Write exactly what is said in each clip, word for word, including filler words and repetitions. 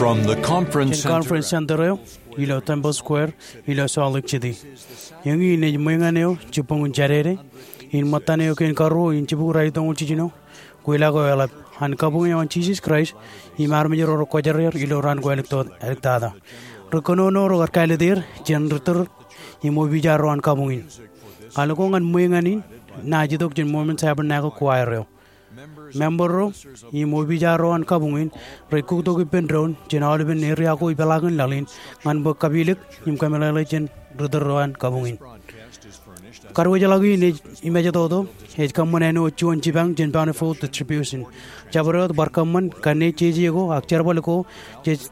From the conference Jān center. Conference Center eo ilo Temple Square ilo Salt Lake City. Eñin ej ṃweeñan eo jibboñin Jādede in ṃōttan eo kein karuo in jibukwi ralitōñoul jiljino, kweilọk eo eḷap an kabuñ eo an Jisōs Kraist im armej ro rekwōjarjar ilo raan ko āliktata. Ri kōnono ro kar kāālōt er jān ri tōr im opiij ro an kabuñ in. Al ko ñan ṃweeñan in naaj itok jān Mormon Tabernacle Choir eo. Member ro im opiij ro an kabuñ in rej kuktok ippān doon jān aolepen area ko ipeḷaakin laḷ in ñan bwe kapilōk im kōmeḷeḷe jān ri tōr ro an kabuñ in. Kadiwōjḷọk in ej im ejetoto, ej kōṃṃan āinwōt juon jipañ jān Bountiful Distribution. Jabdewōt bar kōṃṃan kanne jeje ko ak jerbal ko jej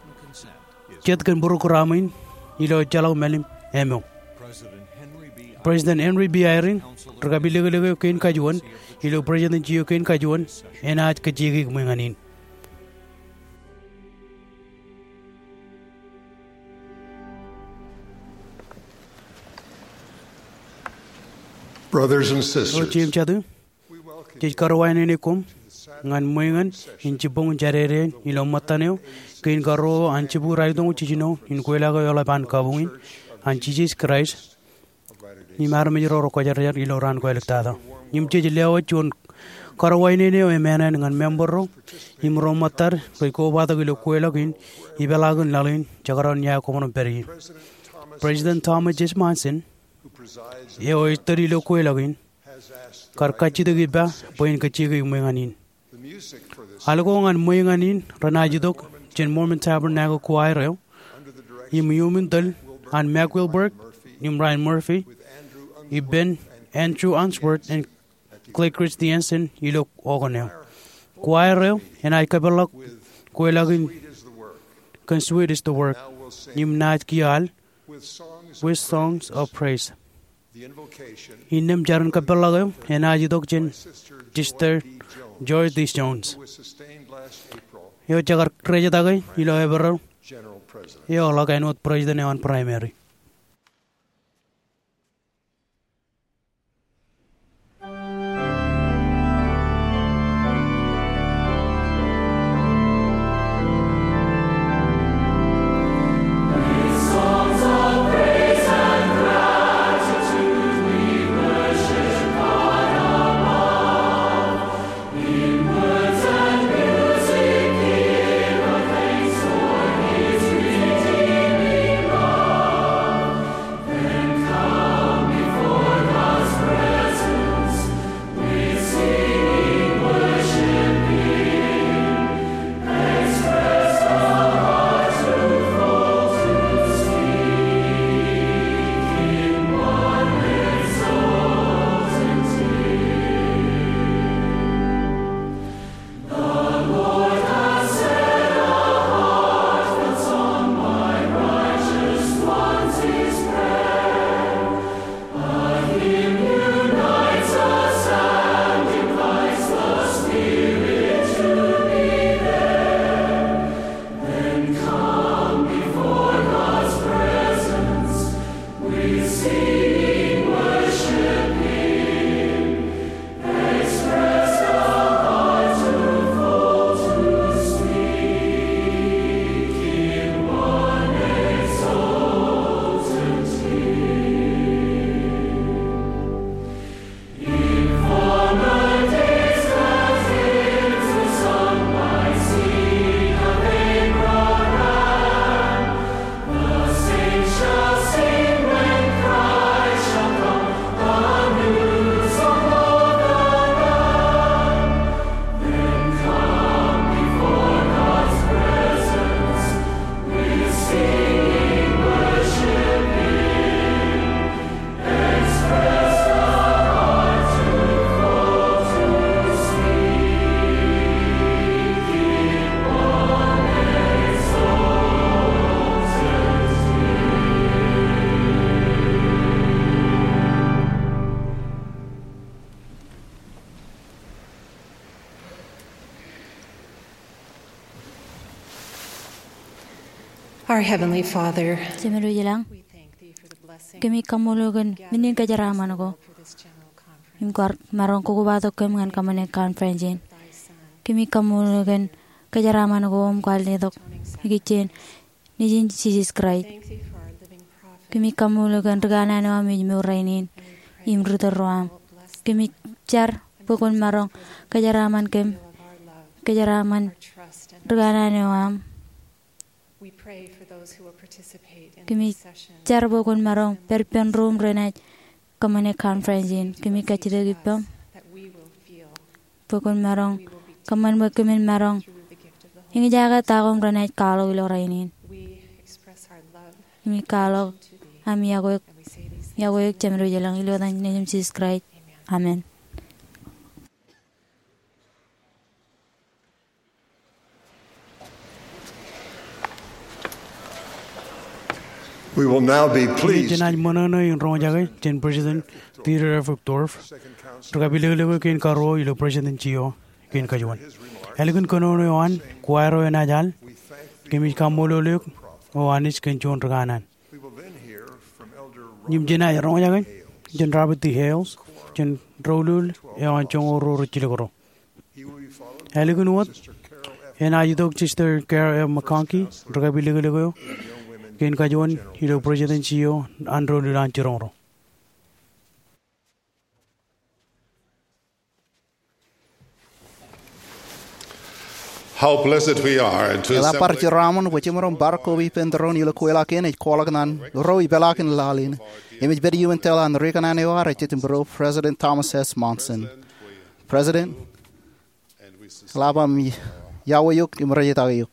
jet kōn program in ilo ejjeḷọk mālim eo. President Henry B. Eyring, ri kapilōklōk eo kein kajuon ilo Presidency eo kein kajuon, enaaj kajjioñ ṃweeñan in. Brothers and sisters, ro jeiū im jatū, jej karuwainene koṃ ñan ṃweeñan in jibboñin Jādede in ilo ṃōttan eo kein karuo an jibukwi ralitōñoul jiljino in kweilọk eo eḷap an kabuñ in an Jisōs Kraist im armej ro rekwōjarjar ilo raan ko āliktata. Im jej lewōj juon karuwainene eo emānān ñan member ro im ro ṃōttad rej kobatok ilo kweilọk in ipeḷaakin laḷ in jekdọọn ia koṃ ro pād ie. President Thomas S. Monson, eo ej tōl ilo kweilọk in, kar kajjitōk ippa bwe en kajjioñ ṃweeñan in. Al ko ñan ṃweeñan in renaaj itok jān Mormon Tabernacle Choir eo im iuṃwin tōl an Mac Wilberg im Ryan Murphy ippān Andrew Unsworth im Clay Christensen ilo organ eo. Choir eo enaaj kōpeḷḷọk kweilọk in kōn Sweet Is the Work im naaj kiiō al With Songs of Praise. Innām jar in kōpeḷḷọk eo enaaj itok jān Sister Joy D. Jones, eo jekar rejjitōk ilo Eperel, eo ḷọk āinwōt president eo an primary. Our Heavenly Father, Jemedwōj ilañ, kōmij kaṃṃoolol eok kōn men in kōjeraaṃṃan ko im kar maroñ kobatok kōm ñan kōṃṃane conference in. Kōmij kaṃṃoolol eok kōn kōjeraaṃṃan ko im kwaar letok ikijjien Nejin Jisōs Kraist. Kōmij kaṃṃoolol eok kōn ri kanaan eo aṃ ej mour rainin im ri tōl ro aṃ. Kōmij jar bwe kwōn maroñ kōjeraaṃṃan kōm, kōjeraaṃṃan ri kanaan eo aṃ. Kōmij jar bwe kwōn maroñ pād ippān ro renaaj kōṃṃane conference in. Kōmij kajjitōk ippaṃ bwe kwōn maroñ kōṃṃan bwe kōmin maroñ eñjake ta ko im renaaj kwaḷọk ilo rainin. Kōmij kwaḷọk am iọkwe, iọkwe eok Jemedwōj ilañ ilo etan Nejūṃ Jisōs Kraist. Amen. We will now be pleased. Jenaaj ṃōṇōṇō in roñjake jān President Dieter F. Uchtdorf, ri kapilōklōk eo kein karuo ilo Presidency eo kein kajuon. Ālikin kōnono eo an, choir eo enaaj al, kōmij kaṃṃoolol eok O Anij kōn juon ri kanaan. Im jenaaj roñjake jān Robert D. Hales, jān doulul eo an joñoul ruo rej jilkinḷọk. Ālikin wōt, enaaj itok Sister Carol F. McConkie, ri kapilōklōk eo kein kajuon ilo Presidency eo an doulul an jiroñro. How blessed we are to Eḷap bar assemble jeraaṃṃan bwe jemaroñ bar koba ippān tōre in ilo kweilọk in ej kwaḷọk ñan ro ipeḷaakin laḷ in. Im ej pād iuṃwin tōl an ri kanaan eo ad ej jitōnbōro, President Thomas S. Monson. President, eḷap am iọkwe eok im rej itak eok.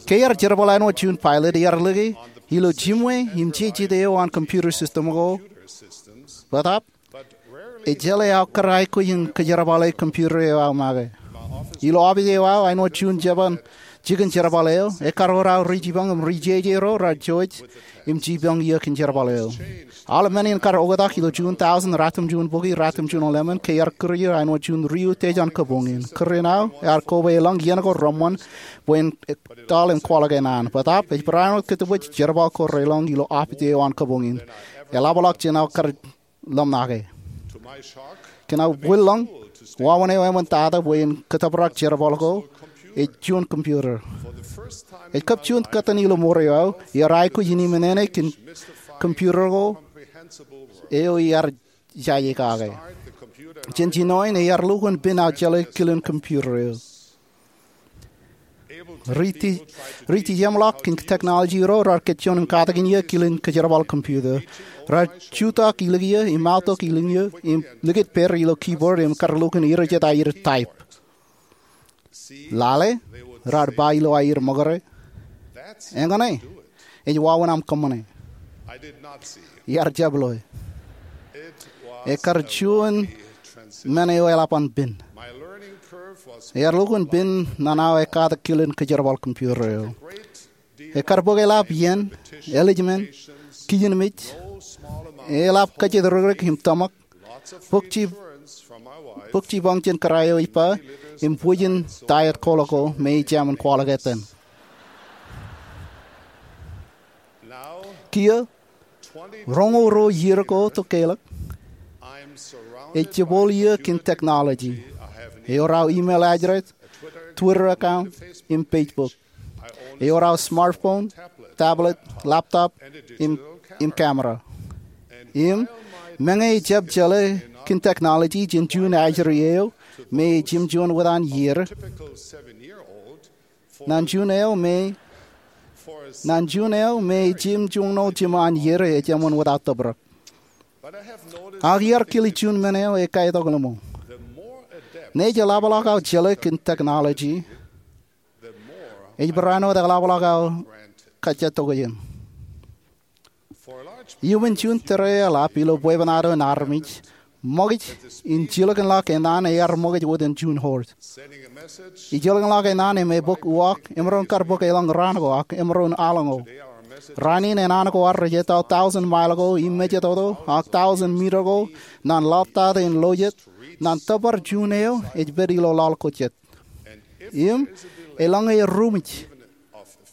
Ke iar jerbal āinwōt juon pilot, iar lōke ilo jiṃwe im jejjet eo an computer system ko. Bōtaab, ejjeḷọk aō kar aikuj in kōjerbale computer eo aō make. Ilo office eo aō, āinwōt juon jeban jikin jerbal eo, ekkar wōt aō ri jipañ im ri jeje ro raar jouj im jipañ iiō kōn jerbal eo. Aolep men in kar oktak ilo juon tọujin ratimjuon bukwi ratimjuon ḷemān ke iar kūr er āinwōt juon ri utiej an kabuñ in. Kūr in aō ear koba elōñ iien ko reṃṃan bwe en tōl im kwaḷọk e naan. Bōtaab, ej barāinwōt kōttōpoj jerbal ko relōñ ilo office eo an kabuñ in. Eḷapḷọk jān aō kar ḷōmṇake. Kōn aō bwilōñ, wāween eo eṃṃan tata bwe en kōttōprak jerbal ko ej juon computer. Ej kab juon kōttan ilo mour eo aō, iar aikuj in iṃōṇōṇō kōn computer ko eo iar jaje kake. Jān jinoin, iar lukkuun pen aō jeḷā kilen computer eo. Ri ti-, ri tijeṃḷọk kōn technology ro raar kōjjeḷọk im katakin iiō kilen kōjerbal computer. Raar jutak ilikiiō im aotok ilikiiō im likūt pād ilo keyboard im kar lukkuun erjet aer type. Lale, raar ba ilo aer ṃōkare, eñṇe, ej wāween aṃ kōṃṃane. Iar jab loe. Ekkar juon men eo eḷap an pen. Iar lukkuun pen ñan aō ekkatak kilen kōjerbal computer eo. Ekkar bōk eḷap iien, ālij men, kijenmej, eḷap kajjitōk rikrik im tōmak, bōk ji-, bōk jipañ jān kōrā eo ej ba, im bwijin diet Cola ko me ij jāmin kwaḷọk etan. Kiiō, roñoul ruo iiō ko tok ke ḷọk, ej jebwāāl iiō kōn technology. Ewōr aō email address, Twitter account, im Facebook. Ewōr aō smartphone, tablet, laptop, im, im camera. Im, meñe ejab jeḷā kōn technology jān juon ajri eo me ej jimjuon wōt an iiō, ñan juon eo me, ñan juon eo me ej jimjuon wōt an iiō ej eṃṃan without tōprak. Ak iar kile juon men eo ekaetok ḷōṃō. Ñe ej eḷapḷọk aō jeḷā kōn technology, ej barāinwōt eḷapḷọk aō kajjitōk ijin. Iuṃwin juon tōre eḷap ilo bwebwenato in armej, ṃokaj in jilkinḷọk enana ear ṃokaj wōt in juon horse. Ijilkinḷọk enana im ebōk uwaak emaroñ kar bōk elōñ raan ko ak emaroñ aḷ ko. Raan in enana ko ad rej etto tọujin mile ko im mejatoto ak tọujin mita ko ñan lọtata in lo jet, ñan tōpar juon eo ej pād ilo laḷ ko jet. Im elōñ eruṃwij,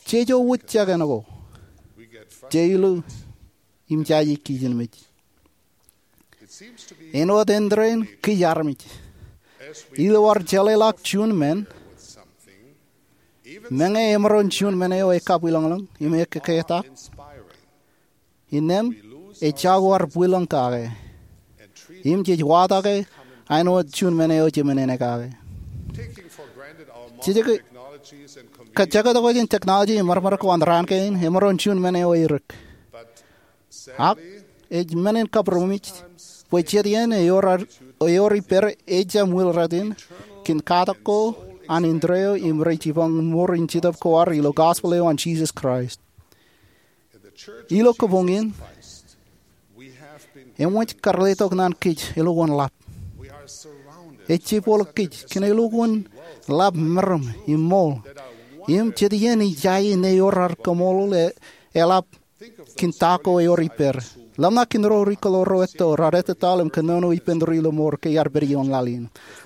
jejo wūjjake ṇe ko, jej lo im jaje kijenmej. Āinwōt āindein kōj armej, ilo ad jeḷāḷọk juon men, Meñe emaroñ juon men eo ekabwilōñlōñ im ekkektak, innām ejako ar bwilōñ kake im jej watake āinwōt juon men eo jemenene kake. Jej kajekdọkjein technology im mārmar ko an raan kein, emaroñ juon men eo edik. Ak ej men in kabbūrmej bwe jet iien ewōr ippāer ejjab ṃwiil rot in, kōn katak ko an indeeo im rej jipañ ṃoor in Jetōb ko ad ilo gospel eo an Jisōs Kraist. Ilo kabuñ in, eṃōj kar letok naan kōj eḷọk wōn ḷap. Ej jepọḷọk kōj kōn eḷọk wōn ḷap meram im ṃool im jet iien ej jaje ṇe ewōr ad kaṃoolol eḷap kōn ta ko ewōr ippāer. Ḷōmṇak kōn ro ri kōḷoor ro etto raar ettōtaḷ im kōnono ippān ri ilo mour ke iar pād ioon laḷ in.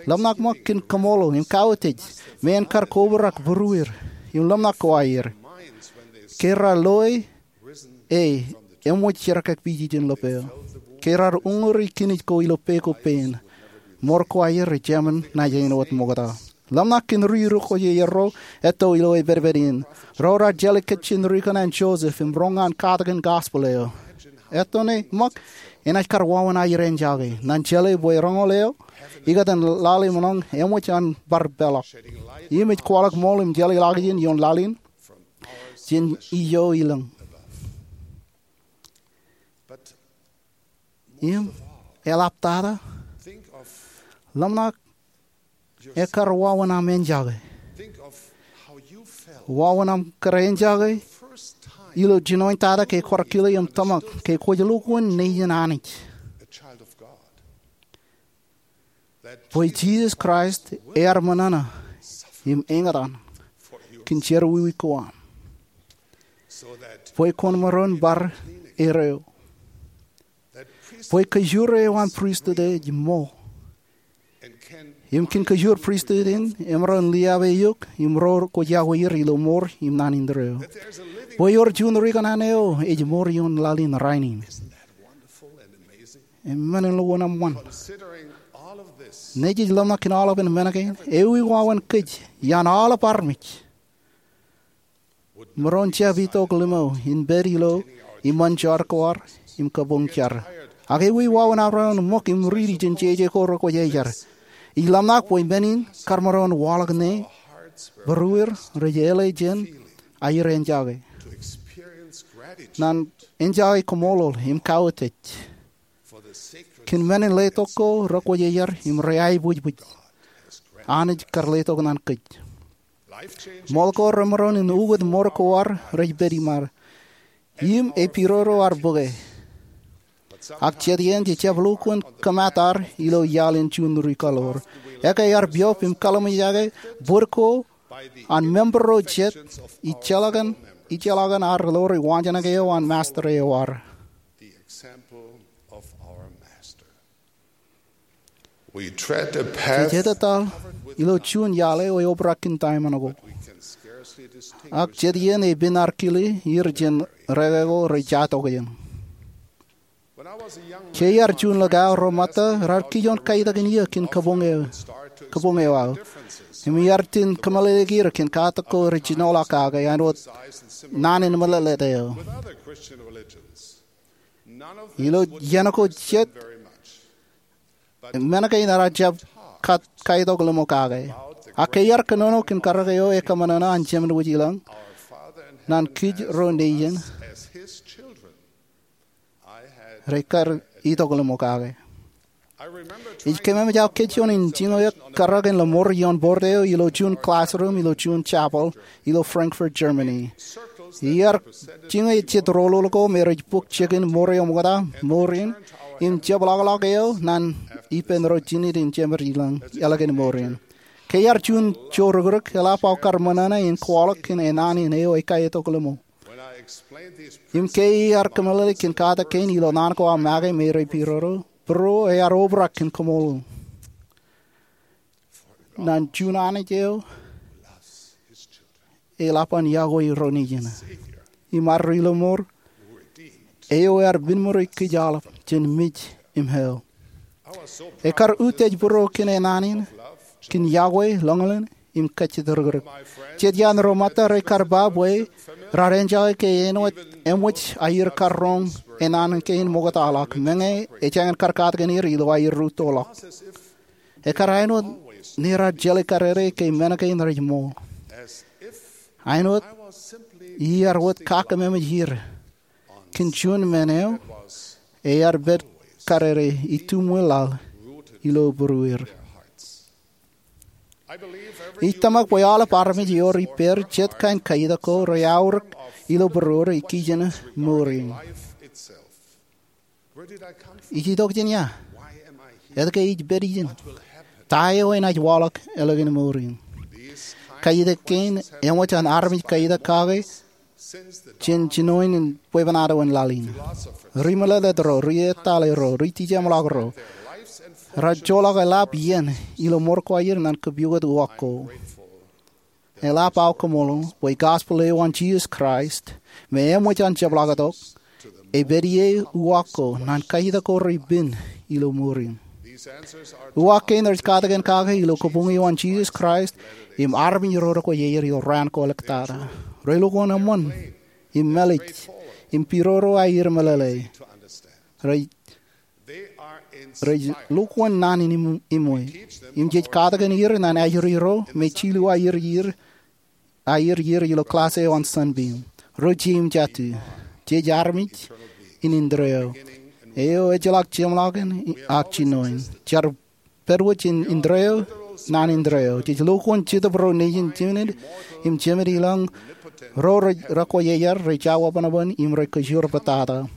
Ḷōmṇak ṃōk kōn kaṃoolol im kautiej me en kar kobrak būrueir im ḷōmṇak ko aer ke raar loe e eṃōj jerkakpeje jān lōp eo ke raar uñūri kinij ko ilo pe ko pein. Mour ko aer ej jemān naaj āinwōt ṃokta. Ḷōmṇak kōn ri rūkwejeierro etto ilo epedped in ro raar jeḷā kōj jān ri kōṇaan Joseph im roñ an katakin gospel eo. Etto ṇe ṃōk enaaj kar wāween aer āinjake. Ñan jeḷā bwe roñoul eo ikōtaan laḷ im ḷōñ eṃōj an bar peḷọk im ej kwaḷọk ṃool im jeḷāḷọkjein ioon laḷ in jān ijo ilōñ. Im eḷaptata, ḷōmṇak ekar wāween aṃ āinjake. Wāween aṃ kar āinjake ilo jinoin tata ke kwaar kile im tōmak ke kwōj ḷọk wōn Nejian Anij, bwe Jisōs Kraist ear ṃōṇōṇō im eñtaan kōn jerọwiwi ko am, bwe kwōn maroñ bar erreo, bwe kōjure eo an pristut ej ṃool, im kōn kōjur pristut in emaroñ liaab eok im ro kwōj iọkwe er ilo mour im naan indeeo, bwe ewōr juon ri kōṇaan eo ej mour ioon laḷ in rainin. Eṃṃan, eḷọk wōn eṃṃan. Ṇe jej ḷōmṇak kōn aolepān men kein, ewi wāween kōj iaan aolep armej maroñ jab itok limo in pād ilo iṃōn jar ko ad im kabuñ jar? Ak ewi wāween aorōk ṃōk im riiti jān jeje ko rekwōj jar? Ij ḷōmṇak bwe men in kar maroñ waḷọk ṇe būrueir rej eḷe jān aer āinjake, ñan āinjake kaṃoolol im kautiej kōn men in letok ko rekwōj jar im reaibwijbwij Anij kar letok ñan kōj. Ṃool ko remaroñ in ukōt mour ko ad rej pād iṃaad im epidodo ad bōke. Ak jet iien jej jab ḷọk wōn kōmat ad ilo iaḷ in juon ri kōḷoor. Ekkā ear piọp im kaḷmejake bōd ko an member ro jet ijjeḷọkin ad ḷoori waanjoñak eo an Master eo ad. Jej ettōtaḷ ilo juon iaḷ eo eobrak kōn diamond ko, ak jet iien epen ad kile er jān reke ko rej jatok jān. Ke iar juon likao, ro ṃōtta raar kijoñ kaitakin iiō kōn kabuñ eo aō, im iar itōn kōmeḷeḷeik er kōn katak ko rej jinoḷọk kake āinwōt naan in meḷeḷe eo. Ilo iien ko jet, men kein raar jab kaitok limo kake. Ak ke iar kōnono kōn karōk eo ekōṃanṃan an Jemān Wōj i lañ, ñan kōj ro Nejian, rej kar itok limo kake. Ij kōmemej aō kōj juon in jiñoul eok karōk in lọmọọr ioon board eo ilo juon classroom ilo juon chapel ilo Frankfurt, Germany. Iar jiñe jet rọọlọọl ko me rej bōk jikin mour eo ṃokta, mour in, im jepḷaakḷaak eo ñan ippān ro jined in Jemān Wōj i lañ ālikin mour in. Ke iar juon joorōkrōk, eḷap aō kar ṃōṇōṇō in kwaḷọk kōn enaan in eo ekaitok limo. Im ke iar kōmeḷeḷeik kōn katak kein ilo naan ko aō make me rej pidodo, būruō ear obrak kōn kaṃoolol ñan juon Anij eo eḷap an iọkwe ro Nejian im ad ri lọmọọr eo ear piṃuri kōj aolep jān mej im hell. Ekar utiej būruō kōn enaan in, kōn iọkwe, lọñlọñ, im kajjitōkrōk. Jet iaan ro ṃōtta rej kar ba bwe raar enjake ke āinwōt eṃōj aier kar roñ enana kein ṃoktaḷọk, meñe ejāñin kar katakin er ilo aer rūttoḷọk. Ekar āinwōt ne raar jeḷā karere ke men kein rej ṃool. Āinwōt iar wōt kakkōmeṃōj er kōn juon men eo ear pād karere ituṃwe laḷ ilo būruer. Ij tōmak bwe aolep armej ewōr ippāer jet kain kaiitak ko reaorōk ilo būruer ikijjien mour in. Ij itok jān ia? Etke ij pād ijin? Ta eo enaaj waḷọk ālikin mour in? Kaiitak kein eṃōj an armej kaiitak kake jān jinoin in bwebwenato in laḷ in. Ri-meḷeḷe ro, ri-etale ro, ri-tijeṃḷọk ro, raar joḷọk eḷap iien ilo ṃor ko aier ñan kōpooj uwaak ko. Eḷap aō kōṃṃool bwe gospel eo an Jisōs Kraist me eṃōj an jepḷaaktok epād ie uwaak ko ñan kaiitak ko repen ilo mour in. Uwaak kein rej katakin kake ilo kabuñ eo an Jisōs Kraist im armej ro rekwe ier ilo raan ko āliktata. Rej lukkuun eṃṃan im mālij im piroro aer meḷeḷe. Rej lukkuun naan in im-, iṃwe. Im jej katakin er ñan ajri ro me jilu aier ier, aier ier ilo klass eo an Sunbeam. Ro jeiū im jatū. Jej armej in indeeo, eo ejjeḷọk jeṃḷọk in ak jinoin. Jar pād wōt jān indeeo ñan indeeo. Jej lukkuun Jetōb ro nejin jined im jemed ilañ, ro rej rekwe iar rej jawebanban im rej kōjro pāttata.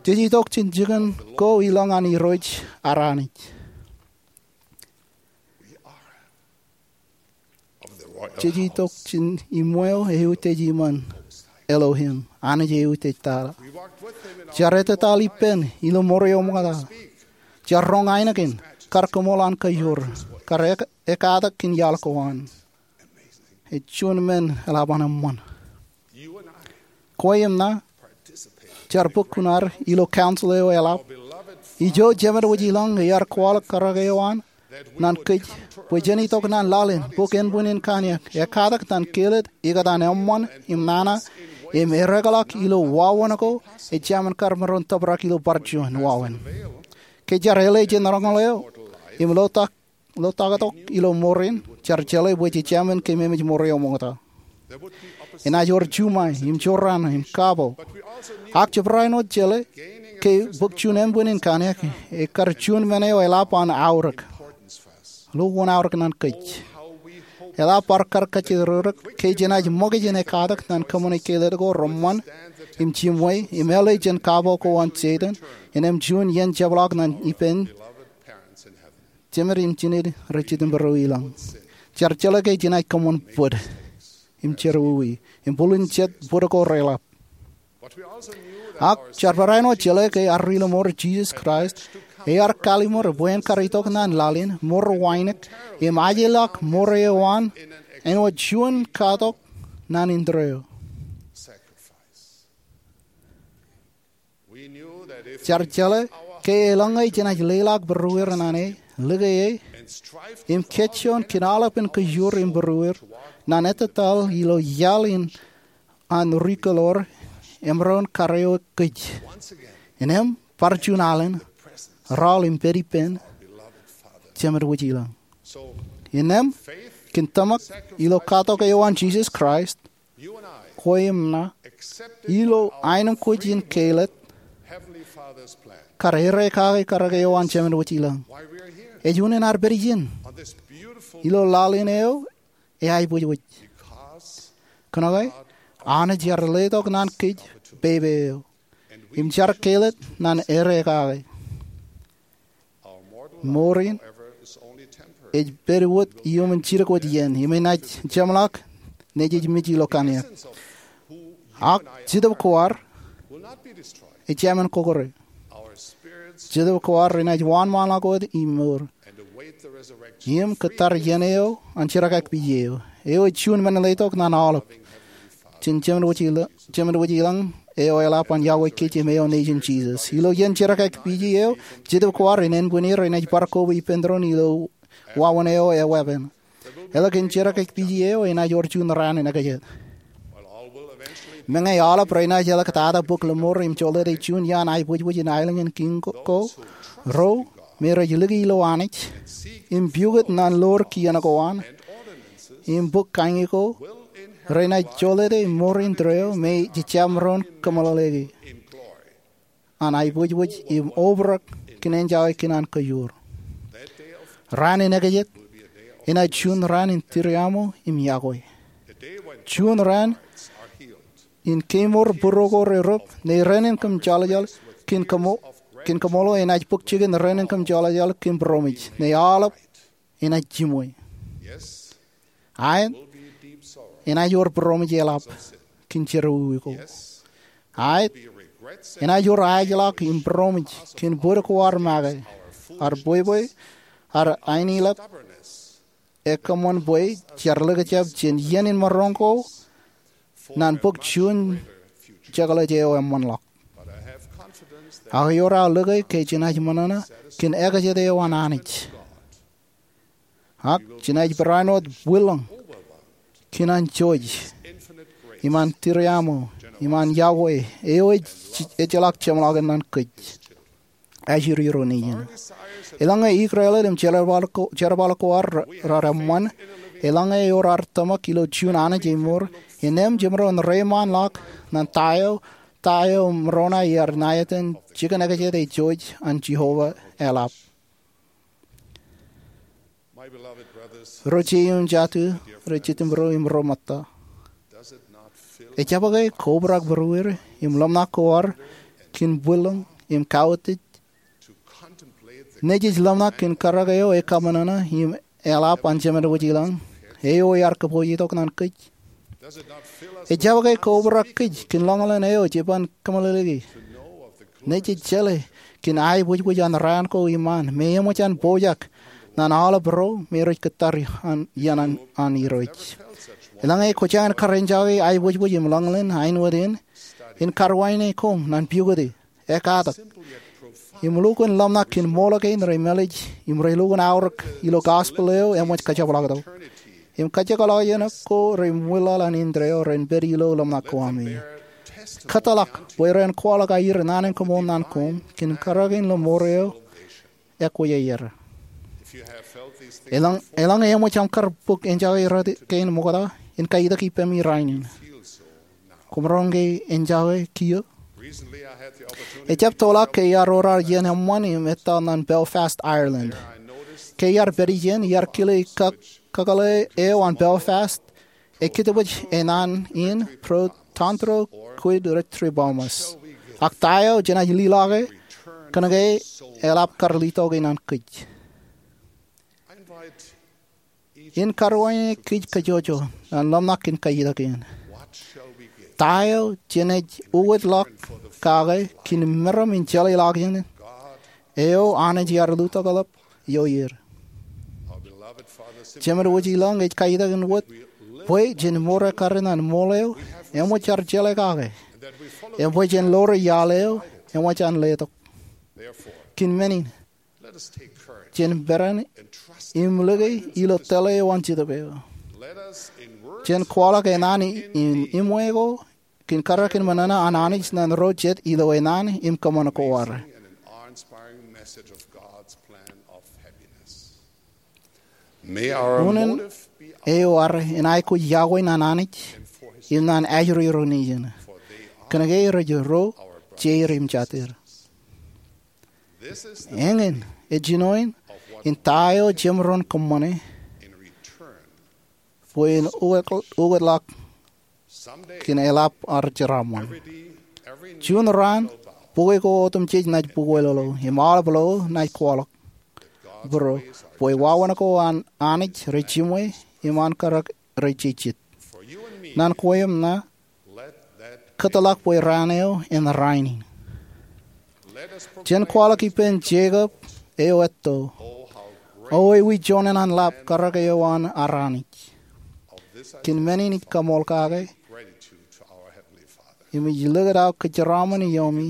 Jej itok jān jikin ko ilañ an Irooj ar Anij. Jej itok jān iṃweo eutiej iṃaan, Elohim, Anij eutiej tata. Jar ettataḷ ippān ilo ṃor eo ṃokta. Jar roñ ainikien, kar kōṃṃool an kōjro, kar ek-, ekatak kōn iaḷ ko an. Ej juon men eḷap an eṃṃan. Kwe im ṇa jar bōk kuṇaad ilo council eo eḷap. Ijo Jemed wōj ilañ ear kwaḷọk karōk eo an ñan kōj, bwe jen itok ñan laḷ in, bōk ānbwinnin kanniōk, ekatak ñan kelōt ikōtaan eṃṃan im nana, im ereokḷọk ilo wāween ko ejāmin kar maroñ tōprak ilo bar juon wāween. Ke jar āle jān roñoul eo im lotak lotaktok ilo ṃor in, jar jeḷā bwe jejāmin kōmemeej ṃor eo ṃokta. Enaaj wōr juṃae, im jorrāān, im kapo. Ak jebra āinwōt jeḷā ke bōk juon ānbwinnin kanniōk, ekar juon men eo eḷap an aorōk. Lukkuun aorōk ñan kōj. Eḷap bar kar kajjitōkrōk ke jenaaj ṃōk jān ekatak ñan kōṃṃane kelōt ko reṃṃan, im jiṃwe, im āle jān kapo ko an Setan, innem juon iien jepḷaak ñan ippān Jemed im jined rej jitōnbōro ilañ. Jar jeḷā ke jenaaj kōṃṃan bōd im jerọwiwi im bōlen jet bōd ko reḷap. Ak jar barāinwōt jeḷā ke ad ri-lọmọọr Jisōs Kraist, ear kalliṃur bwe en kar itok ñan laḷ in ṃor wānōk im ajilọk ṃor eo an āinwōt juon katok ñan indeeo. Jar jeḷā ke eḷaññe jenaaj leḷọk būrueir ñan e, lōke e, im kōjjoon kōn aolepān kōjur im būrueir ñan ettataḷ ilo iaḷ in an rūkōlọr, emaroñ kar eok kōj. Innem bar juon alen, raoul im pād ippān Jemed wōj ilañ. Innem kōn tōmak ilo katok eo an Jisōs Kraist, kwe im ṇa, ilo ainikien keilōt, kar ereokake karōk eo an Jemed wōj ilañ. Ej unin ad pād ijin ilo laḷ in eo eaibwijwōj. Kōnke Anij ear letok ñan kōj peipe eo, im jar keilōt ñan ereokake. Mour in ej pād wōt iuṃwin jidik wōt iien, im enaaj jeṃḷọk nejej mej ilo kanniōk. Ak Jetōb ko ad ejāmin kōkōrā. Jetōb ko ad renaaj wōnṃaanḷọk wōt im mour im kōttar iien eo an jerkakpeje eo. Eo ej juon men letok ñan aolep jān Jemed wōj ila-, Jemed wōj ilañ eo eḷap an iọkwe kōj im eo nejin Jisōs. Ilo iien jerkakpeje eo, Jetōb ko ad ren ānbwinnier enaaj bar koba ippān tōre in ilo wāween eo eweeppān. Eḷak in jerkakpeje eo enaaj wōr juon raan in ekajet. Meñe aolep renaaj eḷak tata bōk lōṃoor im jolōte juon iaan aebwijbwij in aelōñ in kiiñ ko, ro me rej lōke ilo Anij im pukot naan ḷoor kien ko an im bōk kañi ko, renaaj jolōte mour in tōre eo me jej jab maroñ kōmeḷeḷeiki an aebwijbwij im obrak kōn enjake kōn an kōjuur. Raan in ekajet enaaj juon raan in tūriaṃo im yokwe, juon raan in kemour būruo ko rerep, ne raan in kōm jeḷājeḷ kōn kōm, kōn kōṃṃool eo enaaj bōk jikin raan in kōm jeḷājeḷ kōn būroṃōj, ne aolep enaaj jimwe. Aet, enaaj wōr būroṃōj eḷap kōn jerọwiwi ko. Aet, enaaj wōr aeḷọk im būroṃōj kōn bōd ko ad make, ad bwebwe, ad aenilep, ekkōṃṃan bwe jar likjab jān iien in maroñ ko naan bōk juon jekḷaj eo eṃṃanḷọk. Ak ewōr aō lōke ke jenaaj ṃōṇōṇō kōn ekajet eo an Anij. Ak jenaaj barāinwōt bwilōñ kōn an jouj im an tūriaṃo im an yokwe eo ej, ejjeḷọk jeṃḷọkin naan kōj. Āsiriro nejiṃ. Eḷaññe ikōrāāl im jerbal ko, jerbal ko ad raar eṃṃan, eḷaññe ewōr ad tōmak ilo juon Anij emour, innām jemaroñ reiṃaanḷọk naan ta eo, ta eo Moroni ear ṇa etan jikin ekajet eo jouj an Jeova eḷap. Ro jeiū im jatū, ro jitūṃro im ro ṃōtta, ejjab ke kobrak būrueir im ḷōmṇak ko ad kōn bwilōñ im kautiej nejej ḷōmṇak kōn karōk eo ekaṃōṇōṇō im eḷap an Jemedwōj ilañ eo ear kōpoojitok naan kōj? Ejjab ke kobrak kōj kōn ḷōñḷōn eo jej ban kōmeḷeḷeiki nejej jeḷā kōn aebwijbwij an raan ko iṃaan me eṃōj an pojak naan aolep ro me rej kōttar iien an, an Irooj? Eḷaññe kwōj jañin kar enjake aebwijbwij im ḷōñḷōn āinwōt in, in karuwainene koṃ naan pukoti, ekkatak, im lukkuun ḷōmṇak kōn ṃool kein rej mālij im rej lukkuun aorōk ilo gospel eo eṃōj kajepḷaaktok im kajekḷọk iien ko rej ṃwilaḷ an indeeo ren pād ilo ḷōmṇak ko ami. Kōtḷọk bwe ren kwaḷọk aer naan in kaṃool naan koṃ kōn karōk in lōṃoor eo ekwe aer. Eḷaññe, eḷaññe eṃōj aṃ kar bōk enjake rot kein ṃokta, in kaitok ippemi rainin. Koṃ roñ ke enjake kiiō? Ejjab toḷọk ke iar ro raar iien eṃṃan im ettā naan Belfast, Ireland. Ke iar pād ijin, iar kile kōk, kōkōḷḷe eo an Belfast ekitebwij enaan in Protandro quid retribuamus. Ak ta eo jenaaj lilaake kōnke eḷap kar litoki naan kōj? In karuwainene kōj kajjojo naan ḷōmṇak in kaitok in. Ta eo jenaaj uwōtlọk kake kōn meram in jeḷāḷọkjeṇ eo Anij ear lutokḷọk ioer? Jemedwōj ilañ ej kaitok in wōt bwe jen mour ekkar naan ṃool eo eṃōj ad jeḷā kake im bwe jen ḷoor iaḷ eo eṃōj an letok. Kōn men in, jen peran im lōke ilo tōl eo an Jetōb eo. Jen kwaḷọk enaan in iṃwe ko kōn karōk in ṃōṇōṇō an Anij naan ro jet ilo enaan im kōṃṃan ko ad. Unin eo ad enaaj aikuj yokwe naan Anij im naan ājiro nejin, kōnke rej ro jeir im jatier. Eñin ej jinoin in ta eo jemaroñ kōṃṃane bwe en uwōt, uwōtlọk kōn eḷap ad jeraaṃṃan. Juon raan, bukwi ko otemjej naaj bukwelọḷọk im aolep lo naaj kwaḷọk būruō bwe wāween ko an Anij rej jiṃwe im an karōk rej jejjet. Naan kwe im ṇa, kōtḷọk bwe raan eo en rainin. Jen kwaḷọk ippān Jekob eo etto, O ewi joñan an ḷap karōk eo an ad Anij. Kōn men in ij kaṃool kake im ij likūt aō kōjeraaṃṃan iomi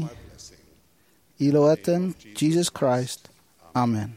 ilo etan Jisōs Kraist, amen.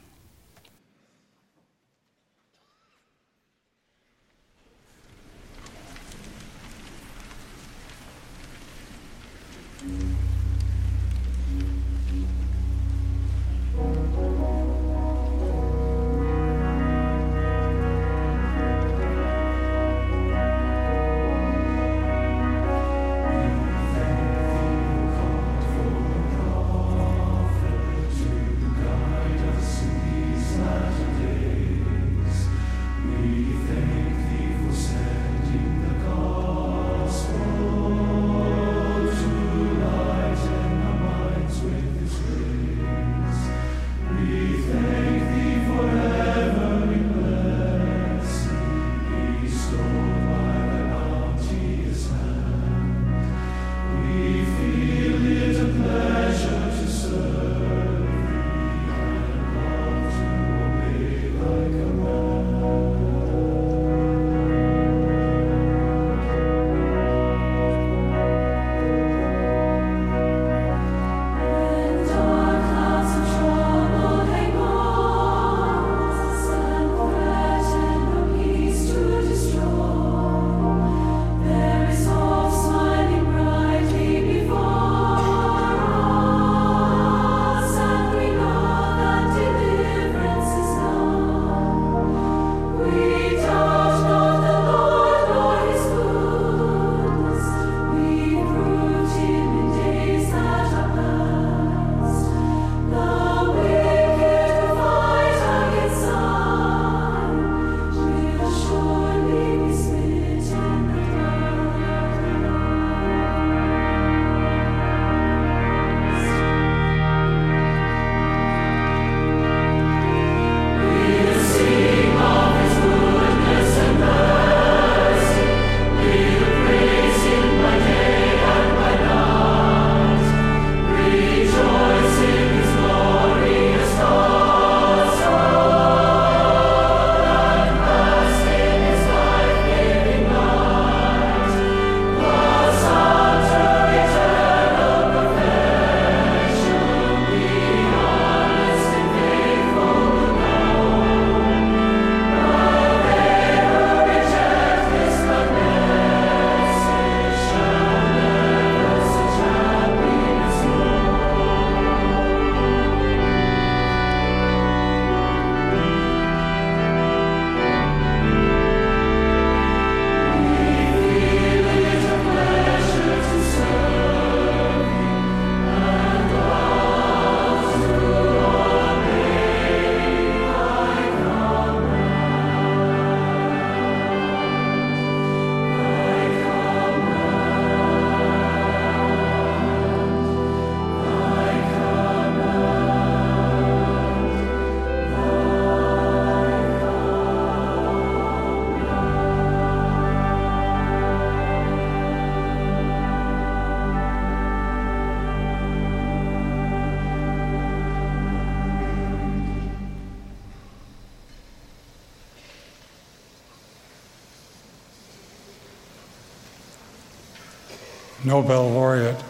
Nobel laureate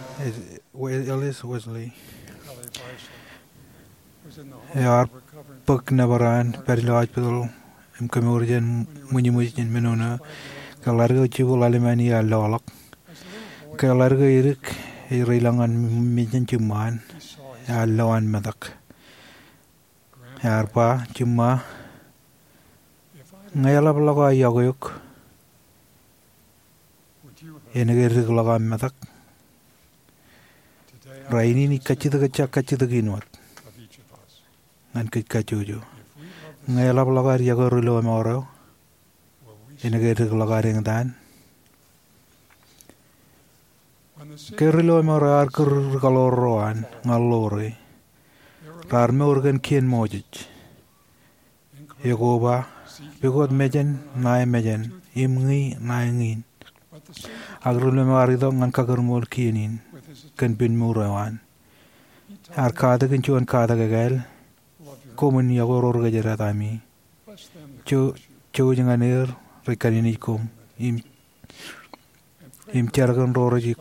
Ellis Westley ear bōk nōbar an pād ilo hospital im kemour jān ṃwijṃwij jān men eo ke ḷaddik eo jibwe ḷalem an ear loḷọk. Ke ḷaddik eo edik, ej reilọk ñan mejān jiṃṃaan, ear lo an metak. Ear ba, "Jiṃṃa, ñe eḷap ḷọk aō iọkwe eok, enaaj ke edik ḷọk aṃ metak?" Rainin ij kajjitōk, ejja kajjitōk in wōt ñan kōj kajjojo. Ñe eḷap ḷọk ad iọkwe ri lọmọọr eo, enaaj ke edik ḷọk ad eñtaan? Ke ri lọmọọr eo ear kūr ri kaḷoor ro an ñan ḷoore, raar mour kōn kien Moses. Ekwe ba, "Pukot mejān ṇae mejān, im ñi ṇae ñin." Ak ri lọmọọr ear itok ñan kakūrmool kien in kōn piin mour eo an. Ear katak in juon katak ekāāl, "Koṃwin iọkwe ro ri kōjdat ami. Jouj, jouj ñan er rej kaninej koṃ, im, im jar kōn ro rej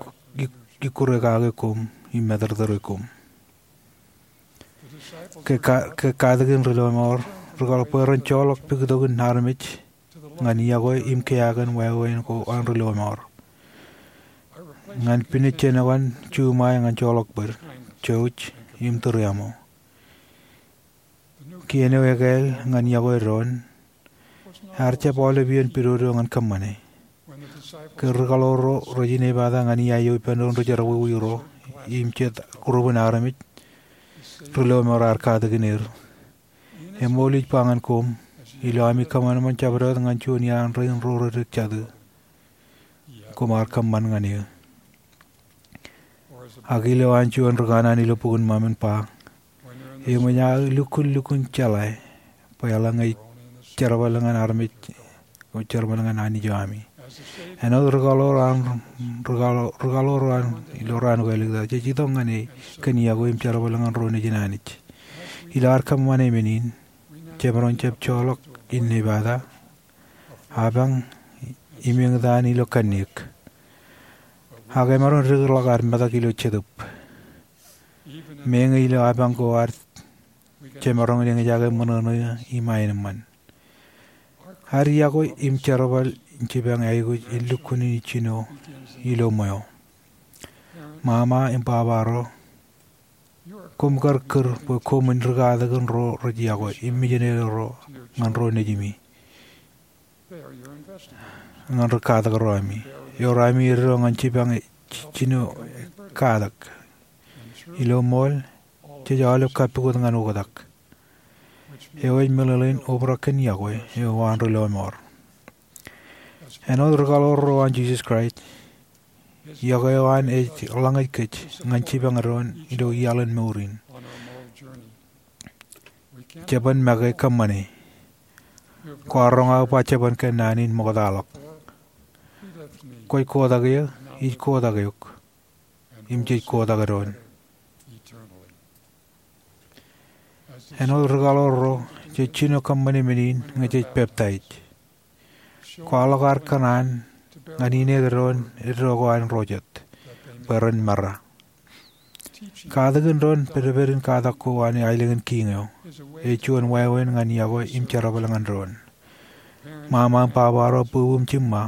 ikkure kake koṃ im matōrtōre koṃ." Ke ka, ke katakin ri lọmọọr, ri kaḷoor bwe ren joḷọk puktokin armej ñan iọkwe im kiiō kōn wāween ko an ri lọmọọr. ñan pinej jān juṃae ñan joḷọk bōd, jouj im tūriaṃo. Kien eo ekāāl ñan yokwe doon ear jab aolep iien pidodo ñan kōṃṃane. Ke rūkaḷoor ro rej inepata ñan iaio ippān doon ri jerbal wiwiro im jet group in armej, ri lọmọọr ear katakin er. Eṃool ij ba ñan koṃ, ilo ami kōṃanṃan jabdewōt ñan juon iaan rein ro rej jatū, koṃ ar kōṃṃan ñan eō. Ak ilo an juon ri kanaan ilo bok in Mōmon ba, eṃōj aō lukkuun lukkuun jeḷā bwe eḷaññe ij jerbal ñan armej, ij jerbal ñan Anij eo ami. Āinwōt rūkaḷoor an, rūkaḷoor an ilo raan ko āliktata, jej itok ñan e kōn yokwe im jerbal ñan ro nejin Anij. Ilo ad kōṃṃane men in, jemaroñ jab joḷọk innepata, apañ im eñtaan ilo kanniōk. Ak emaroñ dikḷọk ad metak ilo Jetōb. Meñe ilo apañ ko ad jemaroñ in eñjake ṃōṇōṇō im aenōṃṃan. Ad yokwe im jerbal in jipañ aikuj in lukkuun in jino ilo ṃweo. Mama im baba ro, koṃ kar kūr bwe koṃwin ri katakin ro rej yokwe im mijinede ro ñan ro nejimi, ñan ri katak ro ami. Ewōr ami eddo ñan jipañ jino katak. Ilo ṃool, jej aolep kappukot ñan oktak, eo ej meḷeḷein obrak kōn yokwe eo an ri lọmọọr. Āinwōt rūkaḷoor ro an Jisōs Kraist, yokwe eo an ej ḷōñōj kōj ñan jipañ doon ilo iaḷ in mour in. Jeban make kōṃṃane. Kwaar roñ aō ba jeban kōn naan in ṃoktaḷọk. Kwōj kotak eō, ij kotak eok, im jej kotak doon. Āinwōt rūkaḷoor ro, jej jino kōṃṃane men in ñe jej peptaij. Kwaḷọk ad kōṇaan ñan ined doon eddo ko an ro jet bwe ren mera. Katakin doon pedped in katak ko an aelōñ in kiiñ eo ej juon wāween ñan yokwe im jerbal ñan doon. Ṃaṃa im baba ro, bwebwe im jiṃṃa,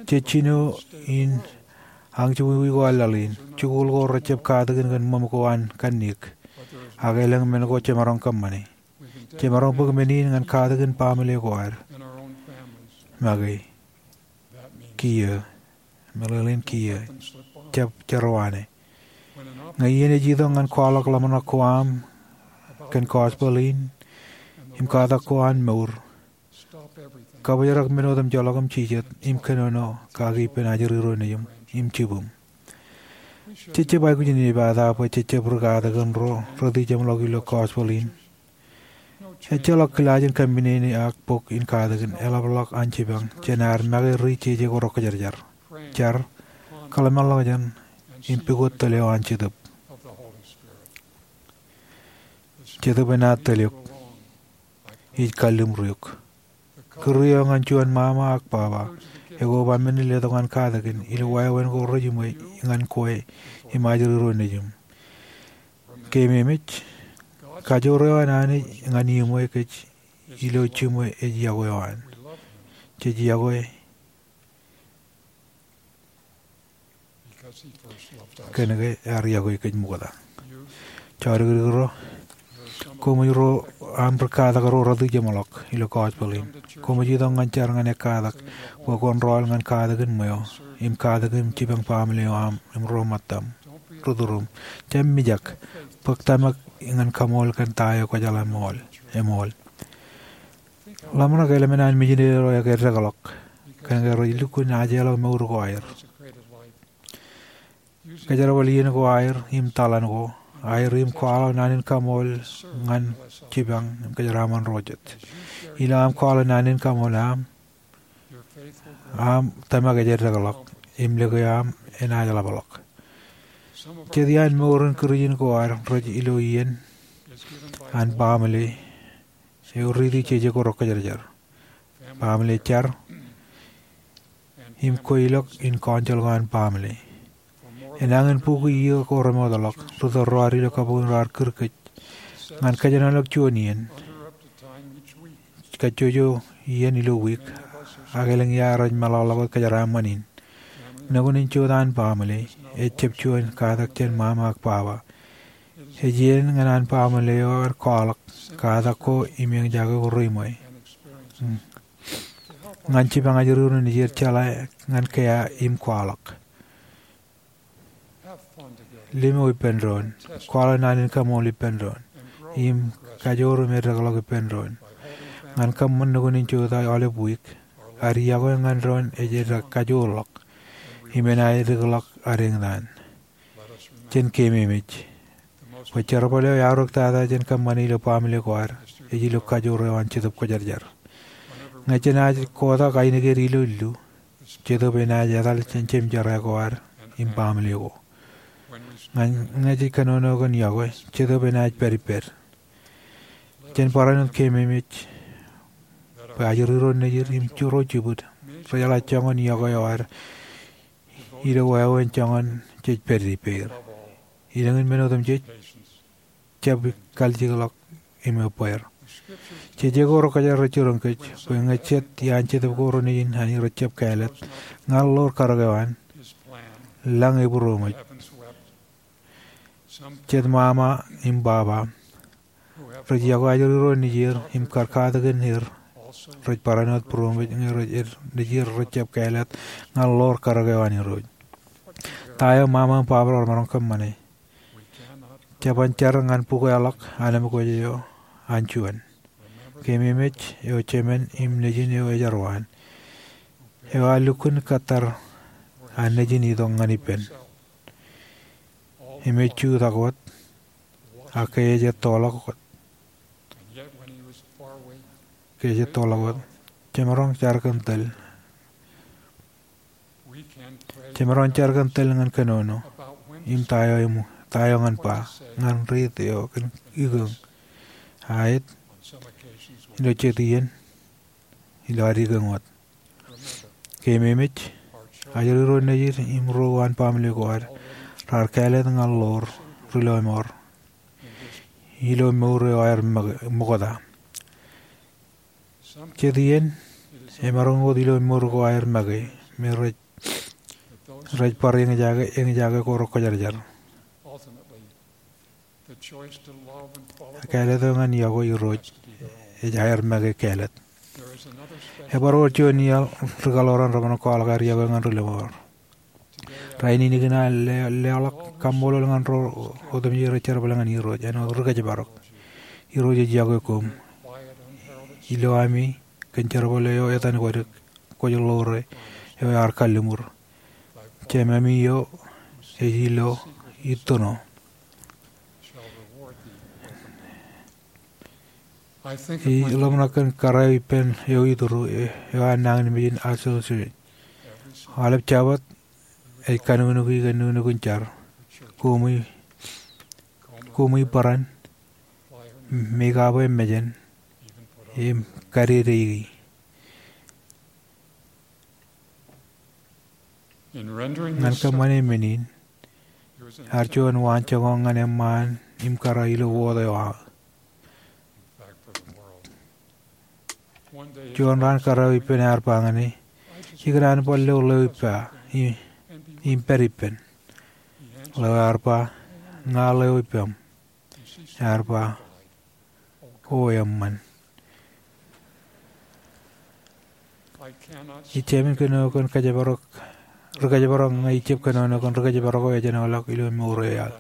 jej jino in añjewōj ko laḷ in, jikuuḷ ko rejjab katakin kōn ṃōm ko an kanniōk, ak elōñ men ko jemaroñ kōṃṃane. Jemaroñ bōk men in ñan katakin baaṃle ko ad. Make, kiiō, meḷeḷein kiiō, jab jerọwaane. Ñe iien ej itok ñan kwaḷọk ḷōmṇak ko aṃ kōn gospel in im katak ko an mour, kabōjrak men otemjeḷọk im jijet im kōnono kaki ippān ajri ro nejiṃ im jibuṃ. Jej jab aikuj in inepata bwe jej jab ri katakin ro rot ijeṃḷọk ilo gospel in. Ejjeḷọk kilaaj in kōminene ak bok in katakin eḷapḷọk an jipañ jān ad make ri jeje ko rọkjatjar, jar, kōḷmānḷọkjeṇ, im pukot tōl eo an Jetōb. Jetōb enaaj tōl eok. Ij kalliṃur eok. Kūr eo ñan juon ṃaṃa ak baba, ekoba men in letok an katakin ilo wāween ko rejiṃwe ñan kwe im ajri ro nejiṃ. Keememej, kajoor eo an Anij ñan iṃwe kōj ilo jiṃwe ej yokwe eo an. Jej yokwe kōnke ear yokwe kōj ṃokta. Jodikdik ro, koṃij ro aṃ ri katak ro rot ijeṃḷọk ilo gospel in. Koṃij itok ñan jar ñan ekkatak bwe kwōn rọọl ñan katakin ṃweo im katakin jipañ baaṃle eo aṃ im ro ṃōttaṃ, ri turuṃ. Jab mijak, bōk tōmak ñan kaṃool kōn ta eo kwōjeḷā eṃool. Ḷōmṇak eḷmen an mijinede ro ekdekḷọk kōnke rej lukkuun ajeḷọk mour ko aer. Kōjerbal iien ko aer im taḷan ko aer im kwaḷọk naan in kaṃool ñan jipañ im kōjeraaṃṃan ro jet. Ilo aṃ kwaḷọk naan in kaṃool aṃ, aṃ tōmak ej edekḷọk im lōke aṃ enaaj ḷapḷọk. Jet iaan mour in Kūrjin ko ad rej ilo iien an baaṃle eo riiti jeje ko rọkjatjar. Baaṃle jar im kweilọk in council ko an baaṃle. Enañin bukwi iiō ko remootḷọk, ri tōl ro ad ilo kabuñ raar kūr kōj ñan kōjenolọk juon iien, kajjojo iien ilo wiik, ak elōñ ia rej meḷọkḷọk wōt kōjeraaṃṃan in. Nukun in jutak an baaṃle ejjab juon katak jān ṃaṃa ak baba. Ej iien ñan an baaṃle eo aer kwaḷọk katak ko im eñjake ko reiṃwe. Ñan jipañ ajri ro nejier jeḷā ñan kea im kwaḷọk. Limo ippān doon. Kwaḷọk naan in kaṃṃool ippān doon im kajoor im edekḷọk ippān doon. Ñan kōṃṃan nukun in jutak aolep wiik, ad yokwe ñan doon ej edek kajoorḷọk im enaaj edikḷọk ad eñtaan. Jen keememej bwe jerbal eo eaorōk tata jān kōṃṃane ilo baaṃle ko ad ej ilo kajoor eo an Jetōb Kwōjarjar. Ñe jenaaj kotak ainikien ilo illu, Jetōb enaaj etal jān jemjerā ko ad im baaṃle ko. Ñe jej kōnono kōn yokwe, Jetōb enaaj pād ippād. Jen barāinwōt keememej bwe ajri ro nejier im ro jibwid rejeḷā joñan yokwe eo ad ilo wāween joñan jej pād ippāer. Ilōñ in men otemjej, jab kalijekḷọk im ebbeer. Jeje ko rekwōjarjar rej jiroñ kōj bwe ñe jet iaan jetōb ko renejier an rejjab kāālōt ñan ḷoor karōk eo an, lañ ebūroṃōj. Jet ṃaṃa im baba rej yokwe ajri ro nejier im kar katakin er rej barāinwōt būroṃōj ñe rej, nejier rejjab kāālōt ñan ḷoor karōk eo an Irooj. Ta eo ṃaṃa im baba ro remaroñ kōṃṃane? Jeban jar ñan bukwāḷọk anemkwōj eo an juon. Keememej eo jemān im nejin eo ejar waan, eo ear lukkuun kōttar an nejin itok ñan ippān im ej jutak wōt, ak ke ej ettoḷọk wōt, ke ej ettoḷọk wōt. Jemaroñ jar kōn tōl Jemaroñ jar kōn tōl ñan kōnono im ta eo eṃōj, ta eo ñan ba, ñan riit eo kōn ikōñ, aet ilo jet iien ilo ad ikōñ wōt. Keememej, ajri ro nejier im ro uwaan baaṃle ko ad raar kāālōt ñan ḷoor ri lọmọọr ilo mour eo aer ṃōk-, ṃokta. Jet iien, emaroñ wōt ilo mour ko aer make, me rej, rej bar eñjake, eñjake ko rekwōjarjar. Kāālōt eo ñan yokwe Irooj ej aer make kāālōt. Ebar wōr juon iaḷ ri kaḷoran remaroñ kwaḷọk aer yokwe ñan ri lọmọọr. Rainin ikōṇaan le-, leḷọk kaṃṃoolol ñan ro otemjej rej jerbal ñan Irooj āinwōt ri kōjparok. Irooj ej yokwe koṃ ilo ami kōn jerbal eo etan kwōj, kwōj ḷoore eo ear kalliṃur. Jememi eo ej ilo itōno. Ij ḷōmṇak kōn kōrā eo ippān eo itūru, e, eo an nañinmej in Asoso. Aolep Jabōt ej kanuknuki kōn nuknuk in jar. Koṃi, koṃi bōran, make up e mejān, im kadedeiki. Ñan kōṃṃane men in, ear juon waanjoñak ñan eṃṃaan im kōrā ilo wōt eo aō. Juon raan kōrā eo ippān ear ba ñan e, ikōṇaan bar lo ḷeo ippa i-, im pād ippān. Ḷeo ear ba, ña ḷeo ippaṃ. Ear ba, O eṃṃan. Ij jāmin kōnono kōn kōjparok, ri kōjparok ñe ij jab kōnono kōn ri kōjparok eo ejānḷọk ilo mour eo iaḷ.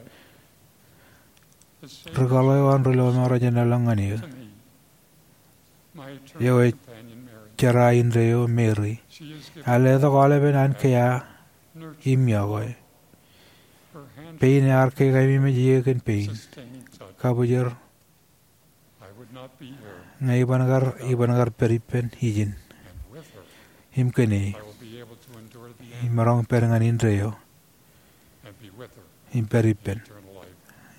Ri kaḷoran ri lọmọọr ejānḷọk ñan eō. Eo ej jerā indeeo Mary. Ear letok aolepen an kea im yokwe. Pein ear kakaememej eō kōn pein. Kabwijer ñe iban kar, iban kar pād ippān ijin. Im kōn e, imaroñ pād ñan indeeo im pād ippān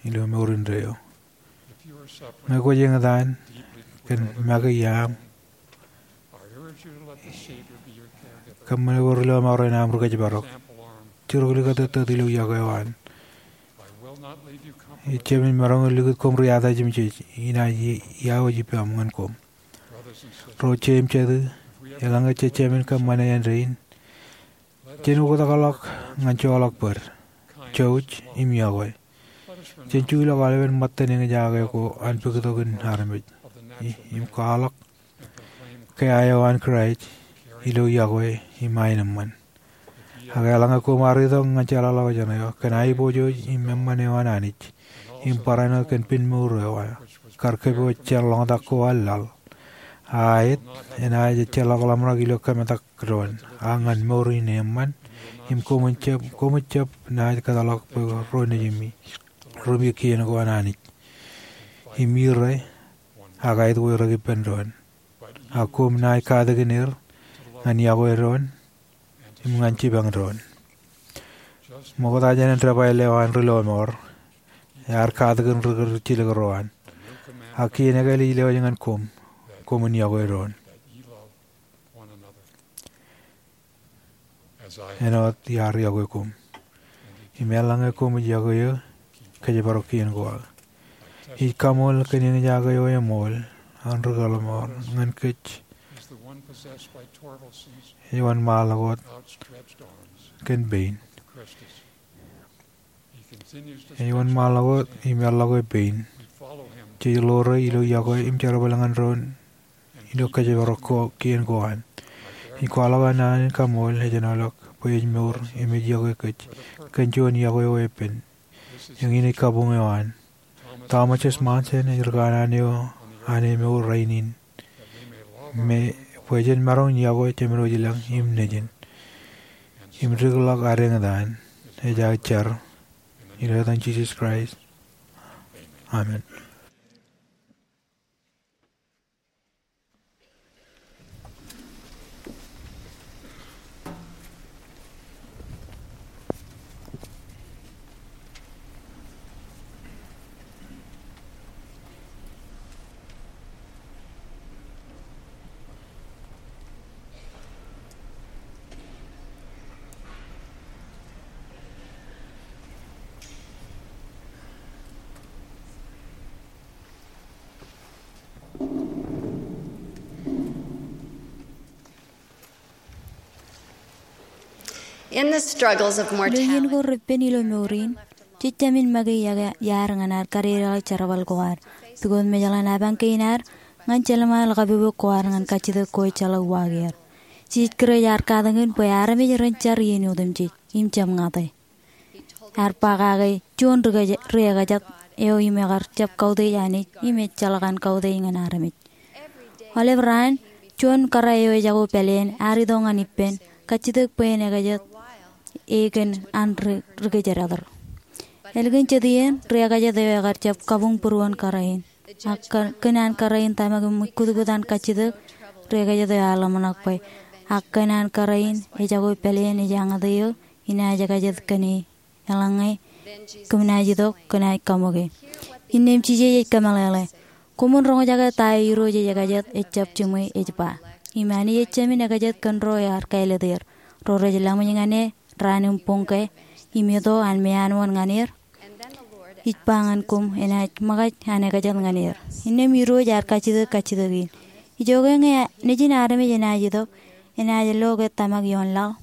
ilo mour indeeo. Ñe kwōj eñtaan kōn make iaam, kōṃṃane bwe ri lọmọọr en aṃ ri kōjparok. Juruklikūt eddot ilo yokwe eo an. Ij jāmin maroñ in likūt koṃ ri atajimjej, inaaj i-, iọkwe ippaṃ ñan koṃ. Ro jet im jatū, eḷaññe jej jāmin kōṃṃane āindein, Jen oktakḷọk ñan joḷọk bōd, jouj im yokwe. Jen juḷọk aolepen ṃōttan eñjake ko an puktokin armej. I-, im kwaḷọk ke aō an Kraist ilo yokwe im aenōṃṃan. Ak eḷaññe koṃ ar itok ñan jeḷāḷọkjeṇ eo kōn aiboojoj im eṃṃan eo an Anij im barāinwōt kōn pinmour eo aō kar kōpooj jān ḷoñtak ko an laḷ, a aet enaaj ejjeḷọk ḷōmṇak ilo kōmetak doon, a ñan mour in eṃṃan, im koṃij jab, koṃij jab naaj kōtḷọk bwe ro nejimi, ro im kien ko an Anij. Im ire, ak aet wōj rej ippān doon. Ak koṃ naaj katakin er ñan yokwe doon im ñan jipañ doon. Ṃokta jān debwāāl eo an ri lọmọọr, ear katakin ri kūr jilkinro an. Ak kien ekāāl ij lewōj ñan koṃ, koṃwin yokwe doon. Āinwōt iar yokwe koṃ. Im eḷaññe koṃij yokwe eō, kōjparok kien ko aō. Ij kaṃool kōn eñjake eo eṃool an ri kōḷmān ñan kōj. Ej wōnṃaanḷọk wōt kōn pein. Ej wōnṃaanḷọk wōt im eḷḷọke pein. Jej ḷoore ilo yokwe im jerbal ñan doon ilo kōjparok ko, kien ko an. Ij kwaḷọk an naan in kaṃool ej āinwōt bwe ej mour im ej yokwe kōj kōn juon yokwe eo epen. Eñin ej kabuñ eo an. Thomas S. Monson ej ri kanaan eo an emour rainin. Me bwe jen maroñ in yokwe Jemedwōj ilañ im Nejin im dikḷọk ad eñtaan. Ej aō jar ilo etan Jisōs Kraist. Amen. In the struggles of mortality, ilo iien ko reppen ilo mour in, jejjab in make iọkwe iaad ñan ad kadedeḷọk jerbal ko ad. Pukot mejaḷ an apañ kein ad, ñan jelṃae ḷọk kapopo ko ad ñan kajjitōk ko ejjeḷọk uwaak er. Jisōs Kraist ear katakin bwe armej ren jar iien otemjej, im jab ñate. Ear ba kake juon ri-, riekajet eo im ekar jab kautiej Anij im ejjeḷọk an kautiej ñan armej. Aolep raan, juon kōrā eo ejako pāleen ear itok ñan ippān, kajjitōk bwe en ekajet e kōn an ri-, ri-kōjdat er. Ālikin jet iien, riekajet eo ekar jab kabuñ būruon kōrā in. Ak kōn, kōn an kōrā in tōmak im kutkut an kajjitōk, riekajet eo ear ḷōmṇak bwe, ak kōn an kōrā in ejako pāleen ej añōte eō, inaaj ekajet kōn e. Eḷaññe kōm naaj itok, kōnaaj kaṃōke. Innām Jisōs ej kōmeḷeḷe, koṃwin roñjake ta eo Irooj ej ekajet, ejjab jiṃwe, ej ba. Im Anij ejāmin ekajet kōn ro ear kāālōt er, ro rej laṃōj ñan e raan im boñke, im eto an meanwōn ñan er. Ij ba ñan koṃ, enaaj ṃōkaj an ekajet ñan er. Innām Irooj ear kajjitōk kajjitōk in. Ijoke ñe Nejin armej enaaj itok, enaaj lo ke tōmak ioon laḷ?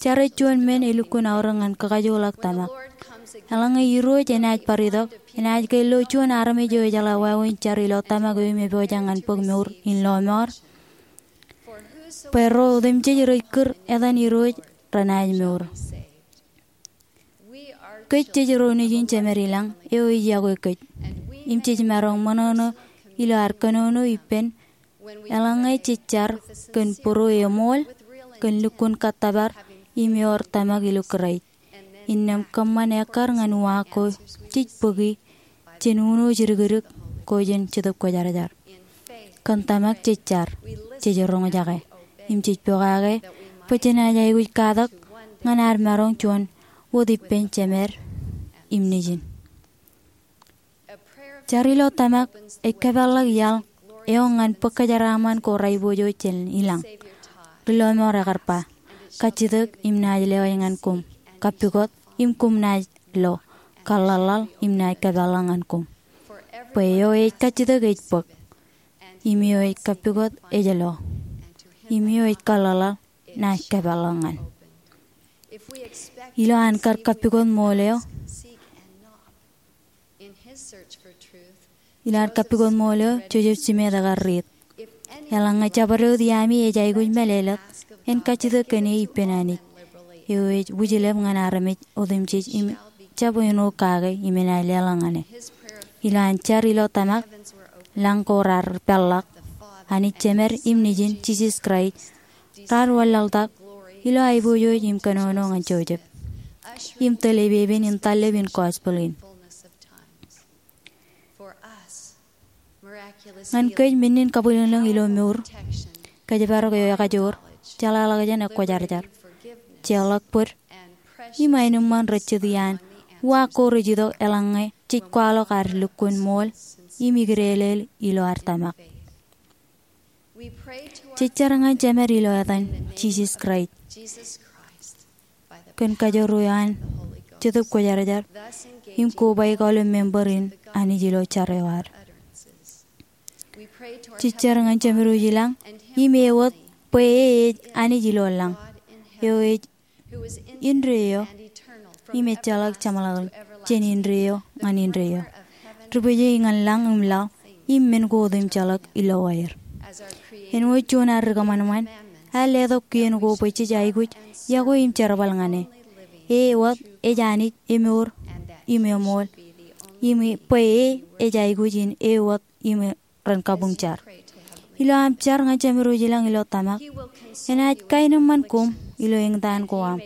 Jar ej juon men elukkuun aorōk ñan kakajoḷọk tōmak. Eḷaññe Irooj enaaj bar itok, enaaj ke lo juon armej eo ejeḷā wāween jar ilo tōmak eo im epojak ñan bōk mour in lọmọọr? Bwe ro otemjej rej kūr etan Irooj renaaj mour. Kōj jej ro nejin Jemed ilañ eo ej yokwe kōj. Im jej maroñ ṃōṇōṇō ilo ad kōnono ippān eḷaññe jej jar kōn būruo eṃool, kōn lukkuun kōttōpar, im ewōr tōmak ilo Kraist. Innām kōṃṃan ekkar ñan uwaak ko jej bōki jān uno jidikdik ko jān Jetōb Kwōjarjar. Kōn tōmak jej jar, jej roñjake, im jej pokake bwe jenaaj aikuj katak ñan ad maroñ juon wōt ippān Jemed im Nejin. Jar ilo tōmak ej kōpeḷḷọk iaḷ eo ñan bōk kōjeraaṃṃan ko rej pojoj jān ilañ. Ri lọmọọr ekar ba, kajjitōk im naaj lewōj ñan koṃ, kappukot im koṃ naaj lo, kaḷḷaḷḷaḷ im naaj kōpeḷḷọk ñan koṃ. Bwe eo ej kajjitōk ej bōk, im eo ej kappukot ej lo, im eo ej kaḷḷaḷḷaḷ naaj kōpeḷḷọk ñan. Ilo an kar kappukot ṃool eo, ilo an kappukot ṃool eo, Joseph Smith ekar riit, eḷaññe jabdewōt iaami ej aikuj mālōtlōt, en kajjitōk kōn e ippān Anij, eo ej wūjlepḷọk ñan armej otemjej im jab āinwōt kake im enaaj leḷọk ñan e. Ilo an jar ilo tōmak, lañ ko raar peḷḷọk. Anij Jemed im Nejin, Jisōs Kraist, raar wanlaḷtak ilo aiboojoj im kōnono ñan Joseph im tōl epepen in tallep in gospel in. Ñan kōj, menninkabuñbūḷ ilo mour, kōjparok eo ekajoor, jeḷāḷọkjeṇ, ekwōjarjar, jeorḷọk bōd, im aenōṃṃan rej jet iaan uwaak ko rej itok eḷaññe jej kwaḷọk ad lukkuun ṃool im ikdeelel ilo ad tōmak. Jej jar ñan Jemed ilo etan Jisōs Kraist kōn kajoor eo an Jetōb Kwōjarjar im kobaik aolep member in Anij ilo jar eo ad. Jej jar ñan Jemed Wūjlañ im e wōt, bwe e ej Anij ilo lañ, eo ej indeeo im ejjeḷọk jeṃḷọkin jān indeeo ñan indeeo, ri-bōjjāik ñan lañ im laḷ, im men ko otemjeḷọk ilowaan er. Āinwōt juon ad ri-kōṃanṃan, ear letok kien ko bwe jej aikuj iọkwe im jerbal ñan e. E wōt ej Anij emour im eṃool, im bwe e ej aikuj in e wōt im ren kabuñ jar. Ilo aṃ jar ñan Jemed Wūjlañ ilo tōmak, enaaj kaenōṃṃan koṃ ilo eñtaan ko aṃ,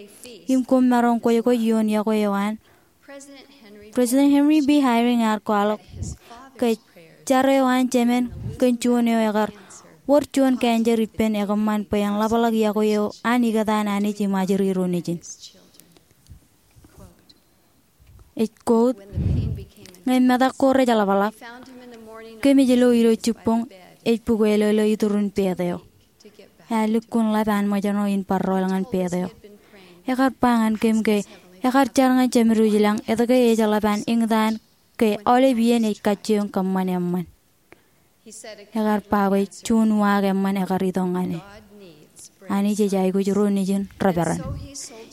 im koṃ maroñ kwōjkwōj ioon iọkwe eo an. President Henry B. Eyring ear kwaḷọk ke jar eo an jemen kōn juon eo ekar wōr juon cancer ippān ekōṃṃan bwe en ḷapḷọk iọkwe eo an ikōtaan Anij im ajri ro nejin. Ej quote, ñe metak ko rej ḷapḷọk, kōmij lo ilo jibboñ ej bukweilōlō iturin pet eo. Ear lukkuun ḷap an ṃōjṇọ in bar rool ñan pet eo. Ekar ba ñan kōm ke ekar jar ñan Jemed Wūjlañ etke ej ḷap an eñtaan ke aolep iien ej kajjioñ kōṃṃan eṃṃan. Ekar ba bwe juon uwaak eṃṃan ekar itok ñan e. Anij ej aikuj ro nejin reperan.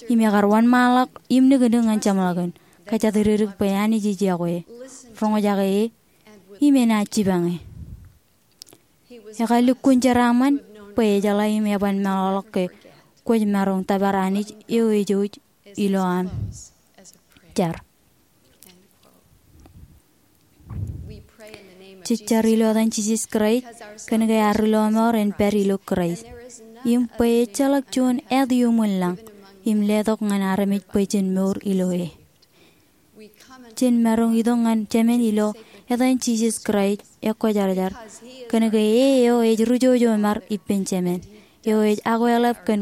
Im ekar wōnṃaanḷọk im niknik ñan jeṃḷọkin, kōjatdikdik bwe Anij ej iọkwe e, roñjake e, im enaaj jipañ e. Ekar lukkuun jeraaṃṃan bwe ejeḷā im eban meḷọkḷọk ke kwōj maroñ tōpar Anij eo ej jouj ilo aṃ jar. Jej jar ilo etan Jisōs Kraist kōn ke ad ri-lọmọọr en pād ilo Kraist, im bwe ejjeḷọk juon āt iuṃwin lañ im letok ñan armej bwe jen mour ilo e. Jen maroñ itok ñan Jemed ilo etan Jisōs Kraist ekwōjarjar, kōn ke e eo ej ri-jojo ṃar ippān jemed, eo ej akweḷap kōn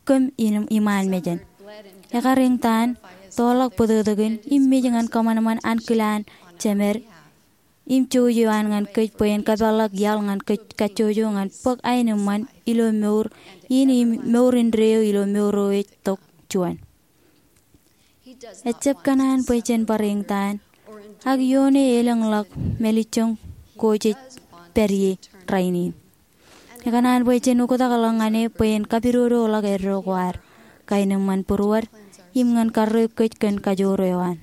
kōm iṃaan mejān. Ekar eñtaan, tọọrḷọk bōtōktōkin, im mej ñan kōṃanṃan ankilaan Jemed im jouj eo an ñan kōj bwe en kōpeḷḷọk iaḷ ñan kōj kajjojo ñan bōk aenōṃṃan ilo mour in im mour indeeo ilo mour eo ej tok juon. Ejjab kōṇaan bwe jen bar eñtaan, ak ioon e elōñḷọk mālejjoñ ko jej pād ie rainin. Ekōṇaan bwe jen oktakḷọk ñan e bwe en kapidodoḷọk eddo ko ad, kaenōṃṃan būruod, im ñan karreoik kōj kōn kajoor eo an.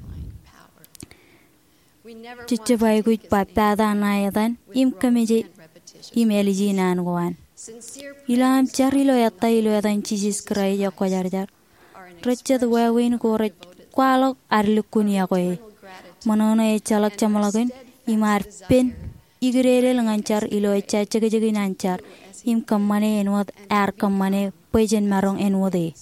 Jej jab aikuj ba pata ṇae etan im kōmmeje im āliji naan ko an. Ilo aṃ jar ilo ettā ilo etan Jisōs Kraist ekwōjarjar, rej jet wāween ko rej kwaḷọk ad lukkuun iọkwe e. Ṃōṇōṇō ejjeḷọk jeṃḷọkin im ad pen ikdeedel ñan jar ilo ejja jekjekin an jar im kōṃṃane āinwōt ear kōṃṃane bwe jen maroñ āinwōt e.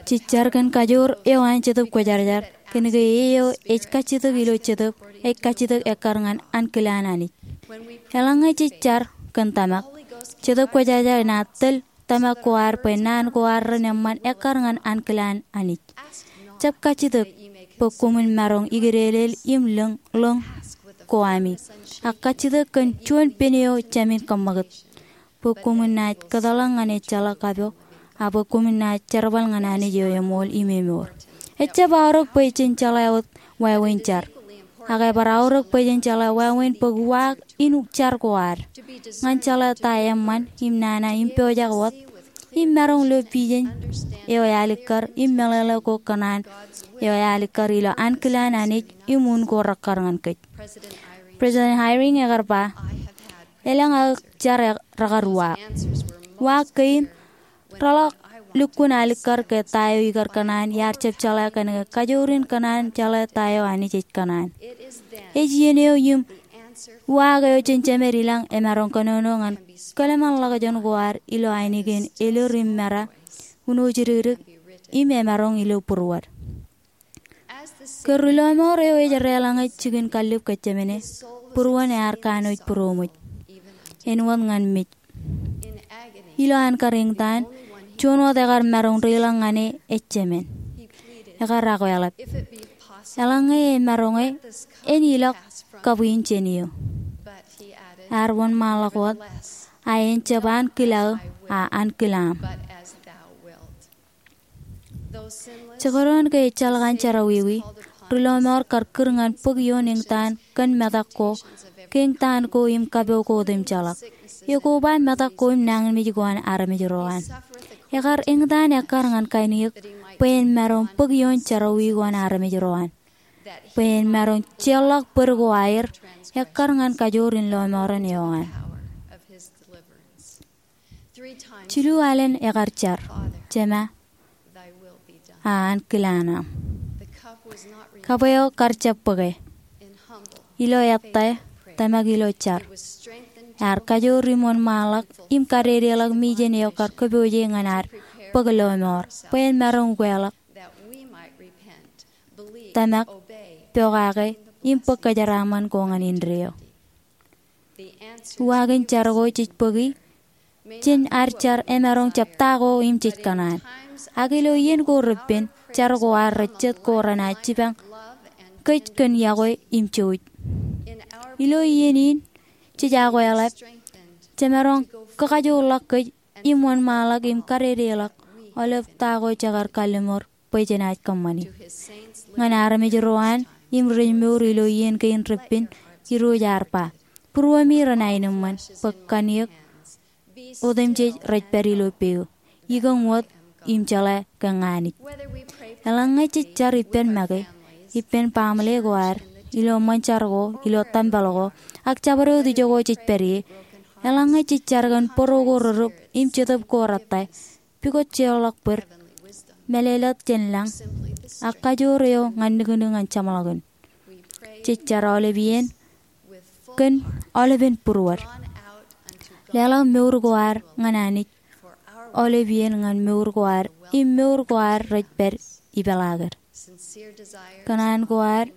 Jej jar kōn kajoor eo an Jetōb Kwōjarjar kōn ke e eo ej kajjitōk ilo jetōb ej kajjitōk ekkar ñan ankilaan Anij. Eḷaññe jej jar kōn tōmak, Jetōb Kwōjarjar enaaj tōl tōmak ko ad bwe naan ko ad ren eṃṃan ekkar ñan ankilaan Anij. Jab kajjitōk bwe koṃwin maroñ ikdeelel im ḷōñ, ḷōñ ko ami, ak kajjitōk kōn juon pen eo jāmin kōṃṃakūt, bwe koṃwin naaj kōtḷọk ñan ejjeḷọk kapo, ak bwe koṃwin naaj jerbal ñan Anij eo eṃool im emour. Ejjab aorōk bwe jen jeḷā wōt wāween jar, ak ebar aorōk bwe jen jeḷā wāween bōk uwaak in jar ko ad. Ñan jeḷā ta eṃṃan im nana im pojak wōt, im maroñ lo vision eo ealikkar im meḷeḷe ko kōṇaan eo ealikkar ilo ankilaan Anij im un ko rekkar ñan kōj. President Eyring ekar ba, elōñ aō jar rekar uwaak. Uwaak kein reḷak lukkuun alikkar ke ta eo ikar kōṇaan iar jab jeḷā kōn ke kajoor in kōṇaan jeḷā ta eo Anij ej kōṇaan. Ej iien eo im uwaak eo jān Jemed i lañ emaroñ kōnono ñan kōḷmānḷọkjeṇ ko ad ilo ainikien elōr im mera, uno jidikdik, im emaroñ ilo būruod. Ke ri lọmọọr eo ej deḷọñe jikin kallib kōjjemāne, būruon ear kanooj būroṃōj, āinwōt ñan mej. Ilo an kar eñtaan, juon wōt ekar maroñ deḷọñ ñan e ej jemān. Ekar akwāḷọk, eḷaññe emaroñe, en ilọk kabwiin jān eō. Ear wōnṃaanḷọk wōt, a en jab ankilaō, a ankilaaṃ. Jekdọọn ke ejjeḷọk an jerọwiwi, ri lọmọọr kar kūr ñan bōk ioon eñtaan kōn metak ko, ke eñtaan ko im kapo ko otemjeḷọk. Ekoba metak ko im nañinmej ko an armej ro an. Ekar eñtaan ekkar ñan kain eō bwe en maroñ bōk ioon jerọwiwi ko an armej ro an, bwe en maroñ jeorḷọk bōd ko aer ekkar ñan kajoor in lọmọọren eo an. Jilu alen ekar jar, Jema, a ankilaan aṃ. Kab eo kar jab bōke. Ilo ettā, tōmak ilo jar, ear kajoor im wōnṃaanḷọk im kadedeḷọk mijen eo kar kōpooje ñan ad bōk lọmọọr bwe en maroñ ukeḷọk, tōmak, pokake, im bōk kōjeraaṃṃan ko ñan indeeo. Uwaak in jar ko jej bōki jān ad jar emaroñ jab ta ko im jej kōṇaan. Ak ilo iien ko repen, jar ko ad rej jet ko renaaj jipañ kōj kōn iọkwe im jouj. Ilo iien in jej akweḷap, jemaroñ kakajoorḷọk kōj im wōnṃaanḷọk im kadedeḷọk aolep ta ko jekar kalliṃur bwe jenaaj kōṃṃani. Ñan armej ro an im rej mour ilo iien kein repen, Irooj ear ba, būruemi renaaj aenōṃṃan bwe kanniōk otemjej rej pād ilo peō, ikōñ wōt im jeḷā ke ña Anij. Eḷaññe jej jar ippān make, ippān baaṃle ko ad, ilo ṃōn jar ko, ilo tempel ko, ak jabdewōt ijo ko jej pād ie, eḷaññe jej jar kōn bōro ko rerūp im jetōb ko rettā, pukot jeorḷọk bōd, mālōtlōt jān lañ, ak kajoor eo ñan nuknuk ñan jeṃḷọkin, jej jar aolep iien kōn aolepen būruod. Leḷọk mour ko ad ñan Anij aolep iien ñan mour ko ad im mour ko ad rej pād ipeḷaakid. Kōṇaan ko ad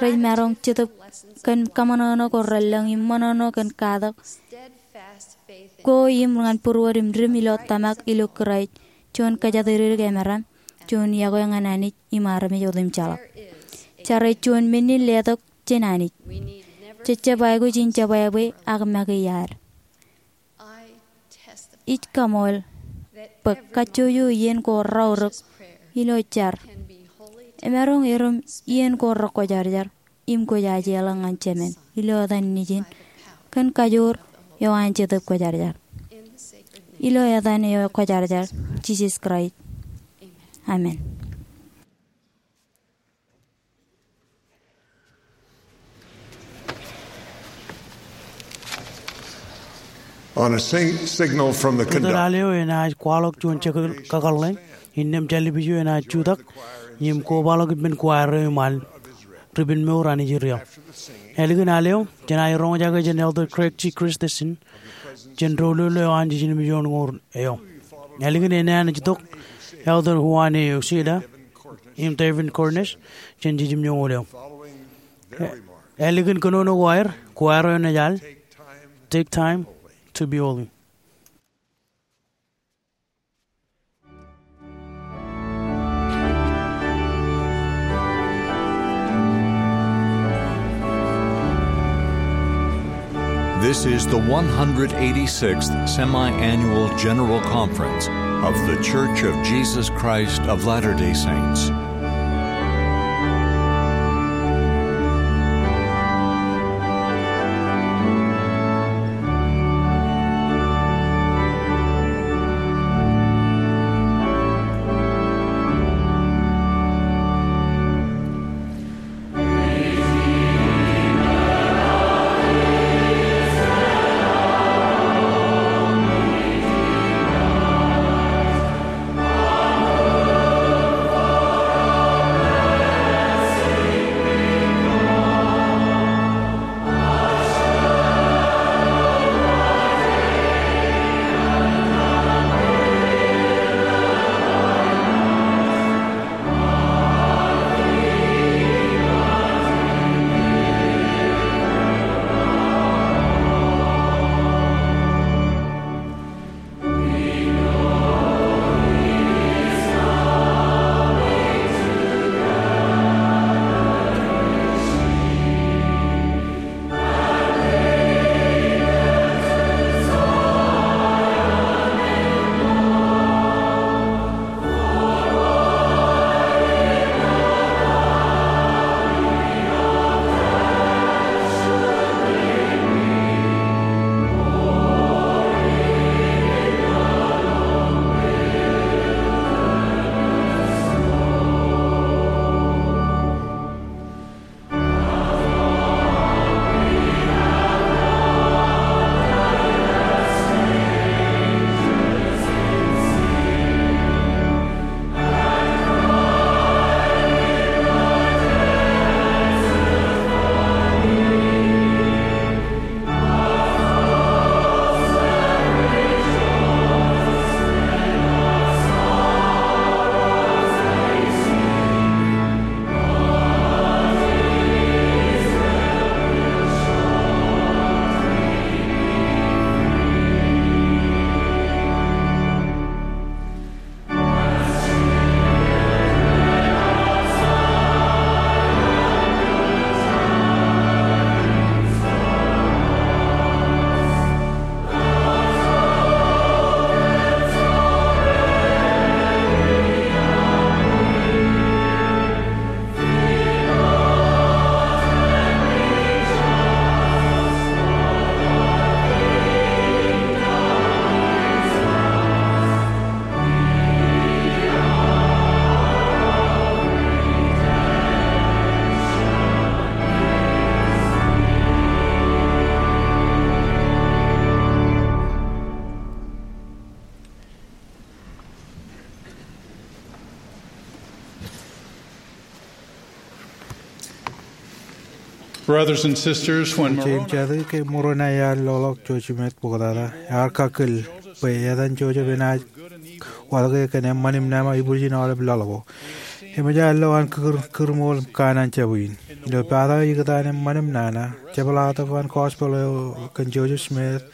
rej maroñ jetōb kōn kaṃōṇōṇō ko relōñ im ṃōṇōṇō kōn katak ko im ñan būruod im dim ilo tōmak ilo Kraist, juon kōjatdikdik emaroñ, juon iọkwe ñan Anij im armej otemjeḷọk. Jar ej juon menin letok jān Anij. Jej jab aikuj in jebwābwe ak make iaad. Ij kaṃool bwe kajjojo iien ko raorōk ilo jar emaroñ erom iien ko rekwōjarjar im kwōj ajeḷọk ñan Jemān ilo etan Nejin kōn kajoor eo an Jetōb Kwōjarjar. Ilo etan eo kwōjarjar, Jisōs Kraist. Amen. On a sing- signal from the conductor. Ri-tōl al eo enaaj kwaḷọk juon jekakōḷḷe, innām television enaaj jutak im kobaḷọk ippān choir eo iṃaan Ripen Mour Anij Ri-eo. Ālikin al eo, jenaaj roñjake jān Elder Craig G. Christensen, jān doulul eo an Jiljilimjuon Ñoul eo. Ālikin enaaj itok Elder Juan A. Uceda im Devin Cornish jān Jiljilimjuon Ñoul eo. Ālikin kōnono ko aer, choir eo enaaj al Take Time to Be Holy. This is the one hundred eighty-sixth Semi-Annual General Conference of The Church of Jesus Christ of Latter-day Saints. Brothers and sisters, when Moroni Jatū, ke ṃōro ṇa iar loḷọk Joseph Smith ṃoktata, ear kakkōl bwe etan Joseph enaaj watōke kōn eṃṃan im naan ibwiljin aolep laḷ ko. Eṃōj an lo an kūr, kūrṃool kōn an jab in. Ilo pata ikōtaan eṃṃan im nana, jepḷaaktok an gospel eo kōn Joseph Smith,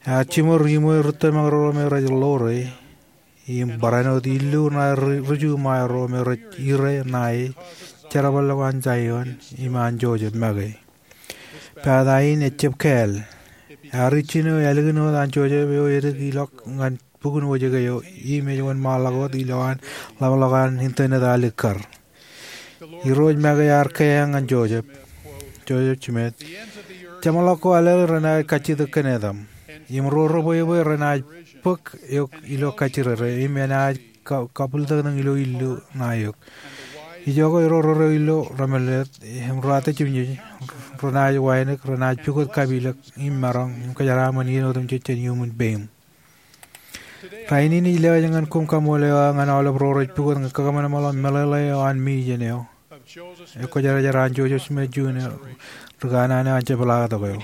ear jiṃor iṃwe rūttomañ ro me rej ḷoore, im barāinwōt illu ṇae ri-, ri-, ri-, ri-, ri-, ri-, ri-, ri-, ṇae jerbal ḷọk an Zaion, im an Joseph make. Pata in ejjab kāāl. Ear ijjino ālikin wōt an Joseph eo edik ilọk ñan bukun wōjke eo, im ej wōnṃaanḷọk wōt ilo an ḷapḷọk an internet alikkar. Irooj make ear keeañ ñan Joseph, Joseph Smith, jeṃḷọk ko alel renaaj kajjitōk kōn etaṃ. Im ro rebwebwe renaaj bōk eok ilo kajjirere, im enaaj ka-, kabwilōñlōñ ilo illu ṇae eok. Ijoke ro rereo ilo remālōtlōt, im ro atejjimjej, renaaj wānōk, renaaj pukot kapilōk, im maroñ, im kōjeraaṃṃan iien otemjej jān iuṃwin peiṃ. Rainin ij lewōj ñan koṃ kaṃool eo aō ñan aolep ro rej pukot ñan kakōṃanṃanḷọk meḷeḷe eo an mijen eo, e, Kwōjarjar an Joseph Smith Junior, ri kanaan eo an jepḷaaktok eo.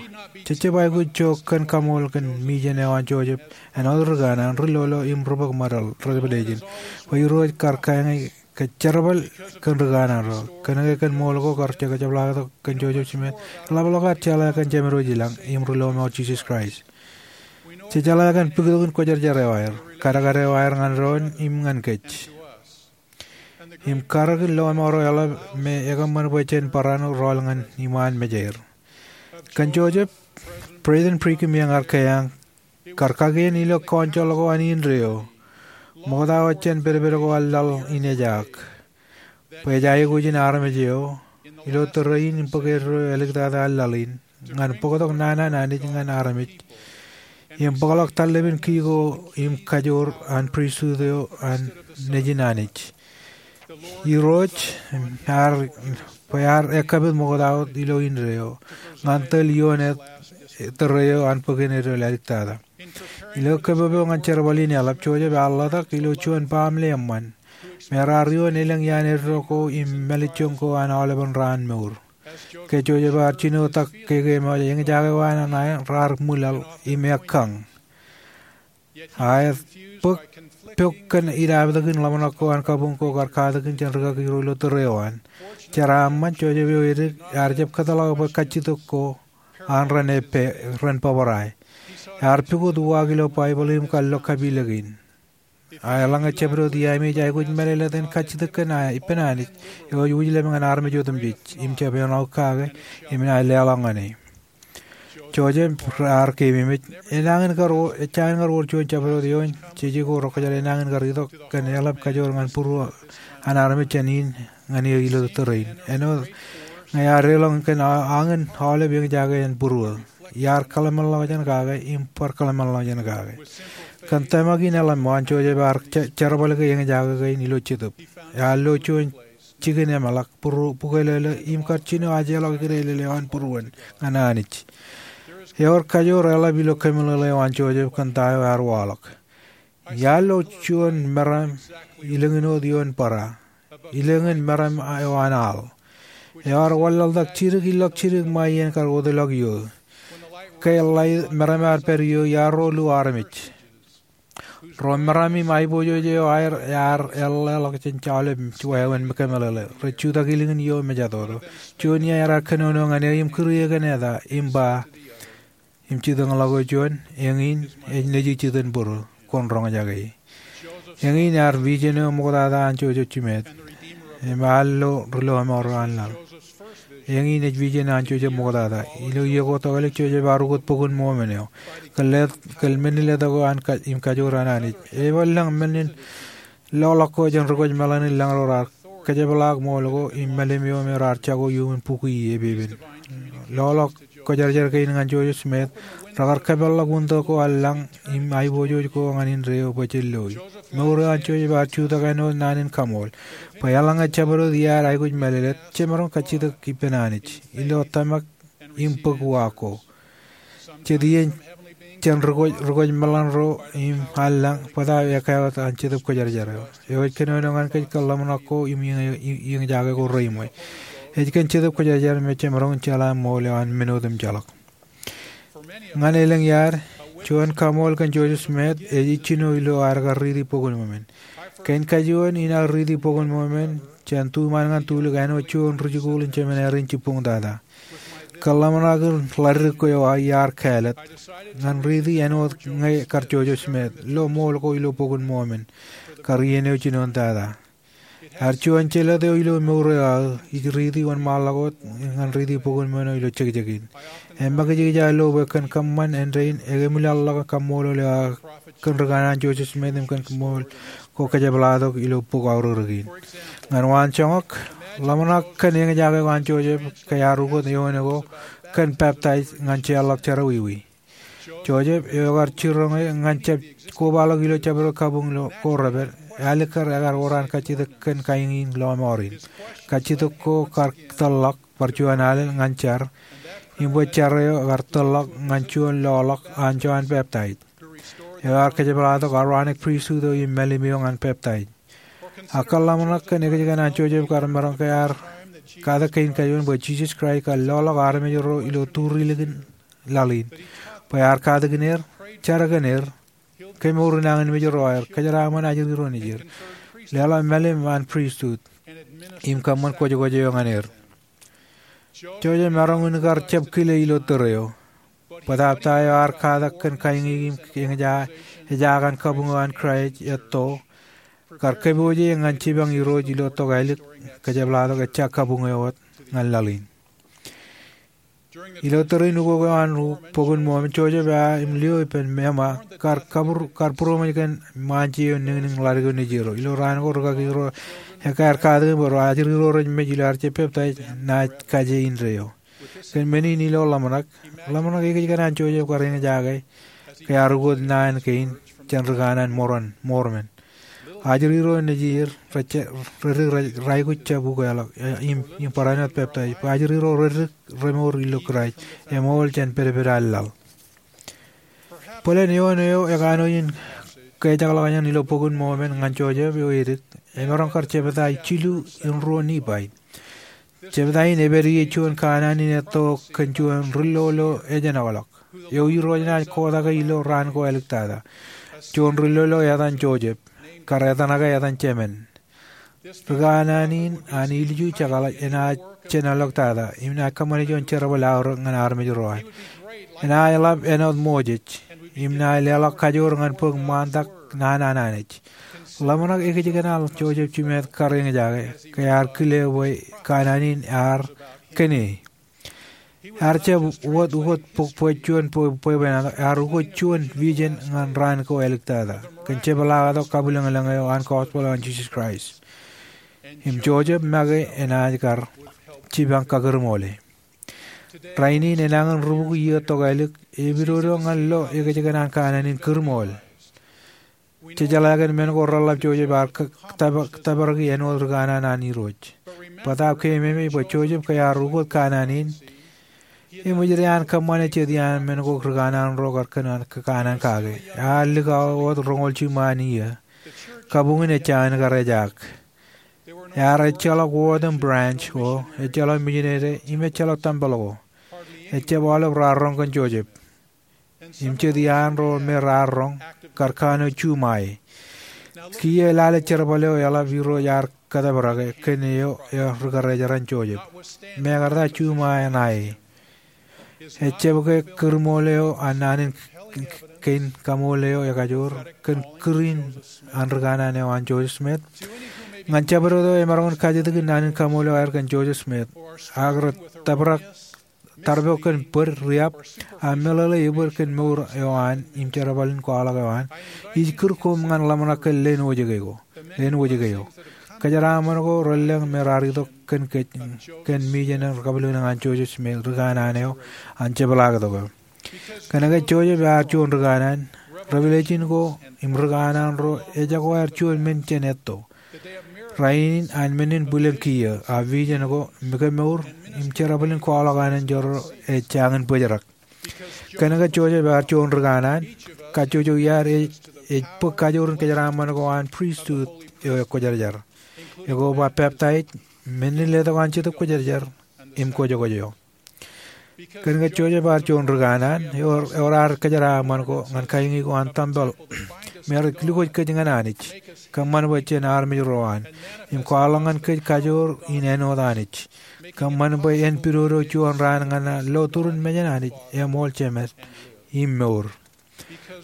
Jejjab aikuj jook kōn kaṃool kōn mijen eo an Joseph, āinwōt ri kanaan, ri-lolo im ri-bōk ṃōdeḷ, ri-revelation, bwe Irooj kar kañi kōj jerbal kōn ri kanaan ro. Kōnke kōn ṃool ko kar jekōt jepḷaaktok kōn Joseph Smith, eḷapḷọk ad jeḷā kōn Jemedwōj ilañ im ri-lọmọọr Jisōs Kraist. Jej jeḷā kōn bōktok in kwōjarjar eo aer, kadkad eo aer ñan doon im ñan kōj. Im karōk in lọmọọr eo eḷap me ekōṃṃan bwe jen barāinwōt rọọl ñan iṃaan mejeir. Kōn Joseph, President Brigham Young ear keeañ, kar kakien ilo council ko an indeeo, ṃokta wōt jān pedped ko an laḷ in ejaak, bwe ej aikuj in armej eo, ilo tōre in im bōk eddo āliktata an laḷ in, ñan bōktok naan an Anij ñan armej, im bōkḷọk tarlepin ki ko im kajoor an pristut eo an Nejin Anij. Irooj ear, bwe ear ekkapit ṃokta wōt ilo indeeo, ñan tōl ioon tōre eo an bōkin eddo āliktata. Ilo kōpopo ñan jerbal in eḷap, Joseph ear ḷotak ilo juon baaṃle eṃṃan, me raar ioon elōñ iaan eddo ko im mālejjoñ ko an aolepen raan mour. Ke Joseph ear jino tak keke ṃōj, eñjake ko an ṇae raar ṃwilaḷ im ekkañ. Ak bōk, pok kōn idaptōkin ḷōmṇak ko an kabuñ ko kar katakin jān rikaki ro ilo tōre eo an. Jeraaṃṃan, Joseph eo edik ear jab kōtḷọk bwe kajjitōk ko an ren epād, ren bōbrae. Ear pukot uwaak ilo Baibōḷ im kallo kapilōk in. Ak eḷaññe jabdewōt iaami ej aikuj mālōtlōt en kajjitōk kōn ippān Anij, eo ej wūjlepān armej otemjej, im jab āinwōt kake, im enaaj leḷọk ñan e. Joseph ear keememej, enañin kar wōr, enañin kar wōr juon jabdewōt eoon jeje ko rekwōjarjar, enañin kar itok kōn eḷap kajoor ñan būruō an armej jān in ñan eō ilo tōre in. Āinwōt ñe ear deḷọñ kōn a-, añin aolep eñjake jān būruō. Iar kōḷmānḷọkjeṇ kake, im bar kōḷmānḷọkjeṇ kake. Kōn tōmak in eḷap ṃōk an, Joseph ear je-, jerbal ke eñjake kein ilo Jetōb. Ear lo juon jikin emeḷak, būruō, bukwelele, im kar jino ajeḷọk ikrelel eo an būruon ñan Anij. Ewōr kajoor eḷap ilo kōmeḷeḷe eo an Joseph kōn ta eo ear waḷọk. Iar lo juon meram ilōñin wōt ioon bōra, ilōñin meram eo an al. Ear wanlaḷtak jidik ilọk jidik ṃae iien kar wōtlọk ioō. Ke ḷai meram ear pād ioō, iar ro lu armej. Ro meram im aiboojoj eo aer ear eḷḷāḷọk jān aolep wāween kōmeḷeḷe. Rej jutak ilikin ioō mejatoto. Juon iar kōnono ñan e im kūr e kōn eta, im ba, im jitōñḷọk e juon, eñin ej nejū jitōnbōro, kwōn roñjake e. Eñin ear vision eo ṃoktata an Joseph Smith, im ear lo ri-lọmọọr eo an laḷ. Eñin ej vision an Joseph ṃoktata. Ilo iiō ko tokālik, Joseph ear ukōt Bok in Mormon eo. Kōl letok, kōl men in letok ko an ka-, im kajoor an Anij. Eban lōñ men in loḷọk ko jān ri-kwōj meḷan in lañ ro raar kōjepḷaak ṃool ko im mālim eo me raar jako iuṃwin bukwi epepen. Loḷọk kwōjarjar kein ñan Joseph Smith, rekar kōpeḷḷọk wūntōk ko an lañ im aiboojoj ko ñan indeeo bwe jen loi. Mour eo an Joseph ear jutak āinwōt naan in kaṃool, bwe eḷaññe jabdewōt iaad aikuj mālōtlōt, jemaroñ kajjitōk ippān Anij ilo tōmak im bōk uwaak ko. Jet iien jān ri-kwōj, ri-kwōj meḷan ro im an lañ, bōtab ekkā wōt an Jetōb Kwōjarjar eo. Eo ej kōnono ñan kōj kōn ḷōmṇak ko im eñ-, eñ-, eñjake ko reiṃwe. Ej kōn Jetōb Kwōjarjar me jemaroñ in jeḷā ṃool eo an men otemjeḷọk. Ñan elōñ iaad, juon kaṃool kōn Joseph Smith ej ijjino ilo ad kar riiti Bok in Mormon. Kein kajuon in aō riiti Bok in Mormon jān tuṃaan ñan tulik āinwōt juon rijikuuḷ in jemān ārin jibboñtata. Kōḷmānḷọkjeṇ ḷaddik eo iar kāālōt ñan riiti āinwōt ñe kar Joseph Smith lo ṃool ko ilo Bok in Mormon kar iien eo jinoin tata. Ear juon jelōt eo ilo mour eo aō ij riiti wōnṃaanḷọk wōt ñan riiti Bok in Mormon ilo jekjek in. Im ṃakijkij aō lo bwe kōn kōṃṃan āindein ekemwilaḷḷọk kaṃṃoolol eo aō kōn ri kanaan Joseph Smith im kōn kaṃṃool ko kōjepḷaaktok ilo bok aorōk in. Ñan waan joñak, ḷōmṇak kōn eñjake ko an Joseph ke ear ukōt eoon ko kōn peptaij ñan jeorḷọk jerọwiwi. Joseph, eo ekar jiroñ ñan jab kobaḷọk ilo jabdewōt kabuñ ko rej pād, ālikkar ekar bar kajjitōk kōn kaiñi in lọmọọr in. Kajjitōk ko kar tōlḷọk bar juon alen ñan jar, im bwe jar eo ekar tōlḷọk ñan juon loḷọk an Jon Peptaij, eo ear kōjepḷaaktok Aaronic Pristut eo im mālim eo ñan peptaij. Ak kōḷmānḷọkjeṇ ekōjkan an Joseph kar maroñ ke ear katak kein kajuon bwe Jisōs Kraist kar loḷọk armej ro ilo turilik in laḷ in, bwe ear katakin er, jar kōn er, kemour nañinmej ro aer, kōjeraaṃṃan ajri ro nejier, leḷọk mālim an pristut, im kōṃṃan kwōjkwōj eo ñan er. Joseph emaroñ in kar jab kile ilo tōre eo. Bōtaab ta eo ear katak kōn kaiñi im eñjake, ejakan kabuñ eo an Kraist etto, kar kōpooje ñan jipañ Irooj ilo tokālik, kōjepḷaaktok ejja kabuñ eo wōt ñan laḷ in. Ilo tōre in ukok eo an Bok in Mormon, Joseph ear im lio ippān ṃōṃa kar būroṃōj kōn ṃaanje eo niñniñ ḷaddik eo nejierro. Ilo raan ko rūkaki ro ekkā ear katakin bwe ajri ro rej mej ilo ear jab peptaij naaj kaje indeeo. Kōn men in ilo ḷōmṇak, ḷōmṇak ekōjkan an Joseph kar eñjake ke ear ukōt naan kein jān ri kanaan Mormon. Ajri ro nejier rej dik raikuj jab ukeḷọk im barāinwōt peptaij bwe ajri ro rej dik remour ilo Kraist eṃool jān pedped an laḷ. Bōlen eoon eo ekanooj in kejakḷọk jān ilo Bok in Mormon ñan Joseph eo edik emaroñ kar jepta jilu in ruo Nifai. Jepta in ej pād ie juon kanaan in etto kōn juon ri-lolo eo ejenoḷọk, eo Irooj enaaj kotake ilo raan ko āliktata. Juon ri-lolo etan Joseph, kar etanake etan Jemen. Ri kanaan in an ilju jekḷaj enaaj jenoḷọktata im enaaj kōṃṃane juon jerbal aorōk ñan armej ro an. Enaaj ḷap āinwōt Moses im enaaj leḷọk kajoor ñan bōk ṃaantak naan an Anij. Ḷōmṇak ekōjkan an Joseph Smith kar eñjake ke ear kile bwe kanaan in ear kōn e. Ear jab wōt ukōt bōk bwe juon bwebwenato, ear ukōt juon vision ñan raan ko āliktata kōn jepḷaaktok kabwilōñlōñ eo an gospel eo an Jisōs Kraist. Im Joseph make enaaj kar jipañ kakūrṃool e. Rainin enañin rubukwi iiō tokālik, epidodo ñan lo ekōjkan an kanaan in kūrṃool. Jejeḷā kōn men ko reḷap Joseph ear tōprak āinwōt ri kanaan an Irooj. Bōtaab keememej bwe Joseph ke ear ukōt kanaan in, eṃōj dān kōṃṃane jet iaan men ko ri kanaan ro kar kōṇaan kake. Ear likao wōt roñoul jiṃṃa an iiō. Kabuñ in ejjañin kar ejaak. Ear ejjeḷọk wōt im branch ko, ejjeḷọk misineri im ejjeḷọk tempel ko. Ejjab aolep raar roñ kōn Joseph. Im jet iaan ro me raar roñ kar kanooj juṃae. Kiiō lale jerbal eo eḷap Irooj ear kōtōprake kōn eo ri kōrejeraṇ Joseph. Mekarta juṃae ṇae. Ejjab ke kūrṃool eo an naan in kein kaṃool eo ekajoor kōn kūr in an ri kanaan eo an Joseph Smith. Ñan jabdewōt eo emaroñ in kajjitōk in naan in kaṃool eo aer kōn Joseph Smith, ak rej tōprak tarpok kōn bōd riab, a meḷeḷe ebōd kōn mour eo an im jerbal in kwaḷọk eo an, ij kūr koṃ ñan ḷōmṇak kōn leen wōjke eo. Kōjeraaṃṃan ko relōñ me raar itok kōn kōj kōn mijin eo kabwilōñlōñ an Joseph Smith, ri kanaan eo an jepḷaaktok eo. Kōnke Joseph ear juon ri kanaan, revelation ko im ri kanaan ro ejako aer juon men jān etto. Rainin an men in bwilōñ kiiō, a vision ko, mikemour, im jerbal in kwaḷọk an enjeḷ ro ej jañin bōjrak. Kōnke Joseph ear juon ri kanaan, kajjojo iaad ej bōk kajoor in kōjeraaṃṃan ko an pristut eo ekwōjarjar, eko ba peptaij, men in letok an Jetōb Kwōjarjar im kwōjkwōj eo. Kōn ke Joseph ear juon ri kanaan, ewōr, ewōr ad kōjeraaṃṃan ko ñan kaiñi ko an tempel. Im ear lukkuun kōj ñan Anij, kōṃṃan bwe jen armej ro an, im kwaḷọk ñan kōj kajoor in āinwōt Anij. Kōṃṃan bwe en pidodo juon raan ñan an lo turin mejān Anij eṃool, jemed im mour.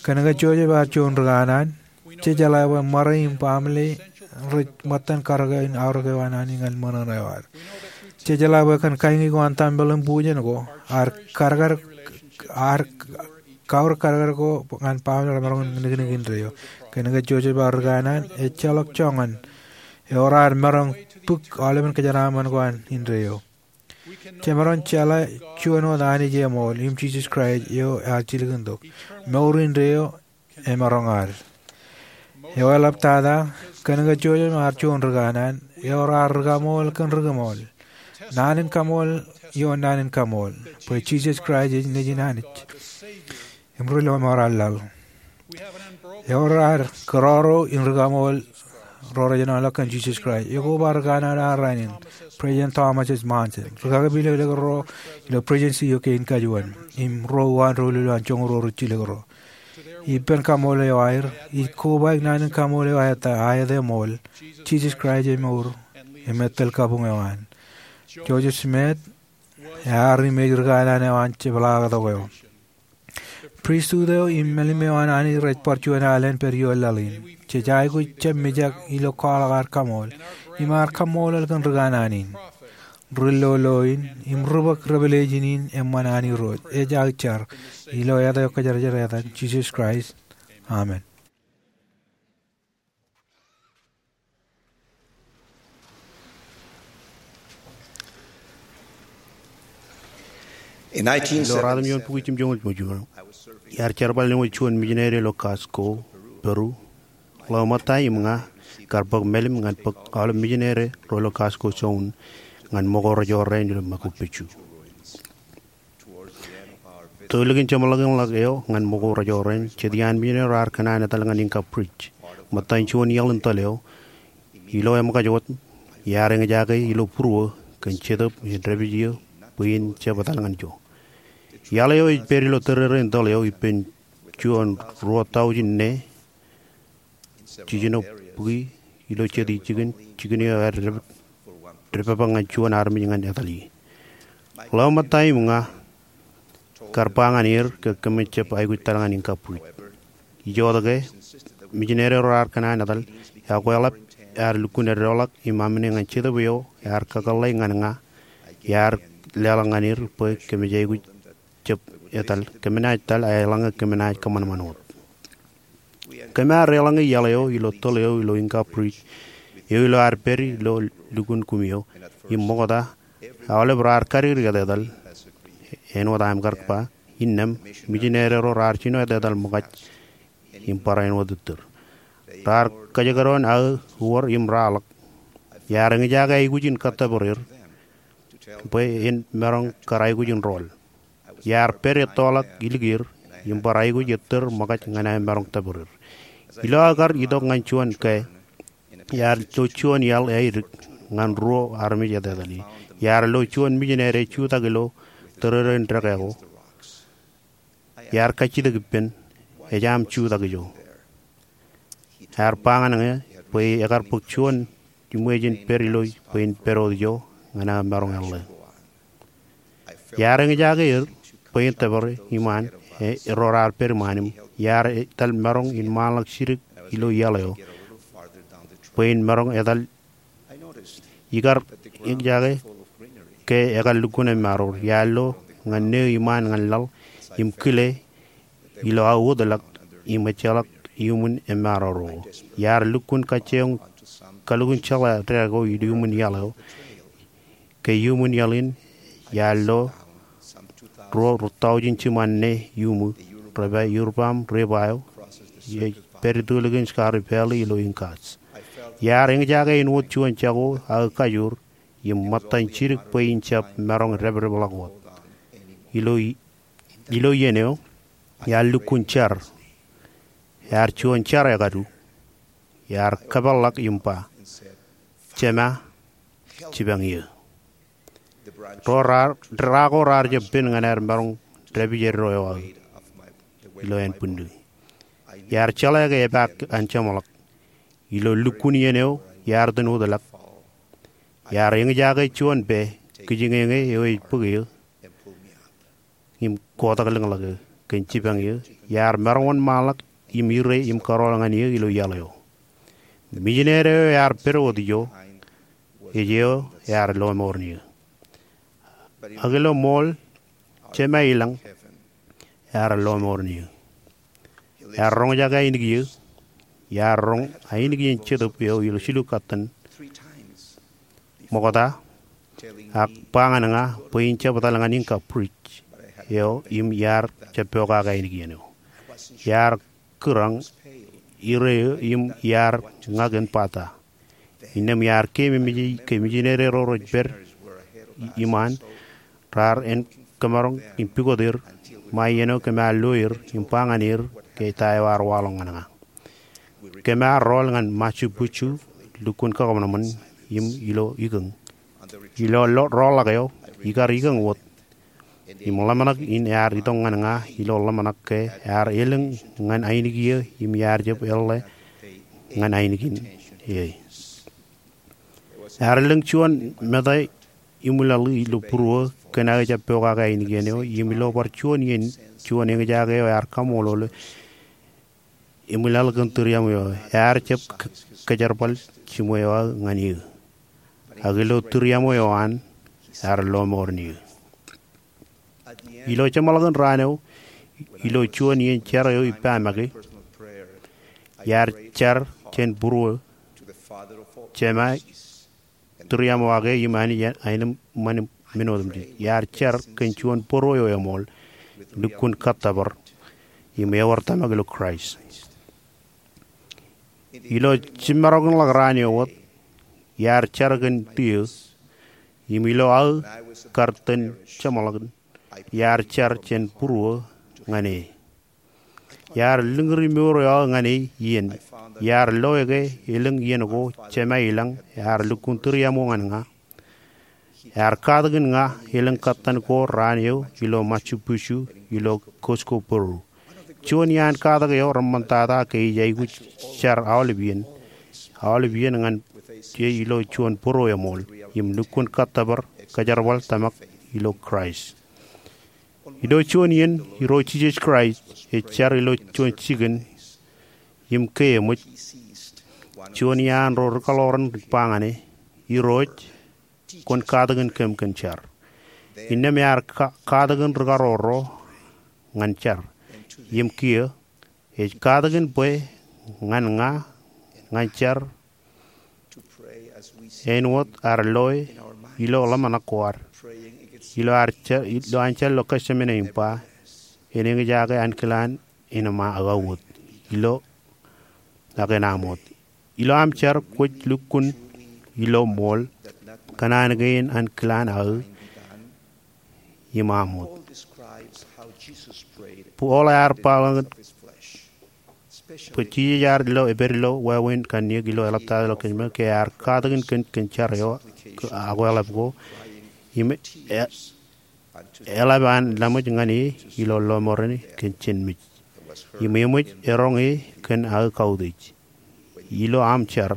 Kōn ke Joseph ear juon ri kanaan, jej jeḷā bwe ṃare im baaṃle rej ṃōttan karōke in aorōk eo an Anij ñan ṃōṇōṇō eo ad. Jej jeḷā bwe kōn kaiñi ko an tempel im bujen ko, ear karōk, ear kaur karōk ko ñan baaṃle remaroñ in niknik indeeo. Kōn ke Joseph ear ri kanaan, ejjeḷọk joñan, ewōr ad maroñ bōk aolepen kōjeraaṃṃan ko an indeeo. Jemaroñ jeḷā juon wōt Anij eṃool im Jisōs Kraist eo ear jilkintok. Mour indeeo emaroñ ad. Eo eḷaptata, kōn ke Joseph ear juon ri kanaan, ewōr ad ri kaṃool kōn ri kaṃool, naan in kaṃool ioon naan in kaṃool, bwe Jisōs Kraist ej Nejin Anij im Ri Lọmọọr an laḷ. Ewōr ad kōrọọro in ri kaṃool ro rej enaaj ḷọk kōn Jisōs Kraist. Ekoba ri kanaan an rainin, President Thomas S. Monson, ri kaki pād ilo ro ilo presidency eo kein kajuon, im ro uwaan doulul an joñoul ruo ri jilkinro. Ippān kaṃool eo aer, ij kobaik naan in kaṃool eo aet, aet eṃool, Jisōs Kraist emour im ettōl kabuñ eo an. Joseph Smith ear im ej ri kanaan eo an jepḷaaktok eo. Pristut eo im mālim eo an Anij rej bar juon alen pād ioon laḷ in. Jej aikuj jab mijak ilo kwaḷọk ad kaṃool im ad kaṃṃoolol kōn ri kanaan in, ri lolo in, im ri bōk revelation in eṃṃan an Irooj, ej aō jar, ilo āt eo kwōjarjar etan, Jisōs Kraist. Amen. Ilo ruatimjuon bukwi jimjuonñoul jiljino, iar jerbal āinwōt juon mijineri ilo Costco, Peru. Ḷeo ṃōtta im ña kar bōk mālim ñan bōk aolep mijineri ro ilo Costco zone ñan ṃōko rejorrāān ilo Machu Picchu. Tōl likin jeṃḷọkin ḷọk eo ñan ṃōko rejorrāān, jet iaan mijineri ro raar kōṇaan etal ñan Inca Bridge, ṃōttan juon iaḷ in tōl eo. Ilo eṃōkaj wōt, iar eñjake ilo būruō kōn Jetōb in dāpij eō bwe in jab etal ñan ijo. Iaḷ eo ej pād ilo tōrerein tōl eo ippān juon ruo taujin ne jiljino bukwi ilo jet ijin, jikin eo ear dep-, depdepḷọk ñan juon armej ñan etal ie. Ḷeo ṃōtta im ña kar ba ñan er ke kōmij jab aikuj etal ñan Inca Bridge. Ijoke, mijineri ro raar kōṇaan etal, ekweḷap ear lukkuun eddoḷọk im amine ñan Jetōb eo ear kakōḷḷe ñan ña, iar leḷọk ñan er bwe kōmij aikuj jab etal, kōmnaaj etal, eḷaññe kōmnaaj kōṃanṃan wōt. Kōm ar eḷaññe iaḷ eo ilo tōl eo ilo Inca Bridge, eo ilo ad pād ilo lukkuun kumi eo, im ṃokta, aolep raar kadikdik etetal, āinwōt aṃ kar ba, innām, mijineri ro raar jino etetal ṃōkaj im barāinwōt ittōr. Raar kōjekdọọn aō uwōr im raar ḷọk. Iar eñjake aikuj in kōttōpar er bwe en maroñ kar aikuj in rool. Iar pād ettoḷọk ilikier im bar aikuj ettōr ṃōkaj ñan aō maroñ tōpar er. Ilo aō kar itok ñan juon kāāl, iar lo juon iaḷ āidik ñan ruo armej etetal ie. Iar lo juon mijineri ej jutak ilo tōrerein dekā ko. Iar kajjitōk ippān, ej aṃ jutak ijo? Ear ba ñan ñe bwe ekar bōk juon iṃweej in pād ilo bwe in pād wōt ijo ñan aō maroñ eḷḷā. Iar eñjake er bwe in tōpare iṃaan, e, ro raar pād iṃaan im iar etal maroñ in ṃaanḷọk jidik ilo iaḷ eo bwe in maroñ etal. Ikar eñjake ke ekar lukkuun emaroor. Iar lo ñan neo iṃaan ñan laḷ im kile ilo aō wōtlọk im ejjeḷọk iuṃwin emaroor eo. Iar lukkuun kajjioñ kalukkuun jeḷā dekā ko iuṃwin iaḷ eo ke iuṃwin iaḷ in. Iar lo ruo taujin jiṃaan ne iuṃwin repa iuṃwin reba eo ej pād itōl likin Scarpe Valley ilo Incas. Iar eñjake āinwōt juon jako aō kajoor im ṃōttan jidik bwe in jab maroñ dāpdepḷọk wōt. Ilo, ilo iien eo, iar lukkuun jar. Ear juon jar ekadu. Iar kōpeḷḷọk im ba, Jema, jipañ eō. Ro ra-, ra ko raar jab pen ñan aer maroñ dāpij eddo eo aō ilo ānbwinnū. Iar jeḷā ke epaak an jeṃḷọk. Ilo lukkuun iien eo iar itōn wōtlọk, iar eñjake juon pā kijiñeñe eo ej bōk eō im kotak lōñḷọk eō kōn jipañ eō. Iar maroñ wōnṃaanḷọk im ire im kōrọọl ñan eō ilo iaḷ eo. Mijinede eo ear pād wōt ijo ej eo ear lọmọọren eō. Ak ilo ṃool, Jema ilañ ear lọmọọren eō. Ear roñjake ainikieō. Iar roñ ainikien Jetōb eo ilo jilu katten ṃokta, ak ba ñan ña bwe in jab etal ñan Inka Bridge eo im iar jab pokake ainikien eo. Iar kūrañ ire eō im iar ña kōn bata. Innām iar keememej ke mijinede ro rej pād iṃaan raar en kōmaroñ im pukot er ṃae iien eo kōm ar lo er im ba ñan er ke ta eo ear waḷọk ñan ña. Kōm ar rọọl ñan Machu Picchu, lukkuun kakōṃanṃan im ilo ikōñ. Ilo lo-, rọọlḷọk eo, ikar ikōñ wōt im ḷōmṇak in ear itok ñan ña ilo ḷōmṇak ke ear elōñ ñan ainikieō im iar jab eḷḷā ñan ainikien e. Ear elōñ juon meta iṃwilaḷ ilo būruō kōn aō jab pokake ainikien eo, im ilo bar juon iien juon eñjake eo ear kaṃṃoolol eṃwilaḷ kōn tūriaṃo eo. Ear jab k-, kōjerbal jiṃwe eo aō ñan eō. Ak ilo tūriaṃo eo an, ear lọmọọren eō. Ilo jeṃḷọkin raan eo, ilo juon iien jar eo ippa make, iar jar jān būruō, Jema, tūriaṃo ake im Anij aenōṃṃan men otemjej. Iar jar kōn juon bōro eo eṃool, lukkuun kōttōpar im ewōr tōmak ilo Kraist. Ilo jimmarokḷọk raan eo wōt, iar jar kōn tiō, im ilo aō kar itōn jeṃḷọkin, iar jar jān būruō ñan e. Iar lōñri mour eo aō ñan e iien. Iar loe ke elōñ iien ko Jema ilañ ear lukkuun tūriaṃo ñan ña. Ear katakin ña elōñ kōttan ko raan eo ilo Machu Picchu ilo Cusco, Peru. Juon iaan katak eo reṃṃantata ke ij aikuj jar aolep iien, aolep iien ñan e ilo juon bōro eṃool, im lukkuun kōttōpar kōjerbal tōmak ilo Kraist. Ilo juon iien, Irooj Jisōs Kraist ej jar ilo juon jikin im ke eṃōj. Juon iaan ro rikaḷoran ba ñan e, Irooj, kwōn katakin kōm kōn jar. Innām ear ka-, katakin rikarooro ñan jar. Im kiiō, ej katakin bwe ñan ña, ñan jar, āinwōt ad loe ilo ḷōmṇak ko ad. Ilo ad jar, ilo an jar ilo Getsemane im ba, en eñjake ankilaan in aṃ wōt, ilo ak en aṃ wōt. Ilo aṃ jar kwōj lukkuun ilo ṃool, kōṇaan kein ankilaan aō im aṃ wōt. Paul ear ba ḷọk bwe Jisōs ear ilo, epād ilo wāween kanniōk ilo eḷaptata ilo Getsemane ke ear katakin kōn, kōn jar eo akweḷap ko, im e-, eḷap an laṃōj ñan e ilo lọmọọren kōn jenmej. Im eṃōj eroñ e kōn aō kautiej. Ilo aṃ jar,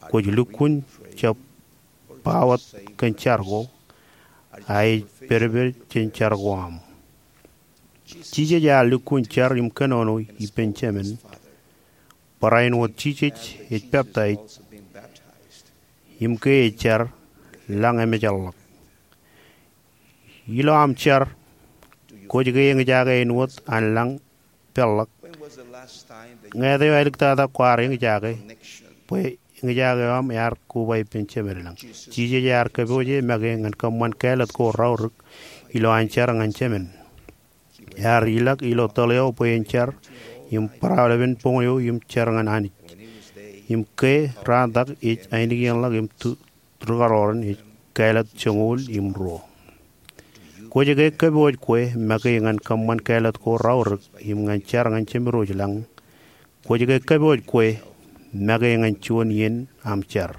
kwōj lukkuun jab ba wōt kōn jar ko, a ej pedped jān jar ko aṃ. Jisōs ear lukkuun jar im kōnono ippān Jemān. Barāinwōt Jisōs ej peptaij im ke ej jar, lañ emōjḷọk. Ilo aṃ jar, kwōj ke eñjake āinwōt an lañ peḷḷọk? Ñāāt eo āliktata kwaar eñjake bwe eñjake eo aṃ ear koba ippān Jemān ilañ? Jisōs ear kōpooje make ñan kōṃṃan kāālōt ko raorōk ilo an jar ñan Jemān. Ear ilọk ilo tōl eo bwe en jar im barāinwōt boñ eo im jar ñan Anij. Im ke raantak ej ainikienḷọk im tu-, rūkaroran ej kāālōt joñoul im ruo. Kwōj ke kōpooj kwe make ñan kōṃṃan kāālōt ko raorōk im ñan jar ñan Jemedwōj lañ? Kwōj ke kōpooj kwe make ñan juon iien aṃ jar?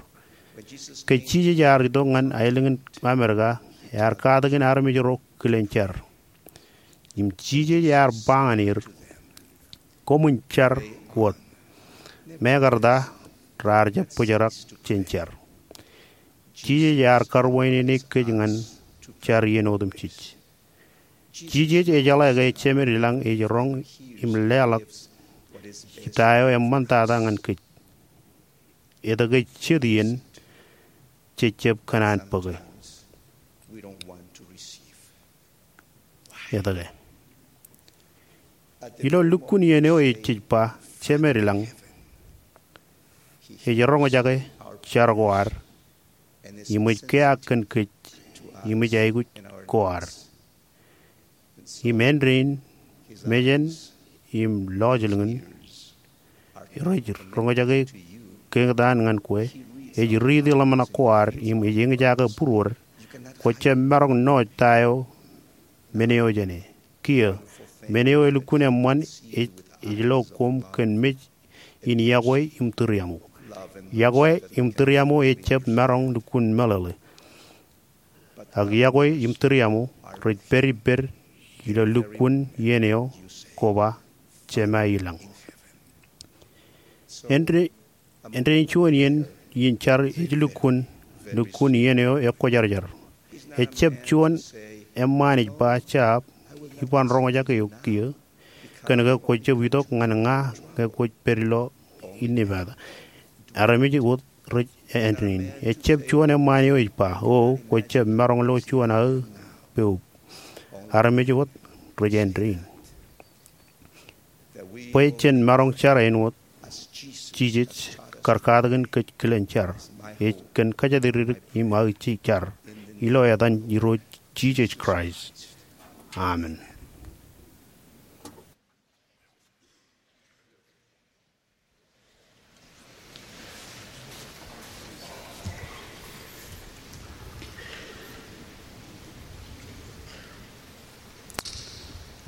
Ke Jisōs ear itok ñan aelōñ in Amerika, ear katakin armej ro kilen jar. Im Jisōs ear ba ñan er, koṃwin jar wōt. Mekarta raar jab bōjrak jān jar. Jisōs ear karuwainene kōj ñan jar iien otemjej. Jisōs ejeḷā ke Jemed ilañ ej roñ im leḷọk ta eo eṃṃantata ñan kōj. Etke jet iien jej jab kōṇaan bōke? Etke? Ilo lukkuun iien eo ej jej ba, Jemed ilañ ej roñjake jar ko ad, im ej keaak kōn kōj, im ej aikuj ko ad. Im āindein, mejān im lọjilñin rej roñjake keñtaan ñan kwe, ej riiti ḷōmṇak ko ad im ej eñjake būruod. Kwō jab maroñ ṇooj ta eo men eo jāne. Kiiō, men eo elukkuun eṃṃan ej, ej lo koṃ kōn mej in iọkwe im tūriaṃo. Iọkwe im tūriaṃo ejjab maroñ lukkuun meḷeḷe. Ak iọkwe im tūriaṃo rej pād ippād ilo lukkuun iien eo kwō ba, Jemed ilañ. Āindein, āindein juon iien in jar ej lukkuun, lukkuun iien eo ekwōjarjar. Ejjab juon eṃṃaan ej ba, Jab, iban roñjake eok kiiō, kōn ke kwō jab itok ñan ña ñe kwōj pād ilo inepata. Armej wōt rej āindein. Ejjab juon eṃṃaan eo ej ba, O, kwō jab maroñ lo juon aō poub. Armej wōt rej āindein. Bwe jen maroñ jar āinwōt Jisōs kar katakin kōj kilen jar, ej kōn kōjatdikdik im aō jar, ilo etan Irooj Jisōs Kraist. Amen.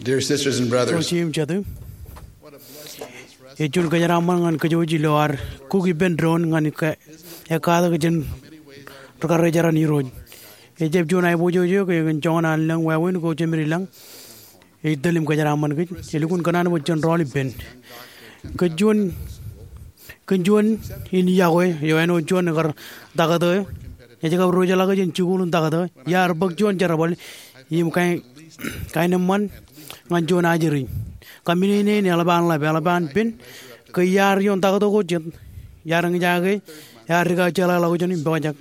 Dear sisters and brothers, Eo jeiū im jatū, ej juon kōjeraaṃṃan ñan kōj wōj ilo ad kuk ippān doon ñan ekkatak jān ri-karijeran Irooj. Ejjab juon aiboojoj eo ke kōn joñan an lōñ wāween ko Jemed ilañ ej tōl im kōjeraaṃṃan kōj. Elukkuun kōṇaan bwe jen rọọl ippān. Kōn juon, kōn juon in iọkwe eo āinwōt juon ekar taktō eo ej kab diwōjḷọk jān jikuuḷ in taktō, iar bōk juon jerbal im kain, kain eṃṃan ñan juon ajri. Kōmij ṇe in eḷap an ḷap, eḷap an pen, ke iar ioon taktō ko jet, iar eñjake, iar dikakjeḷāḷọkjeṇ im pojak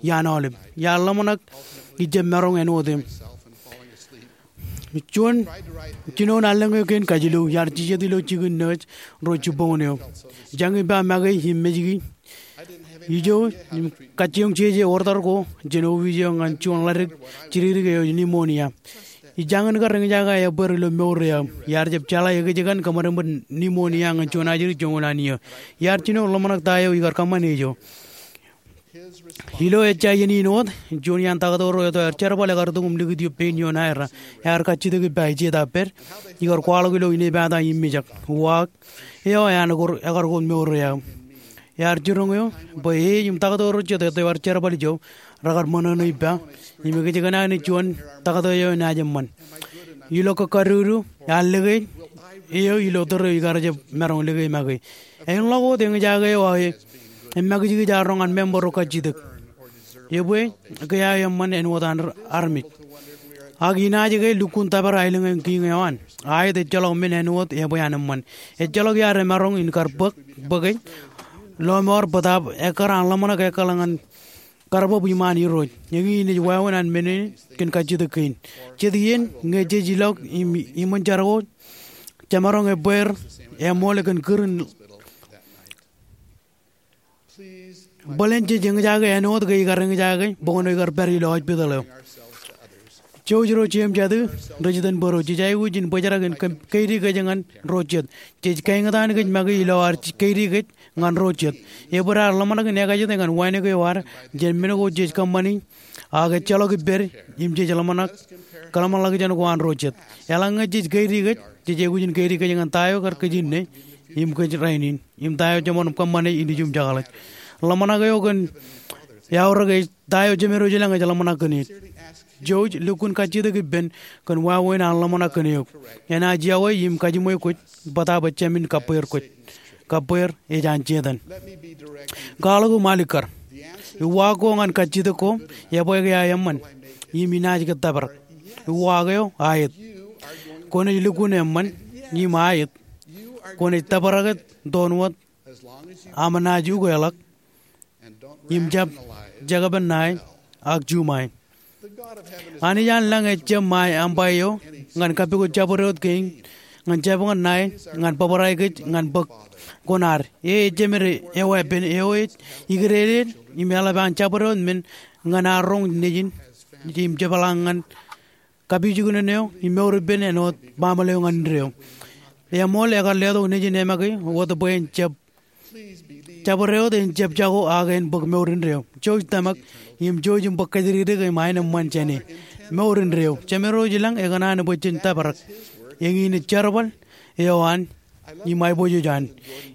iaan aolep. Iar ḷōmṇak ijab maroñ āinwōt im. Juon jinoin allōñ eo kein kajilu, iar jijet ilo jikin nōj ro jibboñōn eo. Ij jañin ba make im mejki ijo im kajjioñ jeje order ko jān opiij eo ñan juon ḷadik jidikdik eo ej pneumonia. Ij jañin kar eñjake aō bōd ilo mour eo aō. Iar jab jeḷā ekōjkan kōṃadṃōd pneumonia ñan juon ajri joñoul an iiō. Iar jino ḷōmṇak ta eo ikar kōṃṃane ijo. Ilo ejja iien in wōt, juon iaan taktō ro eto aer jerbal ekar tok im likūt ioon pein ioon aerra. Ear kajjitōk ippa ej jeta pād, ikar kwaḷọk ilo inepata im mijak. Uwaak eo ean ekar, ekar kōn mour eo aō. Ear jiroñ eo bwe e im taktō ro jet eto aer jerbal ijo rekar ṃōṇōṇō ippa im ekōjkan aō naaj juon taktō eo enaaj eṃṃan. Ilo kōkkadudu, ear lōke eo ilo tōre eo ikar jab maroñ lōke make. Āinḷọk wōt eñjake eo aō e, emakijkij aō roñ an member ro kajjitōk. Ebwe, ke aō eṃṃan āinwōt an armej. Ak inaaj ke lukkuun tōpar aelōñ in kiiñ eo an. Aet ejjeḷọk men āinwōt ebwe an eṃṃan. Ejjeḷọk iar emaroñ in kar bōk, bōke, lọmọọr bōtaab ekkar an ḷōmṇak ekkal ñan karbab iṃaan Irooj. Eñin ej wāween an men in kōn kajjitōk kein. Jet iien, ñe jej ilọk im, iṃōn jar ko, jemaroñ ebbeer, eṃool kōn kūr in. Bōlen jej eñjake āinwōt ke ikar eñjake, bwe kwōn ikar pād ilo hospital eo. Jouj ro jeiū im jatū, ri-jitōnbōro, jej aikuj in bōjrak in ke-, keidi kōj ñan ro jet. Jej kaeñtaan kōj make ilo ad keidi kōj ñan ro jet. Ebwe raar ḷōmṇak in ekajet ñan wānōk eo ad jān men ko jej kōṃṃani, ak ejjeḷọk ippād im jej ḷōmṇak, kōḷmānḷọkjeṇ ko an ro jet. Eḷaññe jej keidi kōj, jej aikuj in keidi kōj ñan ta eo kar kōj inne, im kōj rainin, im ta eo jeṃṃan kōṃṃane ilju im jekḷaj. Ḷōmṇak eo kōn Eaorōk ej ta eo Jemed eo ilañ ej ḷōmṇak kōn eō. Jouj, lukkuun kajjitōk ippān kōn wāween an ḷōmṇak kōn eok. Enaaj yokwe im kajiṃwe kwōj bōtaab ejāmin kabbweer kwōj. Kabbweer ej an Setan. Kwaḷọk im alikkar. Uwaak ko ñan kajjitōk ko, ebwe ke aō eṃṃan, im inaaj ke tōprak? Uwaak eo, aet. Kwōnaaj lukkuun eṃṃan im aet. Kwōnaaj tōprak tok wōt aṃ naaj ukeḷọk im jab jekpen ṇae ak juṃae. Anij an lañ ejjab ṃae aṃ ba eo ñan kapikot jabdewōt kein ñan jabōñōn ṇae ñan bōbrae kōj ñan bōk kuṇaad. E ejjab ṃōj eo epen eo ej ikdedeḷọk im eḷap an jabdewōt men ñan ad roñ nejin im jepḷaak ñan kapijuknen eo im mour ippān āinwōt baaṃle eo ñan indeeo. Eṃool ekar letok nejin emake wōt bwe en jab jabdewōt, en jab jako ak en bōk mour indeeo. Jouj tōmak im jouj im bōk kōjdikdik im aenōṃṃan jāne. Mour indeeo. Jemed eo ilañ ekōṇaan bwe jen tōprak. Eñin ej jerbal eo an im aiboojoj an.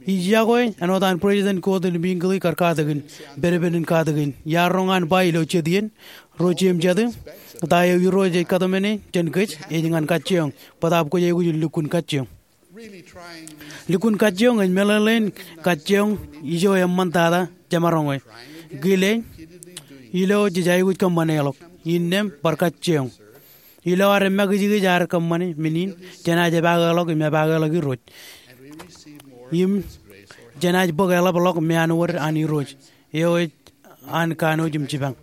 Ij yokwe āinwōt an President Gordon B. Hinckley kar katakin, pād ippān in katakin. Iar roñ an ba ilo jet iien, ro jeiū im jatū, ta eo Irooj ej kōtmāne jān kōj ej ñan kajjioñ, bōtaab kwōj aikuj in lukkuun kajjioñ. Lukkuun kajjioñ ej meḷeḷein kajjioñ ijo eṃṃantata jemaroñe. Kile, ilo jej aikuj kōṃṃane ḷọk, innām bar kajjioñ. Ilo ad emakijkij ad kōṃṃane men in, jenaaj epaake ḷọk im epaake ḷọk Irooj. Im jenaaj bōk eḷap ḷọk meanwōd an Irooj eo ej an kanooj im jipañ.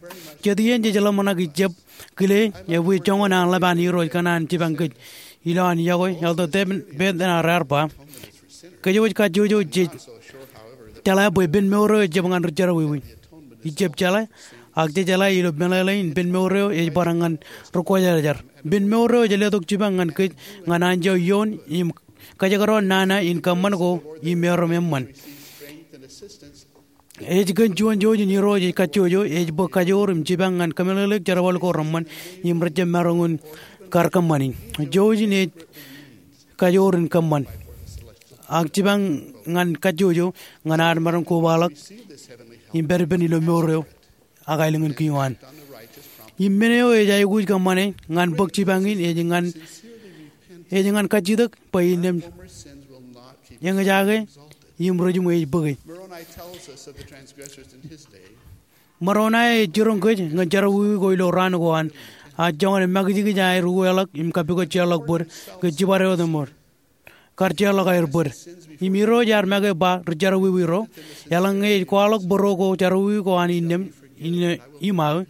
Jet iien jej ḷōmṇak ijab kile ebwe joñan an ḷap an Irooj kōṇaan jipañ kōj. Ilo an yokwe, Elder David Bednar ear ba, kōjwōj kajjojo jej jeḷā bwe pen mour eo ejjab ñan ri jerọwiwi. Ijab jeḷā, ak jejeḷā ilo meḷeḷein pen mour eo ej bar ñan ri kwōjarjar. Pen mour eo ej letok jipañ ñan kōj ñan anjọ ioon im kajekdọọn nana in kōṃṃan ko im erom eṃṃan. Ej kōn juon jouj in Irooj ej kajjojo, ej bwe kajoor im jipañ ñan kōmeḷeḷeik jerbal ko reṃṃan im rejjab maroñ in kar kōṃṃani. Jouj in ej kajoor in kōṃṃan ak jipañ ñan kajjojo ñan ad maroñ kobaḷọk im pād ippān ilo mour eo ak aelōñ in kiiō an. Im men eo ej aikuj kōṃṃane ñan bōk jipañ in ej ñan, ej ñan kajjitōk bwe innām eñjake im ri jiṃwe ej bōke. Moroni ej jiroñ kōj ñan jerọwiwi ko ilo raan ko an, ak joñan emakijkij aer ukeḷọk im kapikot jeorḷọk bōd ke jibadewōt eṃṃool. Kar jeorḷọk aer bōd. Im Irooj ear make ba ri jerọwiwi ro, eḷaññe ej kwaḷọk bōro ko jerọwiwi ko an innām, innām iṃaō,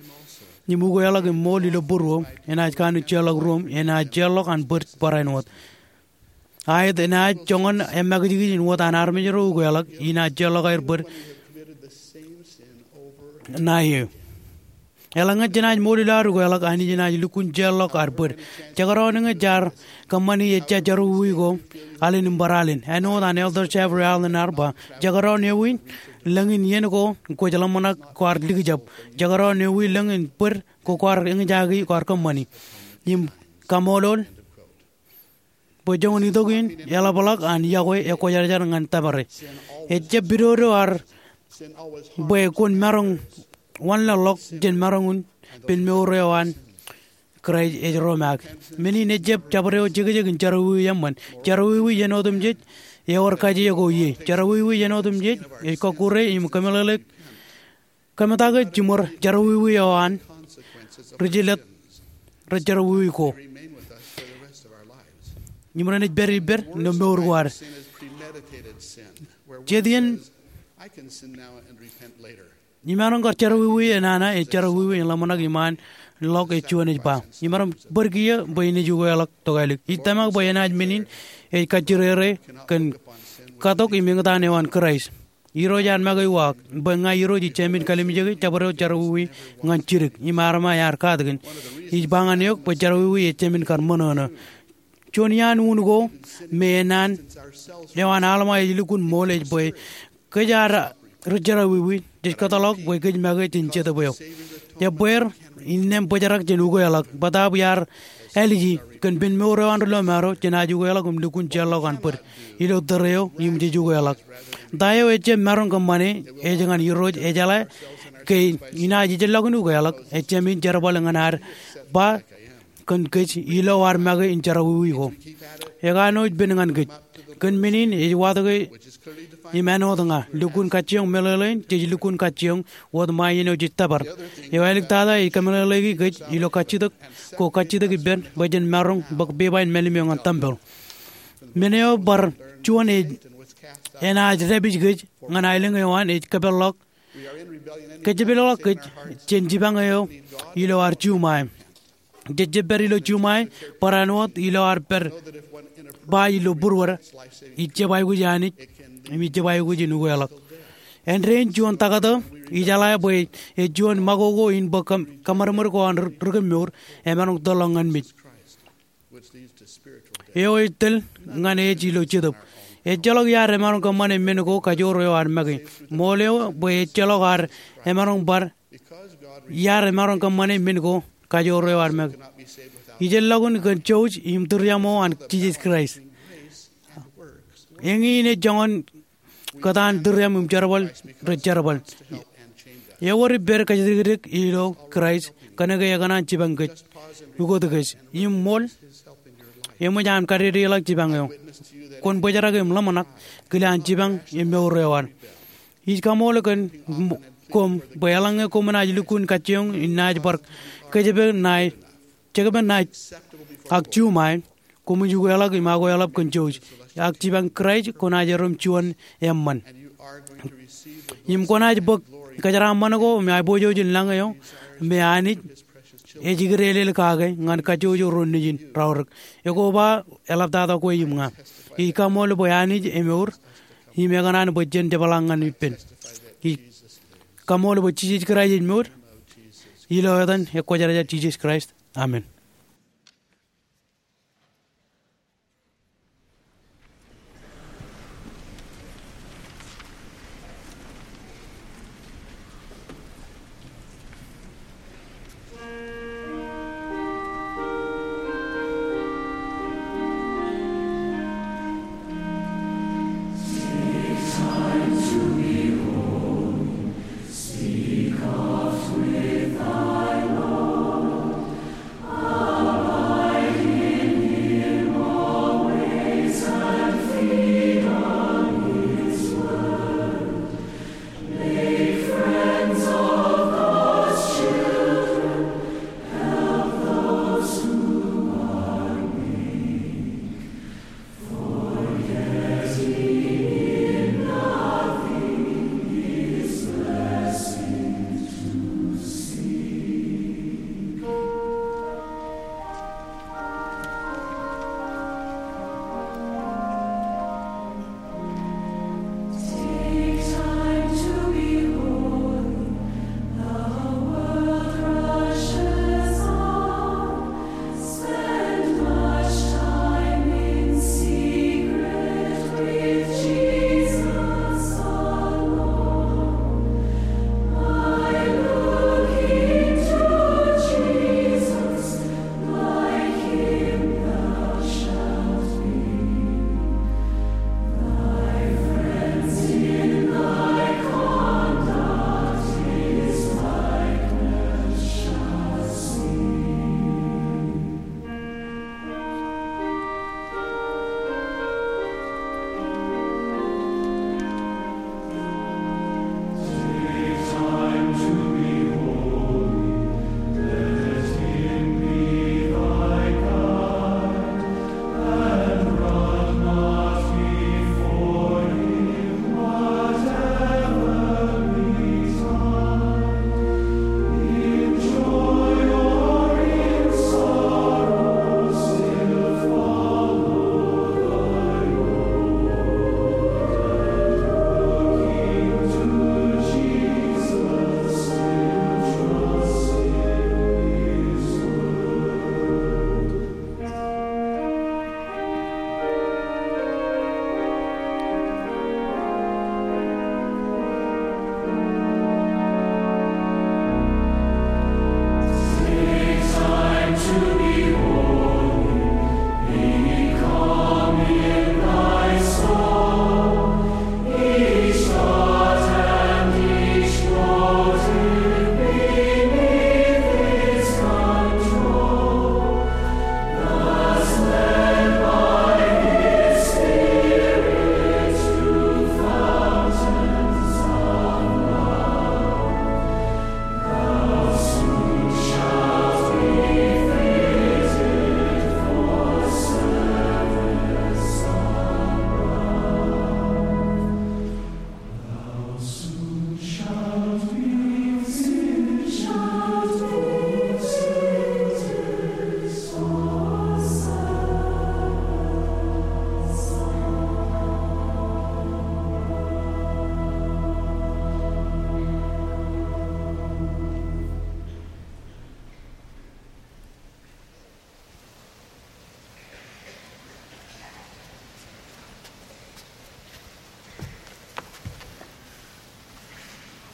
im ukeḷọk im ṃool ilo būruō, enaaj kanooj jeorḷọk ruōm, enaaj jeorḷọk an bōd barāinwōt. Aet, enaaj joñan emakijkij in wōt an armej ro ukeḷọk, inaaj jeorḷọk aer bōd ṇae eō. Eḷaññe jenaaj ṃool ilo ad ukeḷọk, Anij enaaj lukkuun jeorḷọk ad bōd. Jekdọọn eñin jaar kōṃṃani ejja jerọwiwi ko alen im bar alen. Āinwōt an Elder Jeffrey Holland ear ba, jekdọọn ewi lōñ in iien ko kwōj ḷōmṇak kwaar likjab. Jekdọọn ewi lōñ in bōd ko kwaar eñjake kwaar kōṃṃani. Im kaṃṃoolol bwe joñan itok in eḷapḷọk an yokwe ekwōjarjar ñan tōpare. Ejjab pidodo ad bwe kwōn maroñ wanlaḷḷọk jān maroñ in pen mour eo an Kraist ej romaak. Men in ejjab jabdewōt jekjek in jerọwiwi eṃṃan. Jerọwiwi iien otemjej ewōr kaje ko ie. Jerọwiwi iien otemjej ej kọkkure im kōmeḷeḷeik kōmetak e jiṃor jerọwiwi eo an ri jilōt rej jerọwiwi ko. Im renaaj pād ippād ilo mour ko ad. Jet iien imaroñ kar jerọwiwi enana ej jerọwiwi in ḷōmṇak iṃaan ḷọk ej juon ej ba. Imaroñ bōd kiiō bwe inaaj ukeḷọk tokālik. Ij tōmak bwe enaaj men in ej kajjirere kōn katok im eñtaan eo an Kraist. Irooj ear make uwaak, bwe ña Irooj ij jāmin kalimjeke jabdewōt jerọwiwi ñan jidik, im armej ear katakin. Ij ba ñan eok bwe jerọwiwi ej jāmin kar ṃōṇōṇō. Juon iaan un ko me enana eo an Alma ej lukkuun ṃool ej bwe kōj ad ri jerọwiwi, jej kōtḷọk bwe kōj make jān jetōb eo. Ebbeer innām bōjrak jān ukeḷọk. Bōtaab iar āliji kōn pen mour eo an ri lọmọọr eo, jenaaj ukeḷọk im lukkuun jeorḷọk an bōd ilo tōre eo im jej ukeḷọk. Ta eo ejjab maroñ kōṃṃane ej ñan Irooj ejeḷā ke inaaj ijellọkin ukeḷọk, ejāmin jerbal ñan ad ba kōn kōj ilo ad make in jerọwiwi ko. Ekanooj pen ñan kōj. Kōn men in ej watōke im āinwōt ña, lukkuun kajjioñ meḷeḷein, jej lukkuun kajjioñ wōt ṃae iien eo jej tōpar. Eo āliktata ej kōmeḷeḷeiki kōj ilo kajjitōk ko kajjitōk ippān bwe jen maroñ bōk pepa in mālim eo ñan tempel. Men eo bar juon ej enaaj dāpij kōj ñan aelōñ eo an ej kōpeḷḷọk. Kōjepelḷọk kōj jān jipañ eo ilo ad juṃae. Jej jab pād ilo juṃae barāinwōt ilo ad pād ba ilo būruod, ij jab aikuj Anij im ij jab aikuj in ukeḷọk. Āindein juon taktō, ijeḷā bwe ej juon makoko in bōk kōm-, kōṃadṃōd ko an ri-, rikōmmour emaroñ tōl ḷọk ñan mej. Eo ej tōl ñan ej ilo Jetōb. Ejjeḷọk iar emaroñ kōṃṃane men ko kajoor eo ad make. Ṃool eo bwe ejjeḷọk ad emaroñ bar iar emaroñ kōṃṃane men ko kajoor eo ad make. Ijellọkin kōn jouj im tūriaṃo an Jisōs Kraist. Eñin ej joñan kōtaan tūriaṃ im jerbal rej jerbal. Ewōr ippād kōjatdikdik ilo Kraist kōnke ekōṇaan jipañ kōj, ukōt kōj im ṃool. Eṃōj aṃ kadedeḷọk jipañ eo. Kwōn bōjrak im ḷōmṇak kile an jipañ im mour eo ad. Ij kaṃool kōn koṃ bwe eḷaññe koṃ naaj lukkuun kajjioñ im naaj bar kōjepel ṇae, jekpen ṇae ak juṃae, koṃij ukeḷọk im akoeḷap kōn jouj. Ak jipañ Kraist kwōnaaj erom juon eṃṃan. Im kwōnaaj bōk kōjeraaṃṃan ko me aiboojoj in lañ eo me Anij ej ikdeelel kake ñan kajjojo ro nejin raorōk. Ekoba eḷaptata kwe im ña. Ij kaṃool bwe Anij emour im ekōṇaan bwe jen jepḷaak ñan ippān. Ij kaṃool bwe Jisōs Kraist ej ṃoot. Ilo etan Ekwōjarjar Jisōs Kraist. Amen.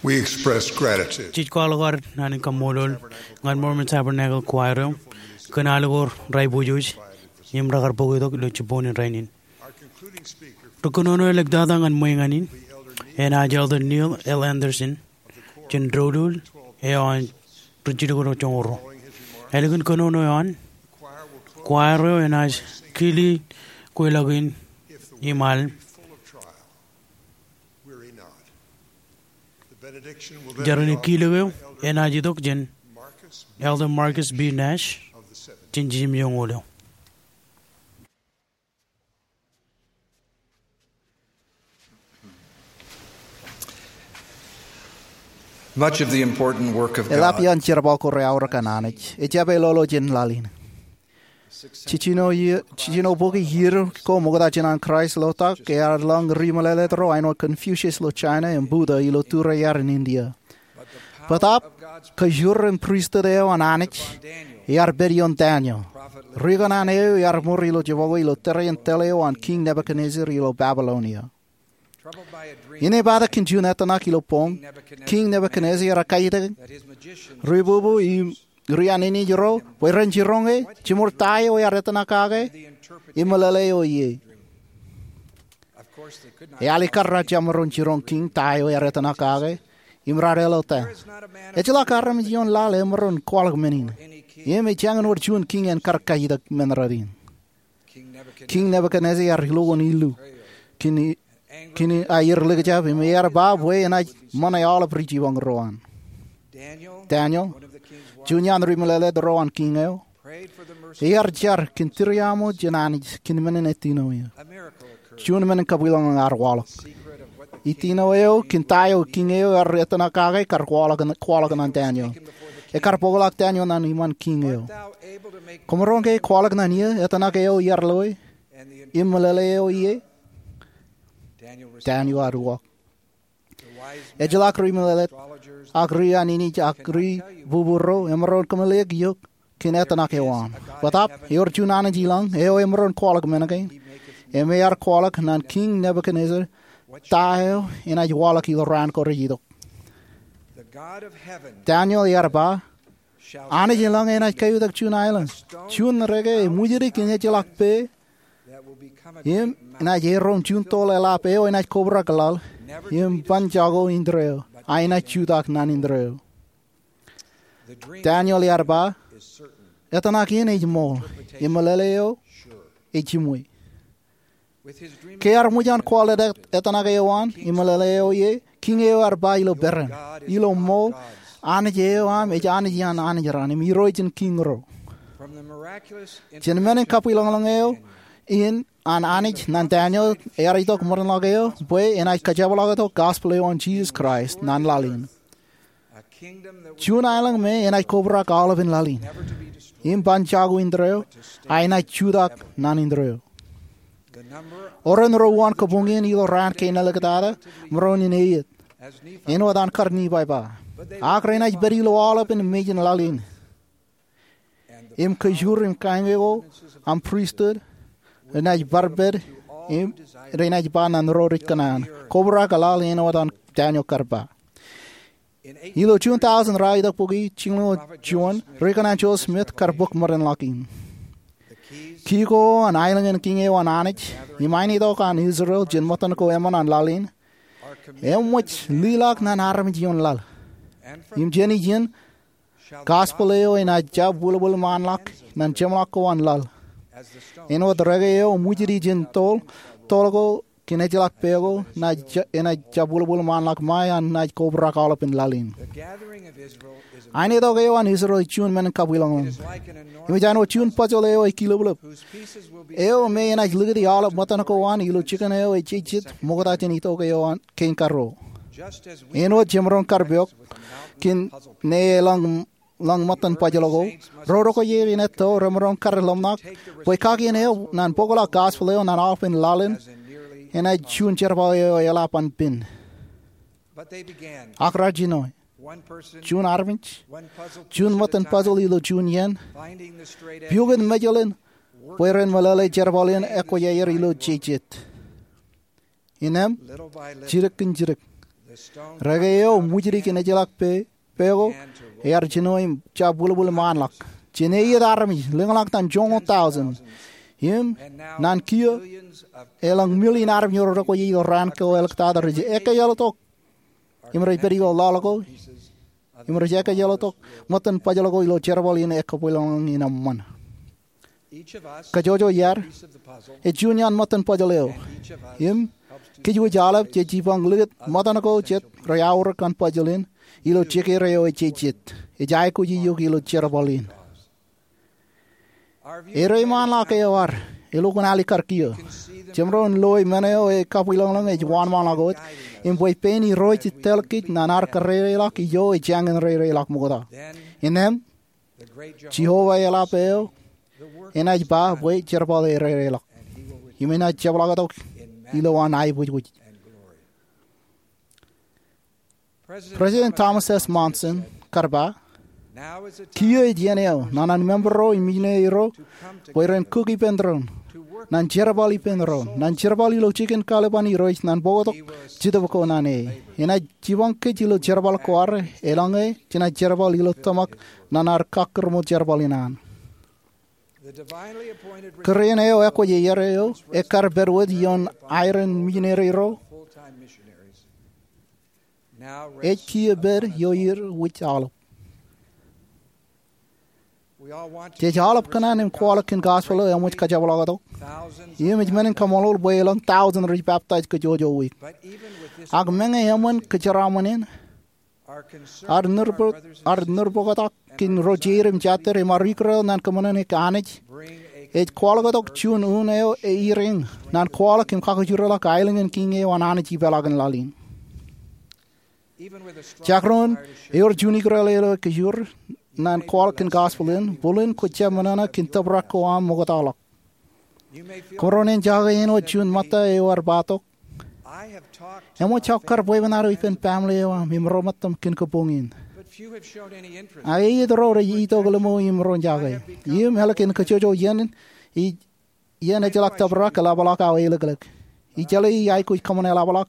We express gratitude. Jej kwaḷọk ad naan in kaṃṃoolol ñan Mormon Tabernacle Choir eo kōn al ko raiboojoj im rekar bōk itok ilo jibboñ in rainin. Ri kōnono eo eḷaptata ñan ṃweeñ in enaaj Elder Neil L. Andersen jān doulul eo an ri jilkinḷọk joñoul ruo. Ālikin kōnono eo an, choir eo enaaj kili kweilọk in im al. Jar in kilōk eo enaaj itok jān Elder Marcus B. Nash jān jimjuonñoul eo. Much of the important work of Eḷap God iaan jerbal ko reaorōk an Anij ejjab eḷoḷo jān laḷ in. Jiljino iiō, jiljino bōki iiō ko ṃokta jān an Kraist lotak, ear lōñ ri meḷeḷe ro āinwōt Confucius ilo China im Buddha ilo tūrear in India. Bōtaab, kōjur in pristut eo an Anij ear pād ioon Daniel. Ri kōṇaan eo ear ṃor ilo jebọk eo ilo tōre in tōl eo an Kiiñ Nebukadnezzar ilo Babylonia. Inepata kōn juon etōṇak ilo boñ, Kiiñ Nebukadnezzar ear kaitik ri bubu im ri anij ro bwe ren jiroñ e jiṃor ta eo ear etōṇak kake im meḷeḷe eo ie. Ealikkar raar jab maroñ jiroñ kiiñ ta eo ear etōṇak kake im raar eḷọta. Ejjeḷọk armej ioon laḷ emaroñ kwaḷọk men in. Im ejjañin wōr juon kiiñ en kar kaitik men rein. Kiiñ Nebukadnezzar ear ilo wōn illu kōn, kōn aier likjab im ear ba bwe enaaj ṃōṇe aolep ri jipañ ro an. Daniel, juon iaan ri meḷeḷe ro an kiiñ eo, ear jar kōn tūriaṃo jān Anij kōn men in etino eō. Juon men in kabwilōñlōñ ear waḷọk. Etino eo kōn ta eo kiiñ eo ear etōṇak kake kar kwaḷọk, kwaḷọk ñan Daniel. Ekar bōkḷọk Daniel ñan iṃaan kiiñ eo. Kwōmaroñ ke kwaḷọk ñan iiō etōṇak eo iar loe im meḷeḷe eo ie? Daniel ear uwaak. Ejjeḷọk ri meḷeḷe ak ri anij ak ri bubu ro emaroñ kōmeḷeḷeik eok kōn etōṇak eo aṃ. Bōtaab, ewōr juon Anij ilọñ eo emaroñ kwaḷọk men kein, im ear kwaḷọk ñan Kiiñ Nebukadnezzar ta eo enaaj waḷọk ilo raan ko rej itok. Daniel ear ba, Anij ilọñ enaaj kaiutak juon aelōñ, juon reke emwijidi kōn ejjeḷọk pā, im enaaj erom juon toḷ eḷap eo enaaj kobrak laḷ im ban jako indeeo, a enaaj jutak ñan indeeo. Daniel ear ba, etōṇak in ej ṃool, im meḷeḷe eo ej jiṃwe. Ke ear ṃōj an kwaḷọk etōṇak eo an im meḷeḷe eo ie, kiiñ eo ear ba ilo peran, ilo ṃool, Anij eo aṃ ej Anij iaan anij raṇ im Irooj in kiiñ ro. Jān men in kabwilōñlōñ eo in an Anij ñan Daniel ear itok ṃōdenḷọk eo bwe enaaj kajepḷaaktok gospel eo an Jisōs Kraist ñan laḷ in. Juon aelōñ me enaaj kobrak aolepān laḷ in im ban jako indeeo, a enaaj jutak ñan indeeo. Oren ro uwaan kōbuñin ilo raan kein āliktata, maroñ in eiiet, āinwōt an kar Nifai ba. Ak renaaj pād ilo aolepān mejān laḷ in. Im kōjur im kañke ko an pristut renaaj bar pād, im renaaj ba ñan ro rej kōṇaan, kobrak laḷ āinwōt an Daniel kar ba. Ilo juon tọujin ra itok bukwi jilñoul juon, ri kōṇaan Joseph Smith kar bōk ṃōdenḷọk in. Kiiō ko an aelōñ in kiiñ eo an Anij im ainetok an Israel jān ṃōttan ko eṃṃan an laḷ in, eṃōj liḷọk ñan armej ioon laḷ. Im jān ijin, gospel eo enaaj jab wūlwūl ṃaanḷọk ñan jeṃḷọk ko an laḷ. Āinwōt reke eo emwijidi jān toḷ, toḷ ko kōn ejjeḷọk pā ko, enaaj ja-, enaaj jab wūlwūl ṃaanḷọk ṃae an naaj kobrak aolepān laḷ in. Ainetok eo an Israel ej juon men in kabwilōñlōñ. Im ej āinwōt juon puzzle eo ej kilōblōb, eo me enaaj likūti aolep ṃōttan ko an ilo jikin eo ej jejjet ṃokta jān itok eo an kein karuo. Āinwōt jemaroñ kar pok kōn ñe elōñ, elōñ ṃōttan puzzle ko, ro rokwe iien etto remaroñ kar lōmṇak bwe kakien eo ñan bōkḷọk gospel eo ñan aolepān laḷ in enaaj juon jerbal eo eḷap an pen. Ak raar jino. Juon armej, juon ṃōttan puzzle ilo juon iien, piokin mejeḷ in bwe ren meḷeḷe jerbal in ekwōjarjar ilo jejjet. Innām, jidik kōn jidik, Reke eo ṃwijdik in ejjeḷọk pe, pe ko, ear jino im jab wūlwūl ṃaanḷọk. Jān eiet armej, lōñḷọk ñan joñoul tọujin. Im, naan kiiō, elōñ million armej ro rekwōj itok raan ko āliktata rej ekkejeḷtok. Im rej pād ilo ḷọk ko. Im rej ekkejeḷtok ṃōttan puzzle ko ilo jerbal in ekkabwilōñlōñ in eṃṃan. Kajjojo iaad, ej juon iaan ṃōttan puzzle eo. Im, kōj wōj aolep jej jipañ likūt ṃōttan ko jet rej aorōk kōn puzzle in, ilo jekere eo ejejjet. Ej aikuj eok ilo jerbal in. Ereiṃaanḷọk eo ad, elukkuun alikkar kiiō. Jemaroñ loe men eo ekabwilōñlōñ ej wōnṃaanḷọk wōt, im bwe pein Irooj ej tōl kōj ñan ad kōrreireḷọk ijo ejjañin reireḷọk ṃokta. Innām, Jeova eḷap eo enaaj ba bwe jerbal eo reireḷọk. Im enaaj jepḷaaktok ilowaan aiboojoj. President Thomas S. Monson kar ba, kiiō ej iien eo ñan an member ro im mijineri ro bwe ren kūk ippān doon ñan jerbal ippān doon, ñan jerbal ilo jikin kaḷiban Irooj ñan bōktok Jetōb ko ñan e. Enaaj jipañ kōj ilo jerbal ko ad, elōñ e jenaaj jerbal ilo tōmak ñan ad kakkūrṃōl jerbal in an. Kūr in eo ekwōj iar eo, ekkar pād wōt ioon aer in mijineri ro, ej kiiō pād ioer wōj aolep. Jej aolep kōṇaan im kwaḷọk kōn gospel eo eṃōj kajepḷaaktok. Im ej men in kaṃṃoolol bwe elōñ tọujin rej peptaij kajjojo wiik. Ak meñe eṃṃan kōjeraaṃṃan in, ad nūrpuktak kōn ro jeid im jatid im ad ikūreo ñan kōṃṃane Anij, ej kwaḷọktok juon un eo eiriiñ ñan kwaḷọk im kakajoorḷọk aelōñ in kiiñ eo an Anij ipeḷaakin laḷ in. Jekdọọn eor juon ikūreo eo ekajoor ñan kwaḷọk kōn gospel in, bōlen kwōj jab ṃōṇōṇō kōn tōprak ko aṃ ṃoktaḷọk. Kōmro ṇe jake āinwōt juon ṃōtta eo ear ba tok, eṃōj aō kar bwebwenato ippān baaṃle eo aṃ im ro ṃōttam kōn kōpoñ in. Ak eiiet ro rej itok ḷimo im ro jake. Im ālikin kajjojo iien, ij iien ejjeḷọk tōprak eḷapḷọk aō elōklōk. Ij jeḷā ij aikuj kōṃṃan eḷapḷọk,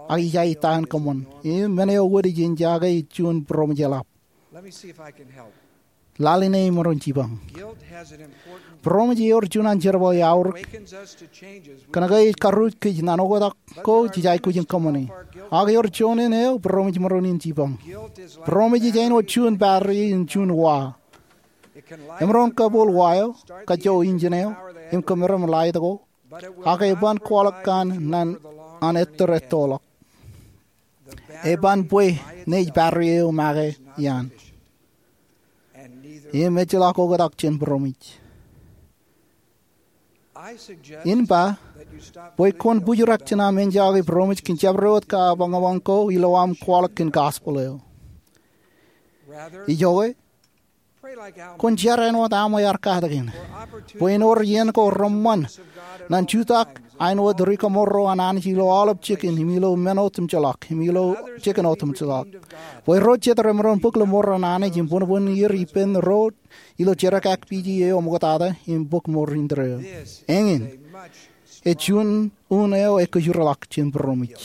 ak ij aettan kōṃṃan. Im men eo wōt ij jake ej juon būroṃōj eḷap. Lale ṇe im emaroñ jipañ. Būroṃōj eor juon an jerbal eo aorōk. Kōnke ej karrūj kōj ñan oktak ko jej aikuj in kōṃṃane. Ak eor juon in eo būroṃōj emaroñ in jipañ. Būroṃōj ej āinwōt juon battery in juon wa. Emaroñ kōpool wa eo, kajjo engine eo, im kōmeram light ko, ak eban kwaḷọk kōn ñan an ettōr ettoḷọk. Eban bwe naaj battery eo make iaan. Im ejjeḷọk oktak jān būroṃōj. In ba bwe kwōn bujrak jān aṃ enjake būroṃōj kōn jabdewōt kapañpañ ko ilo aṃ kwaḷọk kōn gospel eo. Ijoke, kwōn jar āinwōt Alma ear katakin, bwe en wōr iien ko reṃṃan ñan jutak āinwōt rikaṃool ro an Anij ilo aolep jikin im ilo men otemjeḷọk im ilo jikin otemjeḷọk, bwe ro jet remaroñ bōk ḷōṃor an Anij im bōnbōn er ippān ro ilo jerkakpeje eo ṃoktata im bōk mour indeeo. Eñin, ej juon un eo ekajoorḷọk jān būroṃōj.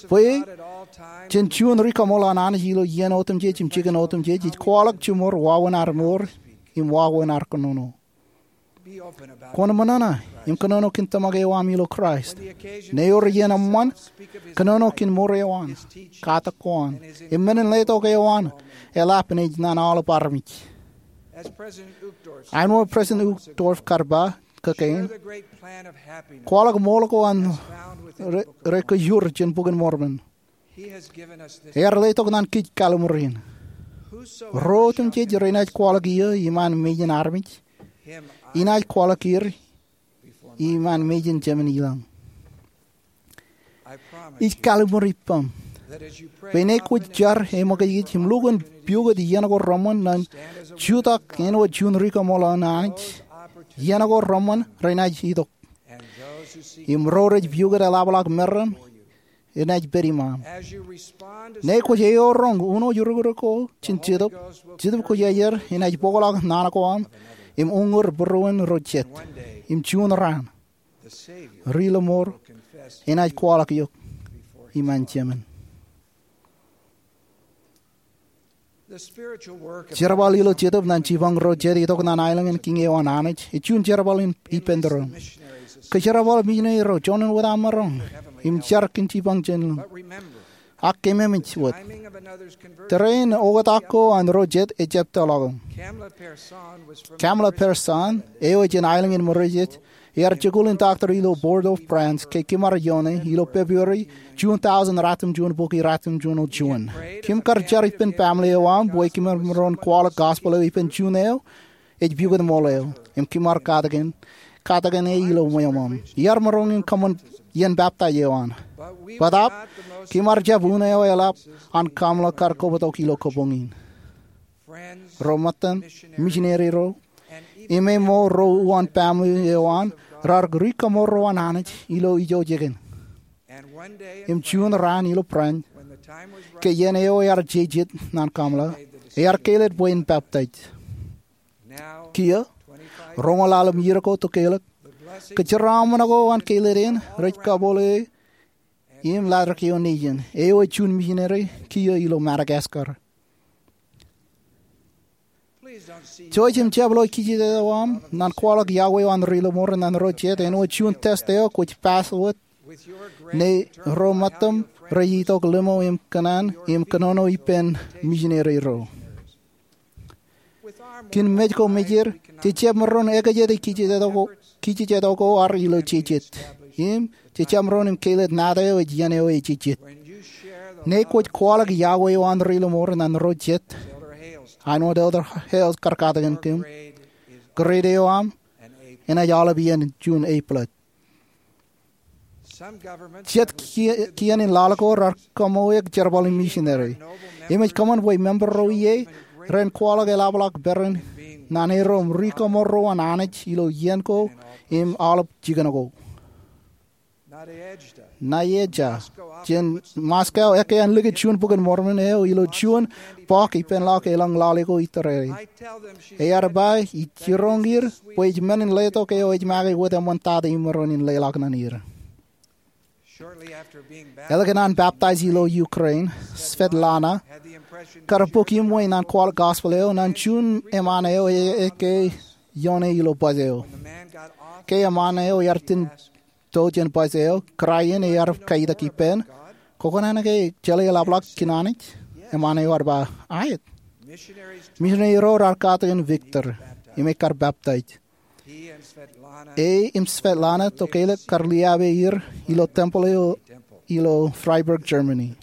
Bwe jen juon rikaṃool an Anij ilo iien otemjej im jikin otemjej ej kwaḷọk jiṃor wāween ad mour im wāween ad kōnono. Kwōn ṃōṇōṇō im kōnono kōn tōmak eo aṃ ilo Kraist. Ṇe ewōr iien eṃṃan, kōnono kōn mour eo an, katak ko an, im men in letok eo an eḷap naaj ñan aolep armej. Āinwōt President Uchtdorf kar ba, kōn kein, kwaḷọk ṃool ko an rej, rej kajoor jān Bok in Mormon. Ear letok ñan kōj kalliṃur in. Ro otemjej renaaj kwaḷọk eō iṃaan mejān armej, inaaj kwaḷọk er iṃaan mejān Jemān ilañ. Ij kalliṃur ippaṃ bwe ṇe kwōj jar eṃōkajkij im lukkuun piukūt iien ko reṃṃan ñan jutak āinwōt juon rikaṃool an Anij, iien ko reṃṃan renaaj itok. Im ro rej piukūt eḷapḷọk meram enaaj pād iṃaṃ. Ṇe kwōj eoroñ uno rūkūrūk ko jān Jetōb, Jetōb Kwōjarjar enaaj bōkḷọk naan ko aṃ im uññūr būruon ro jet. Im juon raan, Ri-Lọmọọr enaaj kwaḷọk eok iṃaan jemān. Jerbal ilo Jetōb ñan jipañ ro jet itok ñan aelōñ in Kiiñ eo an Anij ej juon jerbal in ippān tōre. Kōjerbal misineri ro, juon in wōt aṃ maroñ im jar kōn jipañ jān lōñ. Ak keememej wōt, tōre in oktak ko an ro jet ejjab tōlọk. Kamla Persand, eo ej jān aelōñ in Mōrejej, ear jikuuḷ in toktor ilo Board of Brands ke kōm ar ioone ilo February juon thousand, ratimjuon bukwi ratimjuon juon. Kōm kar jar ippān baaṃle eo aṃ bwe kōm maroñ kwaḷọk gospel eo ippān juon eo ej pukot ṃool eo im kōm ar katakin, katakin e ilo ṃweo ṃōṃ. Iar maroñ in kōṃṃan iien baptaij eo an. Bōtaab, kōm ar jab un eo eḷap an Kamla kar kobtok ilo kabuñ in. Ro ṃōttan, misineri ro, im ṃōk ro uwaan baaṃle eo an raar ri-kaṃoorro an Anij ilo ijo jikin. Im juon raan ilo branch, ke iien eo ear jejet ñan Kamla, ear kāālōt bwe en baptaij. Kiiō, roñoul ḷalem iiō ko tokālik, kōjeraaṃṃan ko an kāālōt in rej kabole im Latrikio Nejin, eo ej juon misineri kiiō ilo Madagascar. Jouj im jab lo kijejet eo aṃ ñan kwaḷọk yokwe eo an ri-lọmọọr ñan ro jet āinwōt juon test eo kwōj pass wōt ñe ro ṃōttaṃ rej itok limo im kōṇaan im kōnono ippān misineri ro. Kōn mej ko mejād, jej jab maroñ ekjete kijejet ko, kijejet ko ad ilo jejet. Im jej jab maroñ im kāālōt nata eo ej iien eo ej jejet. Ñe kwōj kwaḷọk yokwe eo an ri-lọmọọr ñan ro jet, āinwōt Elder Hales kar katakin kōm, grade eo aṃ enaaj aolep iien juon A plus. Jet ki-, kien in laḷ ko raar kaṃoe jerbal in misineri. Im ej kōṃṃan bwe member ro ie ren kwaḷọk eḷapḷọk peran ñan erom ri-kaṃoorro an Anij ilo iien ko im aolep jikin ko. Nadezhda jān Moscow ekkā an likūt juon Bok in Mormon eo ilo juon bọọk ippān ḷọk elōñ lale ko itureri. Ear ba ij jiroñ er bwe ij men in letok eo ej make wōt eṃṃantata imaroñ in leḷọk ñan er. Ālikin an baptaij ilo Ukraine, Svetlana kar bōk iṃwe ñan kwaḷọk gospel eo ñan juon eṃṃaan eo e-, ekkā ioone ilo bōs eo. Ke eṃṃaan eo ear itōn to jān bōs eo, kōrā in ear kaitak ippān, "Kwōkōṇaan ke jeḷā eḷapḷọk kōn Anij?" Eṃṃaan eo ear ba, "Aet." Misineri ro raar katakin Viktor im ekar baptaij. E im Svetlana tokālik kar liabe er ilo tempeḷ eo ilo Freiberg, Germany.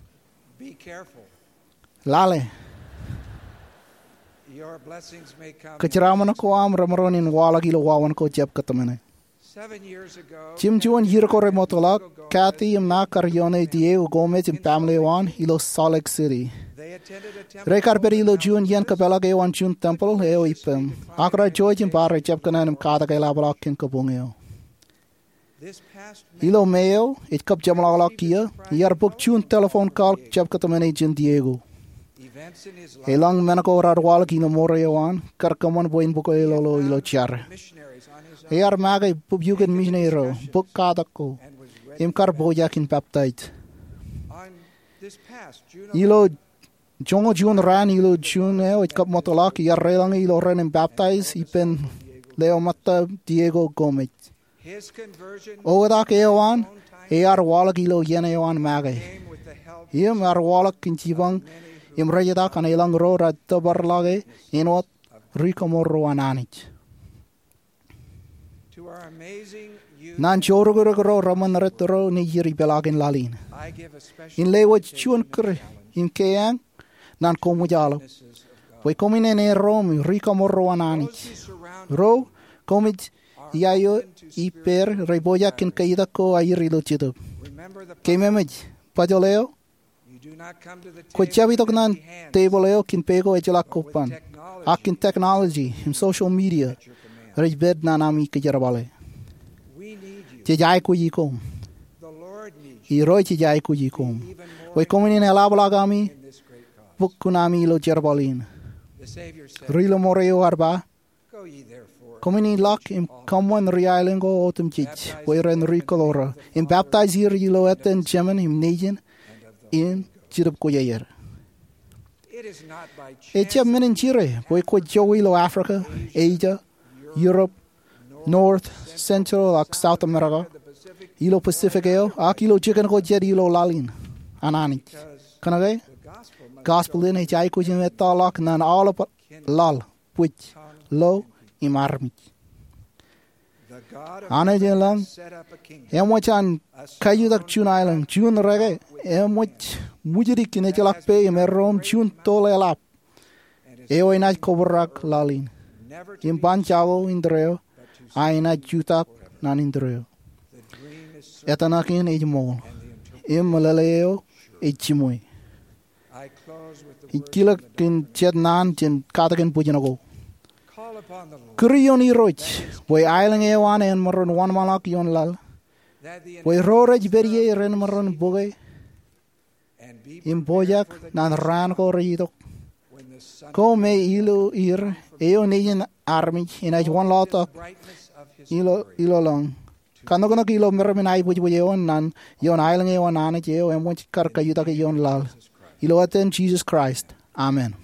Lale. Kōjeraaṃṃan ko aṃ remaroñ in waḷọk ilo wāween ko jab kōtmāne. Jimjuon iiō ko remootḷọk, Kathy im ṇa kar ioone Diego Gomez im baaṃle eo an ilo Salt Lake City. Rekar pād ilo juon iien kapeḷḷọk eo an juon tempeḷ eo ippān, ak raar jouj im bar ejjab kōṇaan im katak eḷapḷọk kōn kabuñ eo. Ilo May eo, ej kab jeṃḷọkḷọk kiiō, iar bōk juon telephone call jab kōtmāne jān Diego. Elōñ men ko raar waḷọk ilo mour eo an kar kōṃṃan bwe en bōk elōḷō ilo jar. Ear make bōk iukōn misineri ro, bōk katak ko, im kar pojak in baptaij. Ilo joñoul juon raan ilo June eo ej kab ṃōtḷọk, iar reiḷọñe ilo ren im baptaij ippān leo ṃōtta Diego Gomez. Oktak eo an, ear waḷọk ilo iien eo an make. Im ear waḷọk kōn jipañ im rejetak an elōñ ro raar tōparḷọke āinwōt ri-kaṃoorro an Anij. Ñan jourukruk ro reṃōn rej tōre nejier ipeḷaakin laḷ in, in lewōj juon kūr im keeañ ñan koṃij aolep, bwe koṃwin erom ri-kaṃoorro an Anij. Ro koṃij iaio ippāer rej pojak kōn kaitak ko aer ilo Jetōb. Keememej, bajjel eo, kwōj jab itok ñan tebōḷ eo kōn pe ko ejjeḷọk kobban, ak kōn technology im social media rej pād ñan ami kōjerbale. Jej aikuji koṃ. Irooj ej aikuji koṃ bwe koṃwin eḷapḷọk ami bōk kuṇaami ilo jerbal in. Ri-lọmọọr eo ear ba, Koṃwin ilọk im kōṃṃan ri aelōñ ko otemjej bwe ren ri kōḷoorō, im baptaiz er ilo etan Jemān im Nejin im Jetōb Kwōjarjar. Ejjab men in jire bwe kwōj jokwe ilo Africa, Asia, Europe, North, Central ak South America, ilo Pacific eo, ak ilo jikin ko jet ilo laḷ in an Anij. Kōnke gospel in ej aikuj im ettoḷọk ñan aolep laḷ, bwij, lo, im armej. Anij eḷap eṃōj an kajutak juon aelōñ, juon reke eṃōj ṃwijdik in ejjeḷọk peiṃ erro im juon tōl eḷap eo enaaj kobrak laḷ in. Im ban jako indeeo, a enaaj jutak ñan indeeo. Etōṇak in ej ṃool, im meḷeḷe eo ej jiṃwe. Ij kilōk in jet naan jān katakin bwijin ko. Kūr ioon Irooj bwe aelōñ eo an en maroñ wōnṃaanḷọk ioon laḷ, bwe ro rej pād ie ren maroñ bōke im pojak ñan raan ko rej itok, ko me ilo er eo Nejin armej enaaj wanlaḷtak ilo, iloloñ, kanoknok ilo meram in aebwijbwij eo ñan ioon aelōñ eo an Anij eo eṃōj kar kajutak ioon laḷ. Ilo etan Jisōs Kraist, amen.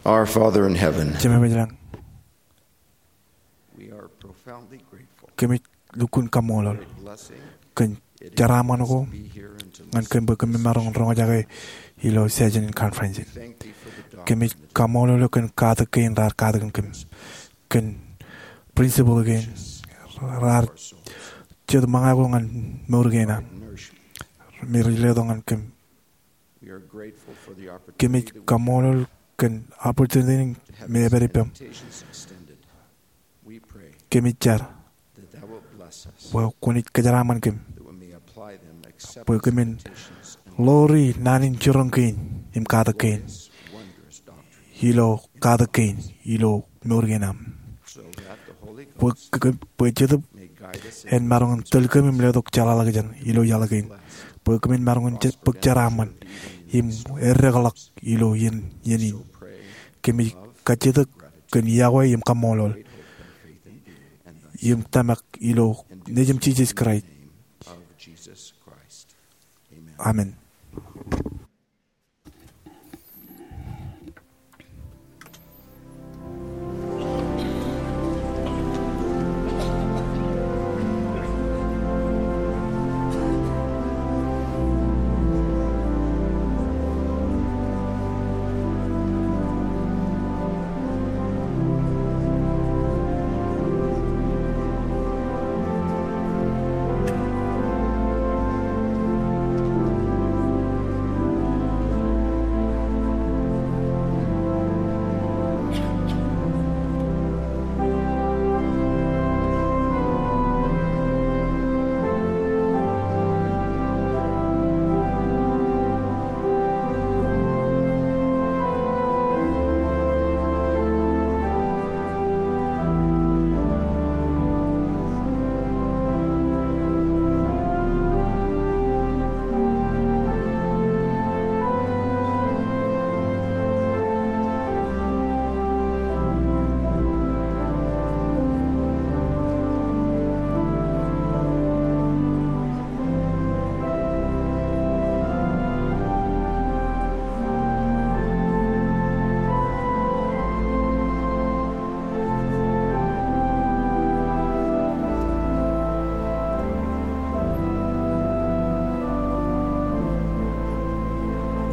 Our Father in heaven, Jemem ilañ, we are profoundly grateful kōmij lukkuun kaṃṃoolol for the blessing kōn jeraaṃṃan ko ñan kōm bwe kōm maroñ in roñjake ilo session in conference in. Kōmij kaṃṃoolol eok kōn katak kein raar katakin kōm, kōn principal kein raar jet ṃōñā ko ñan mour kein am, me rej letok ñan kōm. Kōmij kaṃṃoolol kōn opportunity in me ej pād ippaṃ. Kōmij jar bwe kwōnaaj kōjeraaṃṃan kōm bwe kōmin ḷoori naan in jiroñ kein im katak kein ilo katak kein ilo mour kein am. Bwe, bwe Jetōb en maroñ in tōl kōm im letok jeḷāḷọkjeṇ ilo iaḷ kein. Bwe kōmin maroñ in je-, bōk jeraaṃṃan im eddekḷọk ilo iien, iien in. Kōmij kajjitōk kōn yokwe im kaṃṃoolol im tōmak ilo nejūṃ Jisōs Kraist. Amen.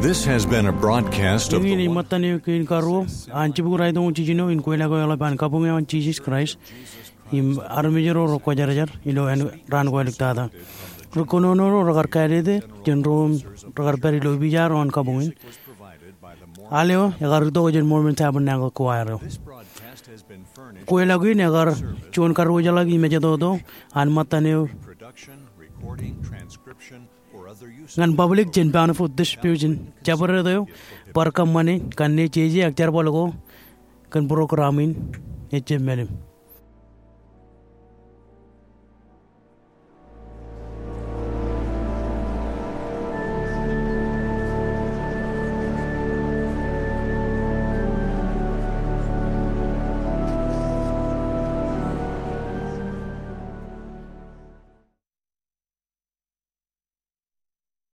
This has been a broadcast of Eñin ej ṃōttan eo kein karuo an jibukwi raitoon jiljino in kweilọk eo eḷap an Kabuñ eo an Jisōs Kraist im armej ro rekwōjarjar ilo āne raan ko āliktata. Ri kōnono ro rekar kāālōt e jān ro im rekar pād ilo ipija ro an kabuñ in. Al eo ekar itok jān Mormon Tabernacle Choir eo. Kweilọk in ekar juon karwōjḷọk im ejetoto an ṃōttan eo ñan public jān Bountiful Distribution. Jabdewōt eo bar kōṃṃane kanne jeje ak jerbal ko kōn program in ejjab mālim.